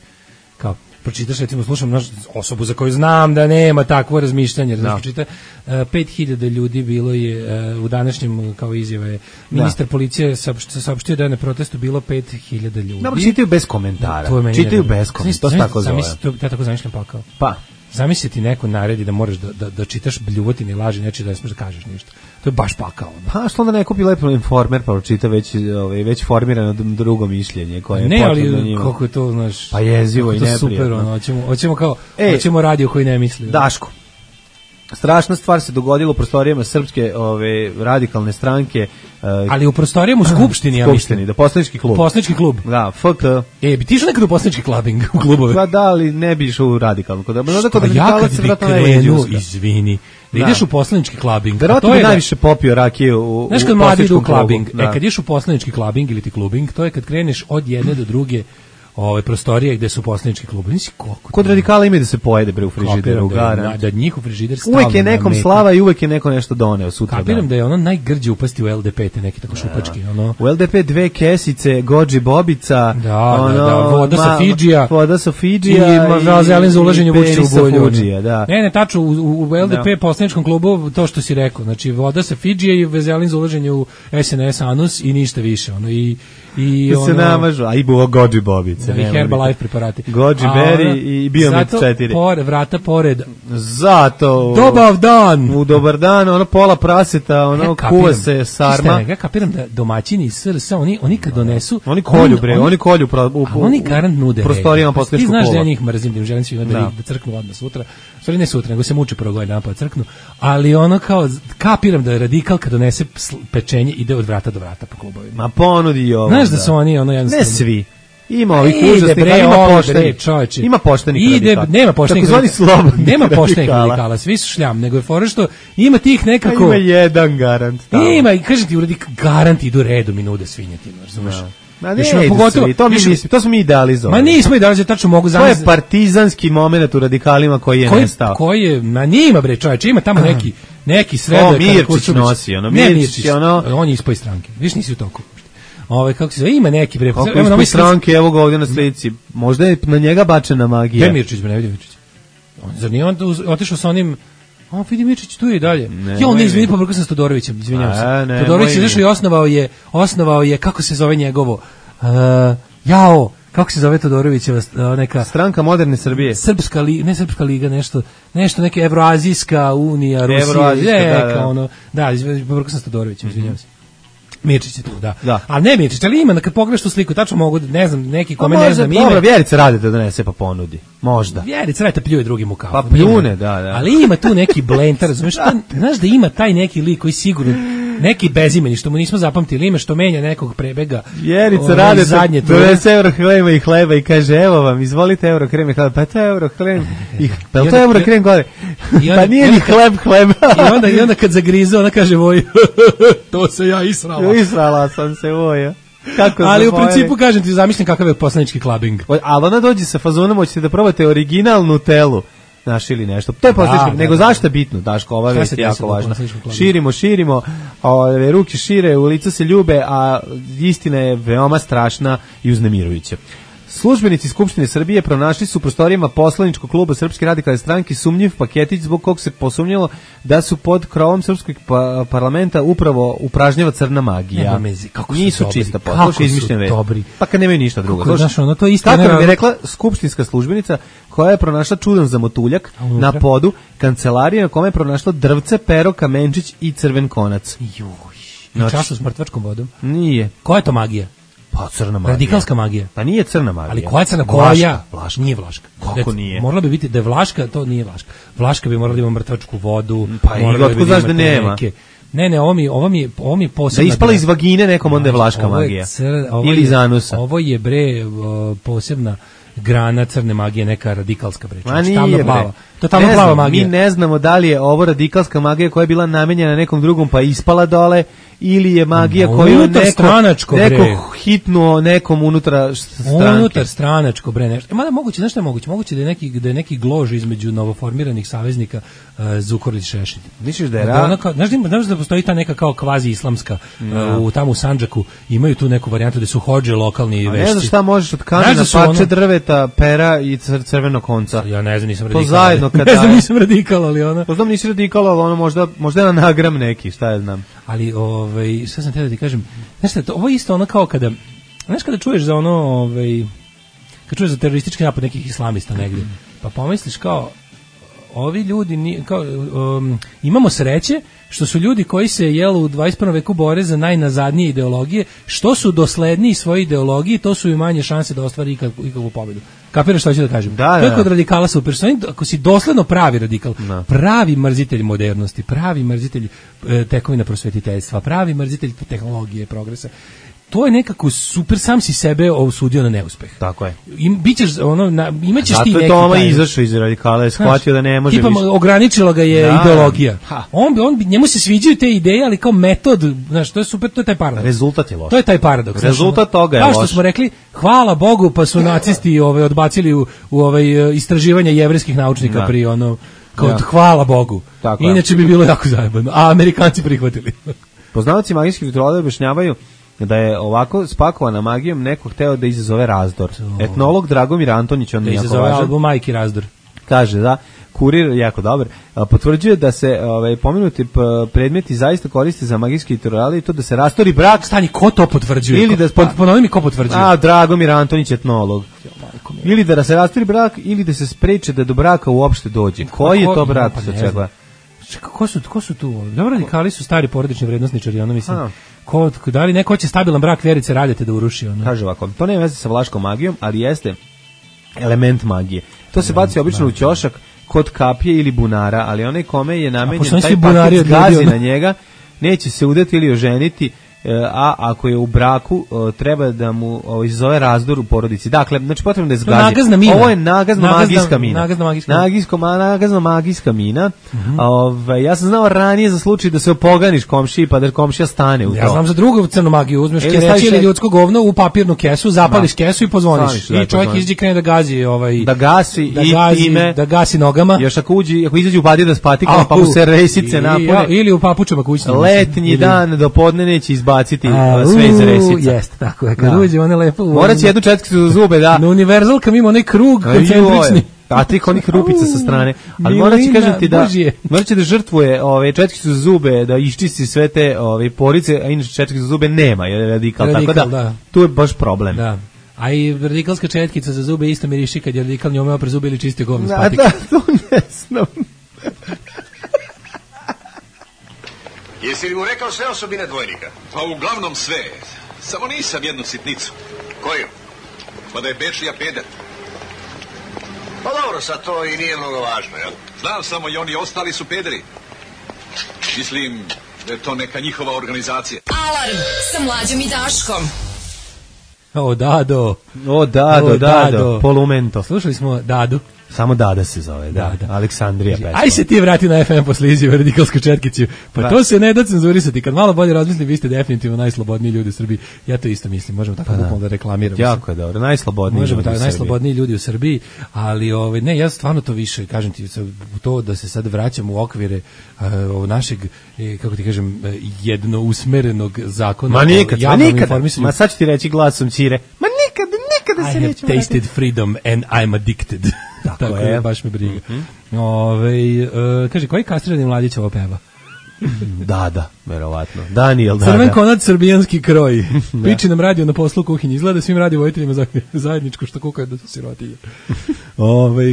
kao, pročitaš, recimo, slušam osobu za koju znam da nema takvo razmišljanje. Znači, pročita 5.000 ljudi bilo je u današnjem, kao izjave, ministar policije saopštio da je na protestu bilo 5.000 ljudi. Dobro, čitaju bez komentara. Čitaju bez komentara, to se tako zove. Ja tako zamišljam pakao. Pa. Zamisli ti neko naredi da moraš da čitaš bljuvotine i laži, neće da ne smiješ da kažeš ništa. To je baš pakao. Pa što onda neko bi lepo Informer pa pročita već formirano drugo mišljenje koje je potrebno njima. Kako je to, znaš, pa jezivo i neprijatno. Super, hoćemo radio koji ne misli. Daško. Strašna stvar se dogodila u prostorijama srpske radikalne stranke. Ali u prostorijama u Skupštini, ja mislim. Da, poslanički klub. Poslanički klub. Da, FK. Bi ti išao nekad u poslanički klubing u klubove? Pa da, ali ne bi išao u radikalno. Ja kad bi krenuo, izvini, da ideš u poslanički klubing. Verovatno bi najviše popio rakije u znaš kad mladi idu u klubing, kad ideš u poslanički klubing ili ti klubing, to je kad kreneš od jedne do druge prostorije gde su poslanički klubovi. Kod radikala ima da se pojede bre u frižideru, da njihov frižider stavlja. Uvek je nekom slava i uvek je neko nešto doneo sutra. Kapiram da je ono najgrđe upasti u LDP, te neki tako šupački. U LDP 2 kesice, Gođi Bobica, voda sa Fidžija i zelin za ulaženje Vučića u bolju. Ne, tačno, u LDP poslaničkom klubu to što si rekao, znači voda sa Fidžija i zelin za ulaženje u SNS Anus i ništa više. I se namažu, a i buvo Gođi Bobice. I Herbalife preparati. Goji Berry i Biomed 4. Zato vrata pored. Zato. Dobar dan. U dobar dan, ono pola praseta, kuva se sarma. Ja kapiram da domaćini iz SRS, oni kad donesu. Oni kolju oni garant nude. Prostorijama poslaničkog kluba. Ti znaš da ja njih mrzim, da im želim svima da crknu odmah sutra. Stvari ne sutra, nego se muče prvo godina napad crknu. Ali ono kao, kapiram da je radikal kad donese pečenje ide od vrata do vrata po klubovima. Ma ponudi i ovo. Znaš da su oni jednostavno. Ne svi. Ima ovih užasnih, ali ima poštenih. Ima poštenih radikala. Nema poštenih radikala. Nema poštenih radikala, svi su šljam, nego je fora što ima tih nekako. Ima jedan garant. Ima, kažem ti, garant idu redom i nude svinjetinu, razumeš? Ma ne, to smo mi idealizovali. Ma nismo idealizovali, tačno mogu zamisliti. To je partizanski moment u radikalima koji je nestao. Koji je, ma nima bre čoveče, ima tamo neki sredar. Mirčić nosi, Mirčić, on je ispoj stranke, viš nisi u toku. Kako se zove, ima neki bre. Evo na stranke, evo ga ovdje na slici. Možda je na njega bačena magija. Gde Mirčić, ne vidim Mirčić. Zar nije on otišao sa onim. Vidi Mirčić tu je i dalje. Ne izvini, pobrkao sam s Todorovićem, izvinjavam se. Todorović je izašao i osnovao je, kako se zove njegovo, kako se zove Todorovićeva neka Stranka moderne Srbije. Srpska liga, nešto neka Evroazijska unija, Rusija, pobrkao sam s Todorovićem, izvinjavam se. Mirčić je tu, da. Ali ne Mirčić, ali ima, kad pogledaš tu sliku, tačno mogu, ne znam, neki kome ne znam ime. Dobro, Vjerica Radeta donese pa ponudi. Možda. Vjerica Radeta pljuje drugim u kafu. Pa pljune, da. Ali ima tu neki blender, razumiješ, znaš da ima taj neki lik koji sigurno, neki bezimeni, što mu nismo zapamtili ime, što menja nekog prebega. Vjerica Radeta donese Eurokrema i hleba i kaže, evo vam, izvolite Eurokrem i hleba. Pa to je Eurokrem pa je to Eurokrem gore? Pa nije ni hleba. I onda kad zagrize, ona kaže, voj, to se ja israla. Israla sam se, voja. Ali u principu, kažem ti, zamislim kakav je poslanički klubing. Ali ona dođe sa fazonom, hoćete da probate originalnu Nutellu. Naš ili nešto. To je poslanički, nego zašto je bitno, Daško, ova vest je jako važna. Širimo, ruke šire, u lica se ljube, a istina je veoma strašna i uznemirujuća. Službenici Skupštine Srbije pronašli su u prostorijama poslaničkog kluba Srpske radikalne stranke sumnjiv paketić zbog kog se posumnjalo da su pod krovom srpskog parlamenta upravo upražnjava crna magija. Nisu čista posluša, izmišljene vesti. Pa kad nemaju ništa drugo. Kako nam je rekla skupštinska službenica koja je pronašla čudan zamotuljak na podu kancelarije na kome je pronašla drvce, pero, kamenčić i crven konac. I čašu s mrtvačkom vodom? Nije. Koja je to magija? Pa crna magija. Radikalska magija. Pa nije crna magija. Ali koja je crna? Vlaška. Vlaška. Nije vlaška. Kako nije? Morala bi biti da je vlaška, to nije vlaška. Vlaška bi morala da ima mrtvačku vodu. Pa i otkud znaš da nema? Ne, ovo mi je posebna. Da ispala iz vagine nekom, onda je vlaška magija. Ili iz anusa. Ovo je posebna grana crne magije, neka radikalska bre. Ma nije plava. To je tamno plava magija. Mi ne znamo da li je ovo radikalska magija koja je bila namenjena nekom drugom pa ispala dole, ili je magija koju neko hitnuo nekom unutar stranke. Unutar stranačko bre nešto. Mada moguće, nešto je moguće. Moguće da je neki glož između novoformiranih saveznika Zukorlić Šešelj. Misliš da je znaš da postoji ta neka kao kvazi islamska tamo u Sandžaku, imaju tu neku varijantu da su hodže lokalni vešci. Ne znaš šta možeš od kamena, parče drveta, pera i crvenog konca. Ja ne znam, nisam radikal. To zajedno kad ne znam, nisam radikal, ali ono. To znam, nisi radikal, ali ono možda je na nagram neki, šta ja znam. Ali šta sam htio da ti kažem, znaš šta, ovo je isto ono kao kada, znaš kada čuješ za ono, kad čuješ za teroristički napad nekih islamista negdje, pa pomisliš kao, ovi ljudi, kao, imamo sreće što su ljudi koji se u 21. veku bore za najnazadnije ideologije, što su dosledniji svoje ideologiji, to su i manje šanse da ostvari ikakvu pobedu. Kapiraš što hoću da kažem? Da, to je kod radikala super. Ako si dosledno pravi radikal, pravi mrzitelj modernosti, pravi mrzitelj tekovina prosvetiteljstva, pravi mrzitelj tehnologije, progresa, to je nekako super, sam si sebe osudio na neuspeh. Tako je. Bićeš imaćeš ti neki. Zato je Toma izašao iz radikala, je shvatio da ne može tipa, više. Ograničila ga je ideologija. Njemu se sviđaju te ideje, ali kao metod, znaš, to je super, to je taj paradoks. Rezultat je loš. To je taj paradoks. Rezultat toga je loš. Kao što smo rekli, hvala Bogu, pa su nacisti odbacili u istraživanja jevrejskih naučnika pri hvala Bogu. Tako inače bi bilo jako zajebano. A Amerikanci prihvatili. Poznavaci magijskih rituala objašnjavaju da je ovako spakovana magijom neko hteo da izazove razdor. Etnolog Dragomir Antonić, on je jako važan. Da izazove album Majki razdor. Kaže, da, Kurir, jako dobar, potvrđuje da se pomenuti predmeti zaista koriste za magijski rituale i to da se rastori brak. Stani, ko to potvrđuje? Ili da ponovi mi ko potvrđuje? Dragomir Antonić, etnolog. Ili da se rastori brak, ili da se spreče da do braka uopšte dođe. Koji je to brak sa čega? Ko su tu? Dobro, radikali su stari porodični vrednosničari, ono mislim. Da li neko hoće stabilan brak Vjerice Radete da uruši? Ono? Kaže ovako, to nema veze sa vlaškom magijom, ali jeste element magije. To se baci obično u ćošak kod kapije ili bunara, ali onaj kome je namenjen taj paket gazi na njega, neće se udati ili oženiti, a ako je u braku treba da mu izazove razdor u porodici. Dakle, znači potrebno da je zgazi. Ovo je nagazna magijska mina. Nagazna magijska mina. Ja sam znao ranije za slučaj da se opoganiš komšiji pa da komšija stane u to. Ja znam za drugu crnu magiju. Uzmeš kereći ili ljudsko govno u papirnu kesu, zapališ kesu i pozvoniš. I čovjek izađe krene da gazi. Da gasi i time. Da gasi nogama. Još ako izađe u badir da spatikama pa mu se resice napune. Ili u papučama kućnim. Letnji dan do podne neće baciti sve iz resica. Jeste, tako je. Kad uđe, one lepo... Morat će jednu četkicu za zube, da. Na univerzalkam ima onaj krug koncentrični. A tih onih rupica sa strane. Ali morat će, kažem ti, morat će da žrtvuje četkicu za zube, da iščisti sve te porice, a inače četkicu za zube nema, jer je radikal. Tako da, tu je baš problem. Da. A i radikalska četkica za zube isto miriši kad je radikal njome opre zube ili čisti govno s patika. Da, to ne znam. Jesi li mu rekao sve osobine dvojnika? Pa uglavnom sve. Samo nisam jednu sitnicu. Koju? Pa da je Bečija peder. Pa dobro, sad to i nije mnogo važno, jel? Znam samo i oni ostali su pederi. Mislim da je to neka njihova organizacija. Alarm sa Mlađom i Daškom. Dado, Polumento. Slušali smo Dadu. Samo Dada se zove, da. Aleksandrija pesma. Aj se ti vrati na FM posle izjave radikalsku četkicu. Pa to se ne da cenzurisati. Kad malo bolje razmislim, vi ste definitivno najslobodniji ljudi u Srbiji. Ja to isto mislim. Možemo tako da reklamiramo. Jako je dobro. Najslobodniji ljudi u Srbiji. Najslobodniji ljudi u Srbiji, ali ne, ja stvarno to više, kažem ti, to da se sad vraćamo u okvire našeg, kako ti kažem, jednousmerenog zakona. Ma nikad. Ma sad ću ti reći glasom Ćire. Ma nikada se nećemo. I have tasted freedom and I'm addicted. Tako je, baš me briga. Kaže, koji kastrirani mladić ovo peva? Da, verovatno. Daniel, da. Crven konac, srbijanski kroj. Piči nam radio na poslu u kuhinji. Izgleda svim radio vojiteljima zajedničko što kukaju da su sirotinje.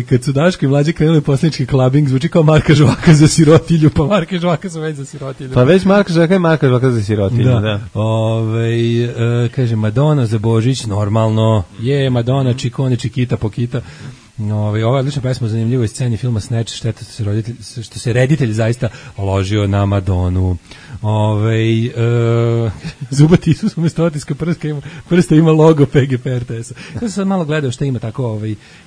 Kad su Daško i Mlađe krenuli poslanički klabing, zvuči kao Marka Žvaka za sirotilju, pa Marka Žvaka su već za sirotilju. Pa već Marka Žvaka i Marka Žvaka za sirotilju, da. Kaže, Madonna za Božić, normalno. Je, Madonna, Čikone, Čikita, Pokita. Ova je odlična pesma o zanimljivoj sceni filma Snatch, šteta što se reditelj zaista ložio na Madonu. Zubati Isus umesto otiska prsta ima logo PGP RTS-a. Ja sam sad malo gledao što ima tako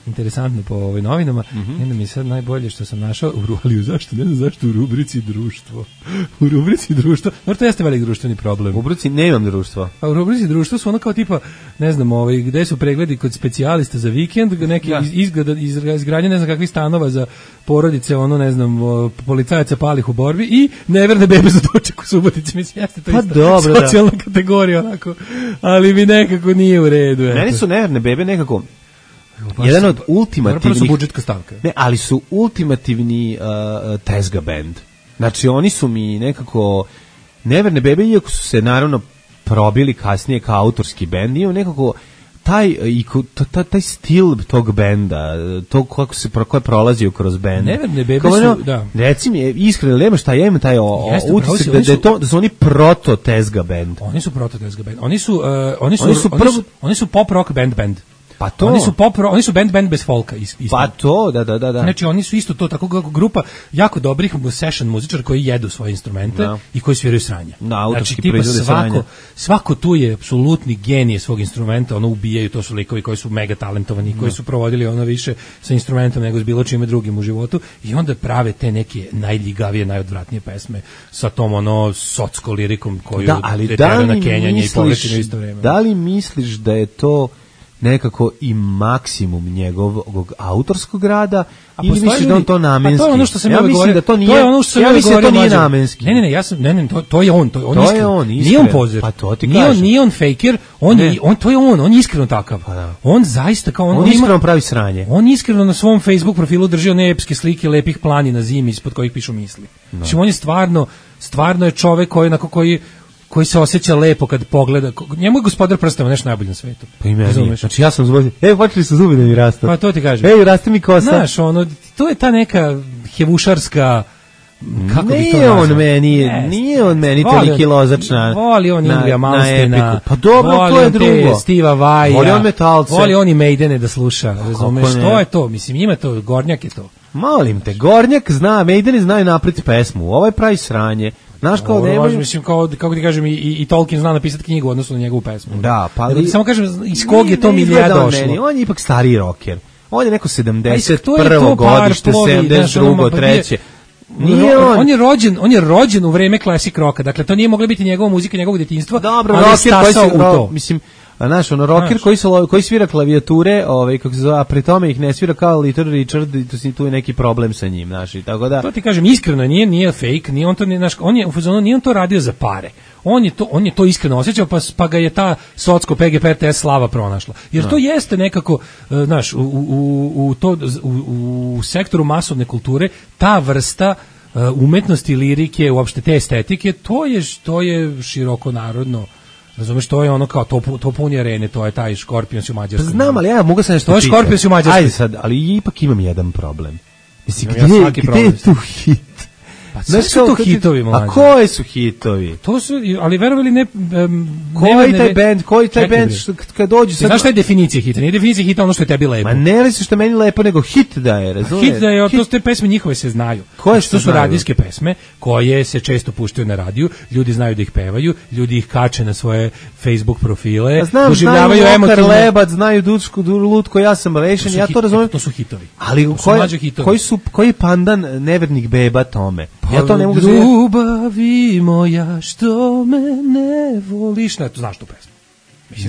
interesantno po novinama. Jedna mi je sad najbolje što sam našao, ali zašto, ne znam zašto u rubrici društvo. U rubrici društvo, možda to jeste velik društveni problem. U rubrici nemam društva. A u rubrici društvo su ono kao tipa, ne znam, gde su pregledi kod specijalista za vikend, neki izgradnje ne znam kakvih stanova za porodice, ne znam, policajaca palih u borbi i neverne bebe za doček u Subotici. Mislim, jeste to isto socijalna kategorija, onako, ali mi nekako nije u redu. Meni su neverne bebe nekako jedan od ultimativnih... su budžetska stavka. Ne, ali su ultimativni tezga band. Znači, oni su mi nekako... Neverne bebe, iako su se naravno probili kasnije kao autorski bend, imaju nekako taj stil tog benda, to kako je prolazio kroz bend. Neverne bebe su, da. Reci mi, iskreno, nema šta, ja imam taj utisak da su oni proto tezga bend. Oni su proto tezga bend. Oni su pop rock band. Pa to. Oni su band bez folka. Pa to, da. Znači oni su isto to tako grupa jako dobrih session muzičara koji jedu svoje instrumente i koji sviraju sranje. Znači tipa svako tu je apsolutni genije svog instrumenta, ubijaju, to su likovi koji su mega talentovani, koji su provodili više sa instrumentom nego s bilo čime drugim u životu i onda prave te neke najljigavije, najodvratnije pesme sa tom socko lirikom koju detera na kenjanje i povrećenje u isto vreme. Da li misliš da je to nekako i maksimum njegovog autorskog rada ili misliš da on to namenski? To je ono što sam ja mislim da to nije. Ja mislim da to nije namenski. Ne, to je on, nije on pozer. Pa to ti kažem. Nije on faker, on je iskreno takav. On zaista kao on iskreno pravi sranje. On iskreno na svom Facebook profilu drži one epske slike lepih planina zimi ispod kojih pišu misli. Znači on je stvarno je čovek koji se osjeća lepo kad pogleda. Njemu je Gospodar prstava nešto najbolje na svetu. Pa i meni. Znači ja sam zubio. Počeli su zubi da mi rastu. Pa to ti kažem. Raste mi kosa. Znaš, to je ta neka hevušarska, kako bi to nazvao? Nije on meni toliki lozačna. Voli on Ilija Malmstina. Pa dobro, to je drugo. Steva Vaja. Voli on metalce. Voli on i Maidene da sluša. Razumeš, to je to. Mislim, ima to, Gornjak je to. Molim te, Gornjak zna, Maidene znaju napred pesmu. Ovo je pravi sranje. Znaš kao nemoj... Mislim, kako ti kažem, i Tolkien zna napisati knjigu odnosno na njegovu pesmu. Da, pa... Samo kažem, iz kog je to milija došlo? On je ipak stariji rocker. On je neko 71. godište, 72. treće. On je rođen u vreme classic rocka, dakle to nije mogla biti njegova muzika, njegovog djetinjstva. Dobro, rocker koji se... Mislim, znaš, rocker koji svira klavijature, kako se zove, a pri tome ih ne svira kao Little Richard, i tu je neki problem sa njim, znaš, i tako da... To ti kažem, iskreno, nije fake, nije on to, nije on to radio za pare. On je to iskreno osjećao, pa ga je ta socko PGP RTS slava pronašla. Jer to jeste nekako, znaš, u sektoru masovne kulture, ta vrsta umetnosti, lirike, uopšte te estetike, to je široko narodno. Razumeš, to je ono kao to puni arene, to je taj Škorpions u Mađarskoj. Znam, ali ja mogu se nešto pitati. To je Škorpions u Mađarskoj. Ajde sad, ali ipak imam jedan problem. Mislim, gdje je tu hit? Pa sve su to hitovi, mlađe. A koji su hitovi? To su, ali verovali ne... Koji taj band kad dođu sad... Znaš šta je definicija hita? Nije definicija hita ono što je tebi lepo. Ma ne li se što meni lepo, nego hit da je, razumiješ? Hit da je, to te pesme njihove se znaju. Koje što su radijske pesme, koje se često puštaju na radiju, ljudi znaju da ih pevaju, ljudi ih kače na svoje Facebook profile, doživljavaju emotivno. Lebac, znaju Dučku, Lutko, ja sam rešen, ja to razumijem. To su hitovi. Ali koji je pandan nevernih beba tome? Ja to ne mogu znati. Ljubavi moja, što me ne voliš. Ne, to znaš tu pesmu.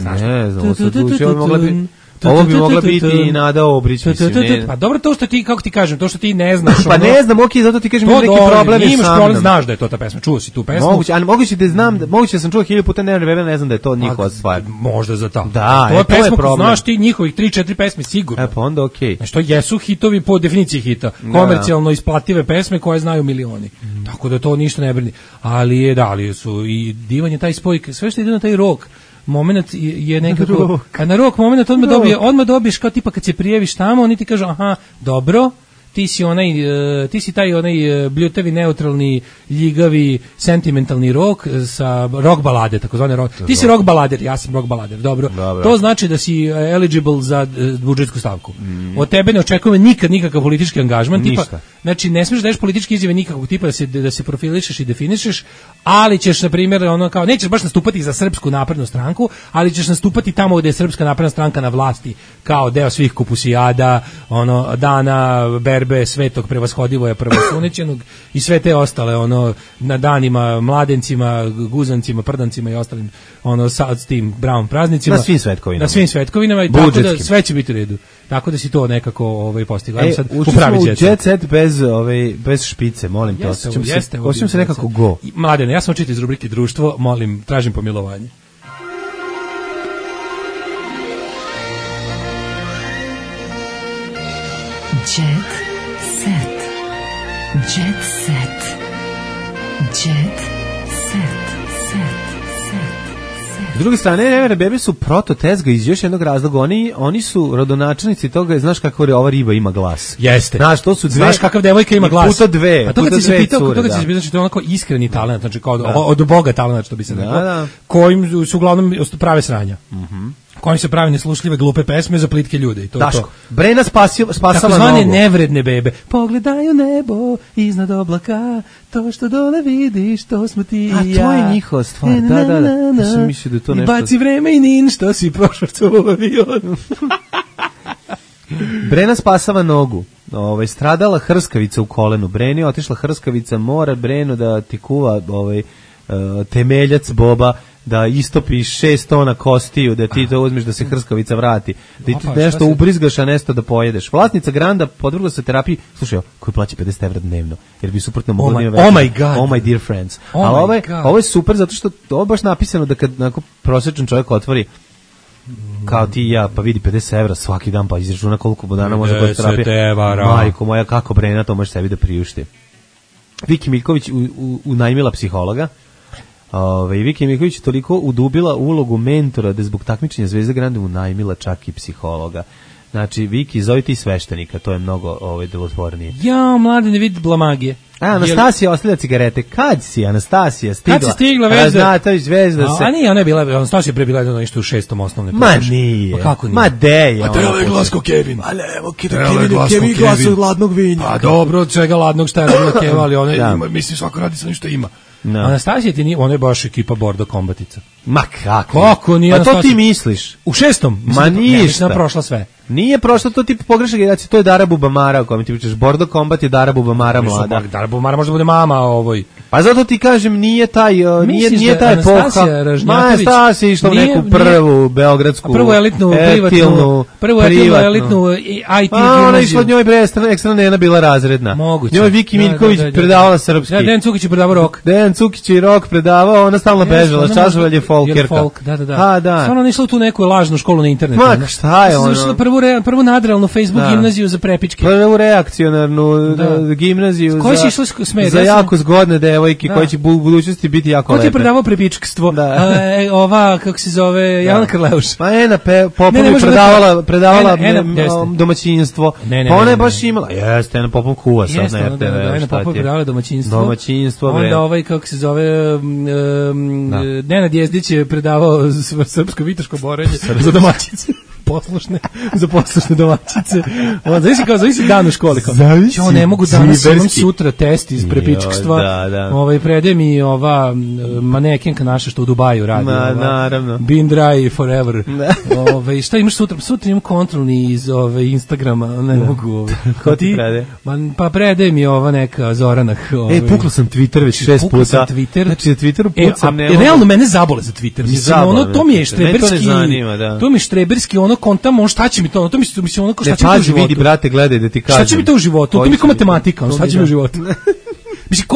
Ne znam, sad uči, ovo mogla bi... Ovo bi mogla biti i Nada Obrić, mislim. Pa dobro, to što ti, kako ti kažem, to što ti ne znaš. Pa ne znam, okej, zato ti kažem neki problem imaš problem, znaš da je to ta pesma, čuo si tu pesmu. Moguće da znam, moguće da sam čuo 1000 puta, ne znam da je to njihova stvar. Možda za to. Da, to je pesma, znaš ti njihovih 3-4 pesme sigurno. Pa onda okej. Znači to jesu hitovi po definiciji hita, komercijalno isplative pesme koje znaju milioni. Tako da to ništa ne brini. Ali su i divan je taj spoj, sve što ide na taj rock. Moment je nekako, a na rock moment odmah dobiješ kao tipa kad se prijaviš tamo, oni ti kažu aha, dobro, ti si taj onaj bljutavi, neutralni, ljigavi, sentimentalni rock sa rock balade, takozvane rock. Ti si rock balader, ja sam rock balader, dobro. To znači da si eligible za budžetsku stavku. Od tebe ne očekujem nikakav politički angažman, tipa, znači ne smiješ da daješ političke izjave nikakvog tipa da se profilišeš i definišeš, ali ćeš na primjer ono kao nećeš baš nastupati za Srpsku naprednu stranku, ali ćeš nastupati tamo gde je Srpska napredna stranka na vlasti, kao deo svih kupusijada, ono dana berbe Svetog prevashodivoja prvosunećenog i sve te ostale ono na danima mladencima, guzancima, prdancima i ostalim ono sa tim brown praznicima na svim svetkovinama i tako da sve će biti u redu. Tako da si to nekako postigla. Sad upravi jet set bez špice, molim te. Osjećam se nekako go. Mladene, ja sam očito iz rubrike društvo, molim, tražim pomilovanje. Jet set. Jet set. Jet set. S druge strane, Neverne bebe su prototezga iz još jednog razloga. Oni su rodonačelnici toga, znaš kako ova riba ima glas. Jeste. Znaš, to su dve. Znaš kakav devojka ima glas. Puta dve. A to kad si se pitao, to je onako iskreni talent, znači kao od Boga talent, što bi se rekao, kojim su uglavnom prave sranja. Kojim se pravi neslušljive glupe pesme za plitke ljude. Daško, Brena spasala takozvane nevredne bebe. Pogledaju nebo iznad oblaka, to što dole vidiš, to smo ti i ja. A to je njihova stvar, da. Ja sam mislio da je to nešto. I baci vreme i nin, što si prošao u avion. Brena spasava nogu. Stradala hrskavica u kolenu. Breni otišla hrskavica, mora Breno da ti kuva temeljac Boba, da istopiš 6 tona kostiju, da ti to uzmeš da se hrskavica vrati, da ti nešto ubrizgaš, a nešto da pojedeš. Vlasnica Granda podvrgla se terapiji, slušaj, koji plaća 50 evra dnevno, jer bi suprotno mogla da ima Oh my God. Oh my dear friends. Ali ovo je super, zato što ovo je baš napisano da kad prosječan čovjek otvori kao ti i ja, pa vidi 50 evra svaki dan, pa izračuna koliko dana može biti terapija. Majko moja, kako Brena to može sebi da priušti. Viki Miljković unajmila psihologa. Viki Miljković je toliko udubila ulogu mentora da zbog takmičenja Zvezde Grande unajmila čak i psihologa. Znači, Viki, zove ti sveštenika, to je mnogo delotvornije. Ja, mlade, ne vidi blamagije. Anastasija ostavlja cigarete. Kad si Anastasija stigla? Kad si stigla Vezda? Raznatović Vezda se. A nije, ona je bila, Anastasija pre bila jedno nešto u 6. osnovne. Ma nije. Pa kako nije? Ma deje. A treba je glasko Kevin. A evo, Kevin glasu od ladnog vinja. Pa dobro, od čega ladnog šta je radila Keva, ali ona ima, mislim, svako radi sa nešto ima. Anastasija ti nije, ona je baš ekipa Bordo Kombatica. Ma kako? Kako nije Anastasija? A to ti misliš? U 6. Ma ništa. Ne, prošla sve. Nije prošlo, to ti pogrešna generacija, to je Dara Bubamara o kojem ti pričaš. Bordo Kombat je Dara Bubamara mlada. Dara Bubamara može da bude mama ovoj. Pa zato ti kažem, nije taj epoha. Ma Anastasija išla u neku prvu beogradsku, prvu elitnu, elitnu IT gimnaziju. Ona išla od njoj ekstra Nena bila razredna. Moguće. Njoj Viki Miljković predavala srpski. Dejan Cukić je predavao rock. Dejan Cukić je rock predavao, ona stalno bežala, čažovalje folkerka. Da. Stvarno išla u tu neku lažnu školu na internetu. Ma šta je ono? Prvu nadrealnu Facebook gimnaziju za prepičke. Prvu reakcionarnu gimnaziju za jako zgodne devojke koje će u budućnosti biti jako lepe. Ko ti je predavao prepičkstvo? Ova, kako se zove, Jelena Krleuš. Pa Ena Popov predavala domaćinstvo. Pa ona je baš imala. Jeste, Ena Popov kuva sad na RTV. Ena Popov predavala domaćinstvo. Onda ovaj, kako se zove, Nenad Jezdić je predavao srpsko-vitaško borenje za domaćice. Za poslušne domaćice. Zavisi dan u školi. Ja ne mogu danas, imam sutra test iz prepičkstva. Prede mi ova manekenka naša što u Dubaju radi. Naravno. Been dry forever. Šta imaš sutra? Sutra imam kontrolni iz Instagrama. Ne mogu. Ko ti prede? Pa prede mi ova neka Zorana. Pukla sam Twitter već 6 puta. Znači na Twitteru pucam. Realno mene zabole za Twitter. To mi je štreberski. To mi je štreberski ono kontamo, šta će mi to, to mislim ono kao šta će mi to u životu. Vidi, brate, gledaj da ti kažem. Šta će mi to u životu? To mi kao matematika, šta će mi u životu? Mislim,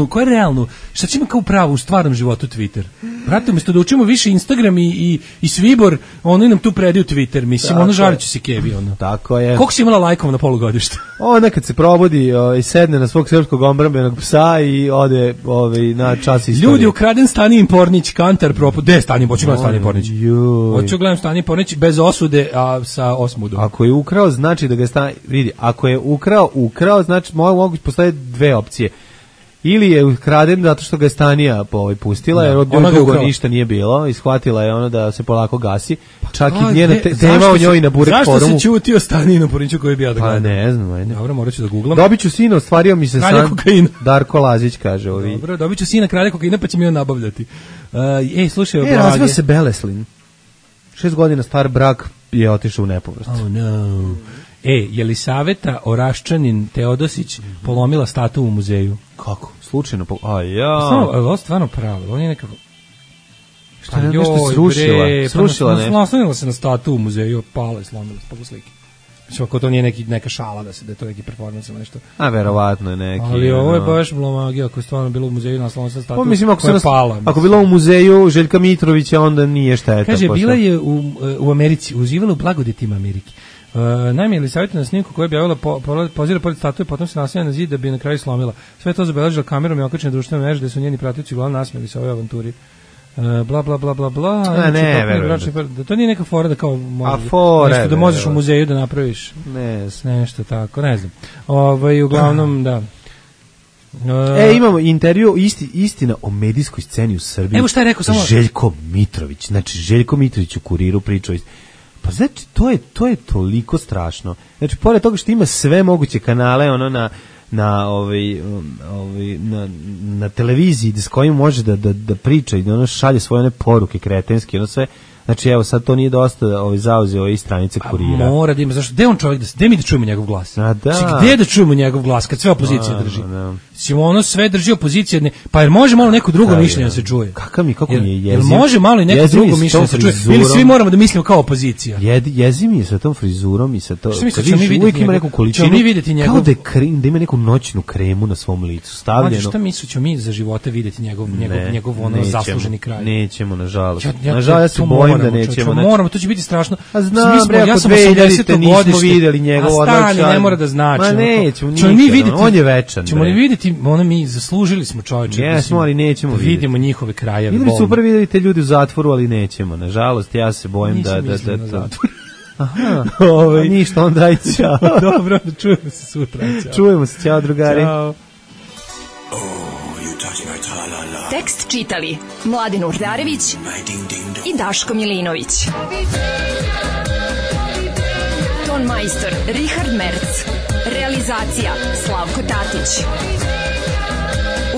ko je realno? Šta će mi kao pravo u stvarnom životu Twitter? Brate, umjesto da učimo više Instagram i Svibor, oni nam tu predaju Twitter, mislim, ono žaliću se kebi, ono. Tako je. Koliko si imala lajkova na polugodištu? Ona kad se probudi i sedne na svog srpskog odbrambenog psa i ode na čas istorije. Ljudi, ukraden Stanijin Pornić, Kantar proput. Gde je Stanijin Pornić? Hoću gledam Stanijin Pornić. Hoću gledam Stanijin Pornić bez osude, a sa osmudom. Ako je ukrao, znači da ga vidi, ako je ukrao, znači mogu postoje dve opcije. Ili je ukraden zato što ga je Stanija pustila, jer od dugo ništa nije bilo i shvatila je ono da se polako gasi. Čak i njena tema o njoj na Burek forumu. Zašto se ćutio Stanijinu Porniću koji bi ja da gledam? Pa ne znam, ajde. Dobro, morat ću da googlam. Dobit ću sina, ostvario mi se san. Darko Lazić kaže ovi. Dobro, dobit ću sina kralja kokaina pa će mi on nabavljati. Slušaj, razvio se Beleslin. 6 godina star brak je otišao u nepovrat. Oh no. Jelisaveta Oraščanin Teodosić polomila statu u muzeju. Kako? Slučajno? Ovo stvarno pravo. On je nekako... Šta je nešto srušila? Naslonila se na statu u muzeju, pala i slomila se po slike. Mislim, ako to nije neka šala, da je to neki performans ili nešto. A verovatno je neki. Ali ovo je baš blomagija, ako je stvarno bilo u muzeju, naslonila se na statu koja je pala. Ako je bilo u muzeju Željka Mitrovića, onda nije šteta. Kaže, bila je u Americi, uživala u blagodetima Amerike. Naime, Jelisaveta na snimku koja je objavila pozira pored statue, potom se naslanja na zid da bi na kraju slomila. Sve to zabeležila kamerom i okačene društvene mreže, gde su njeni pratioci uglavnom nasmijali se ovoj avanturi. Bla bla bla bla bla. Da to nije neka fora da kao nešto da možeš u muzeju da napraviš. Nešto tako, ne znam. Uglavnom, da. Imamo intervju istina o medijskoj sceni u Srbiji. Evo šta je rekao samo Željko Mitrović. Znači, Željko Mitrović u Kuriru pričao. Pa znači, to je toliko strašno. Znači, pored toga što ima sve moguće kanale, ono na televiziji s kojim može da priča i da ono šalje svoje one poruke kretenske, ono sve. Znači, evo, sad to nije dosta zauzeo i stranice Kurira. Mora da ima, zašto? Gde on čovjek gde mi da čujemo njegov glas? Gde da čujemo njegov glas kad sve opozicija drži? Ono sve drži opozicija, pa jer može malo neko drugo mišljenje da se čuje? Kako mi je jeziv? Može malo i neko drugo mišljenje da se čuje? Ili svi moramo da mislimo kao opozicija? Jeziv mi je sa tom frizurom i sa to. Što misliš, uvijek ima neku količinu, kao da ima neku noćnu kremu na svom licu stavljeno. Šta misliš, ćemo mi za živote vidjeti njegov ono zasluženi kraj? Nećemo, nažalost. Nažalost, da nećemo. Moramo, to će biti strašno. A znam, ja sam 80. nismo videli njegov odlak. Ne mora da znači. Ma nećemo nikada, on je večan. Ćemo li vidjeti, mi zaslužili smo čovječe. Jesmo, ali nećemo vidjeti. Vidimo njihove krajeve. Vidimo super vidjeti ljudi u zatvoru, ali nećemo. Nažalost, ja se bojim da... Aha, ništa, onda aj ćao. Dobro, čujemo se sutra. Čujemo se, ćao drugari. Ćao. Tekst čitali Mladin Urdarević i Daško Milinović. Ton majstor Richard Merc. Realizacija Slavko Tatić.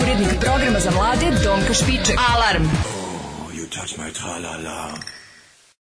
Urednik programa za mlade Donka Špiček. Alarm! You touch my tra-la-la.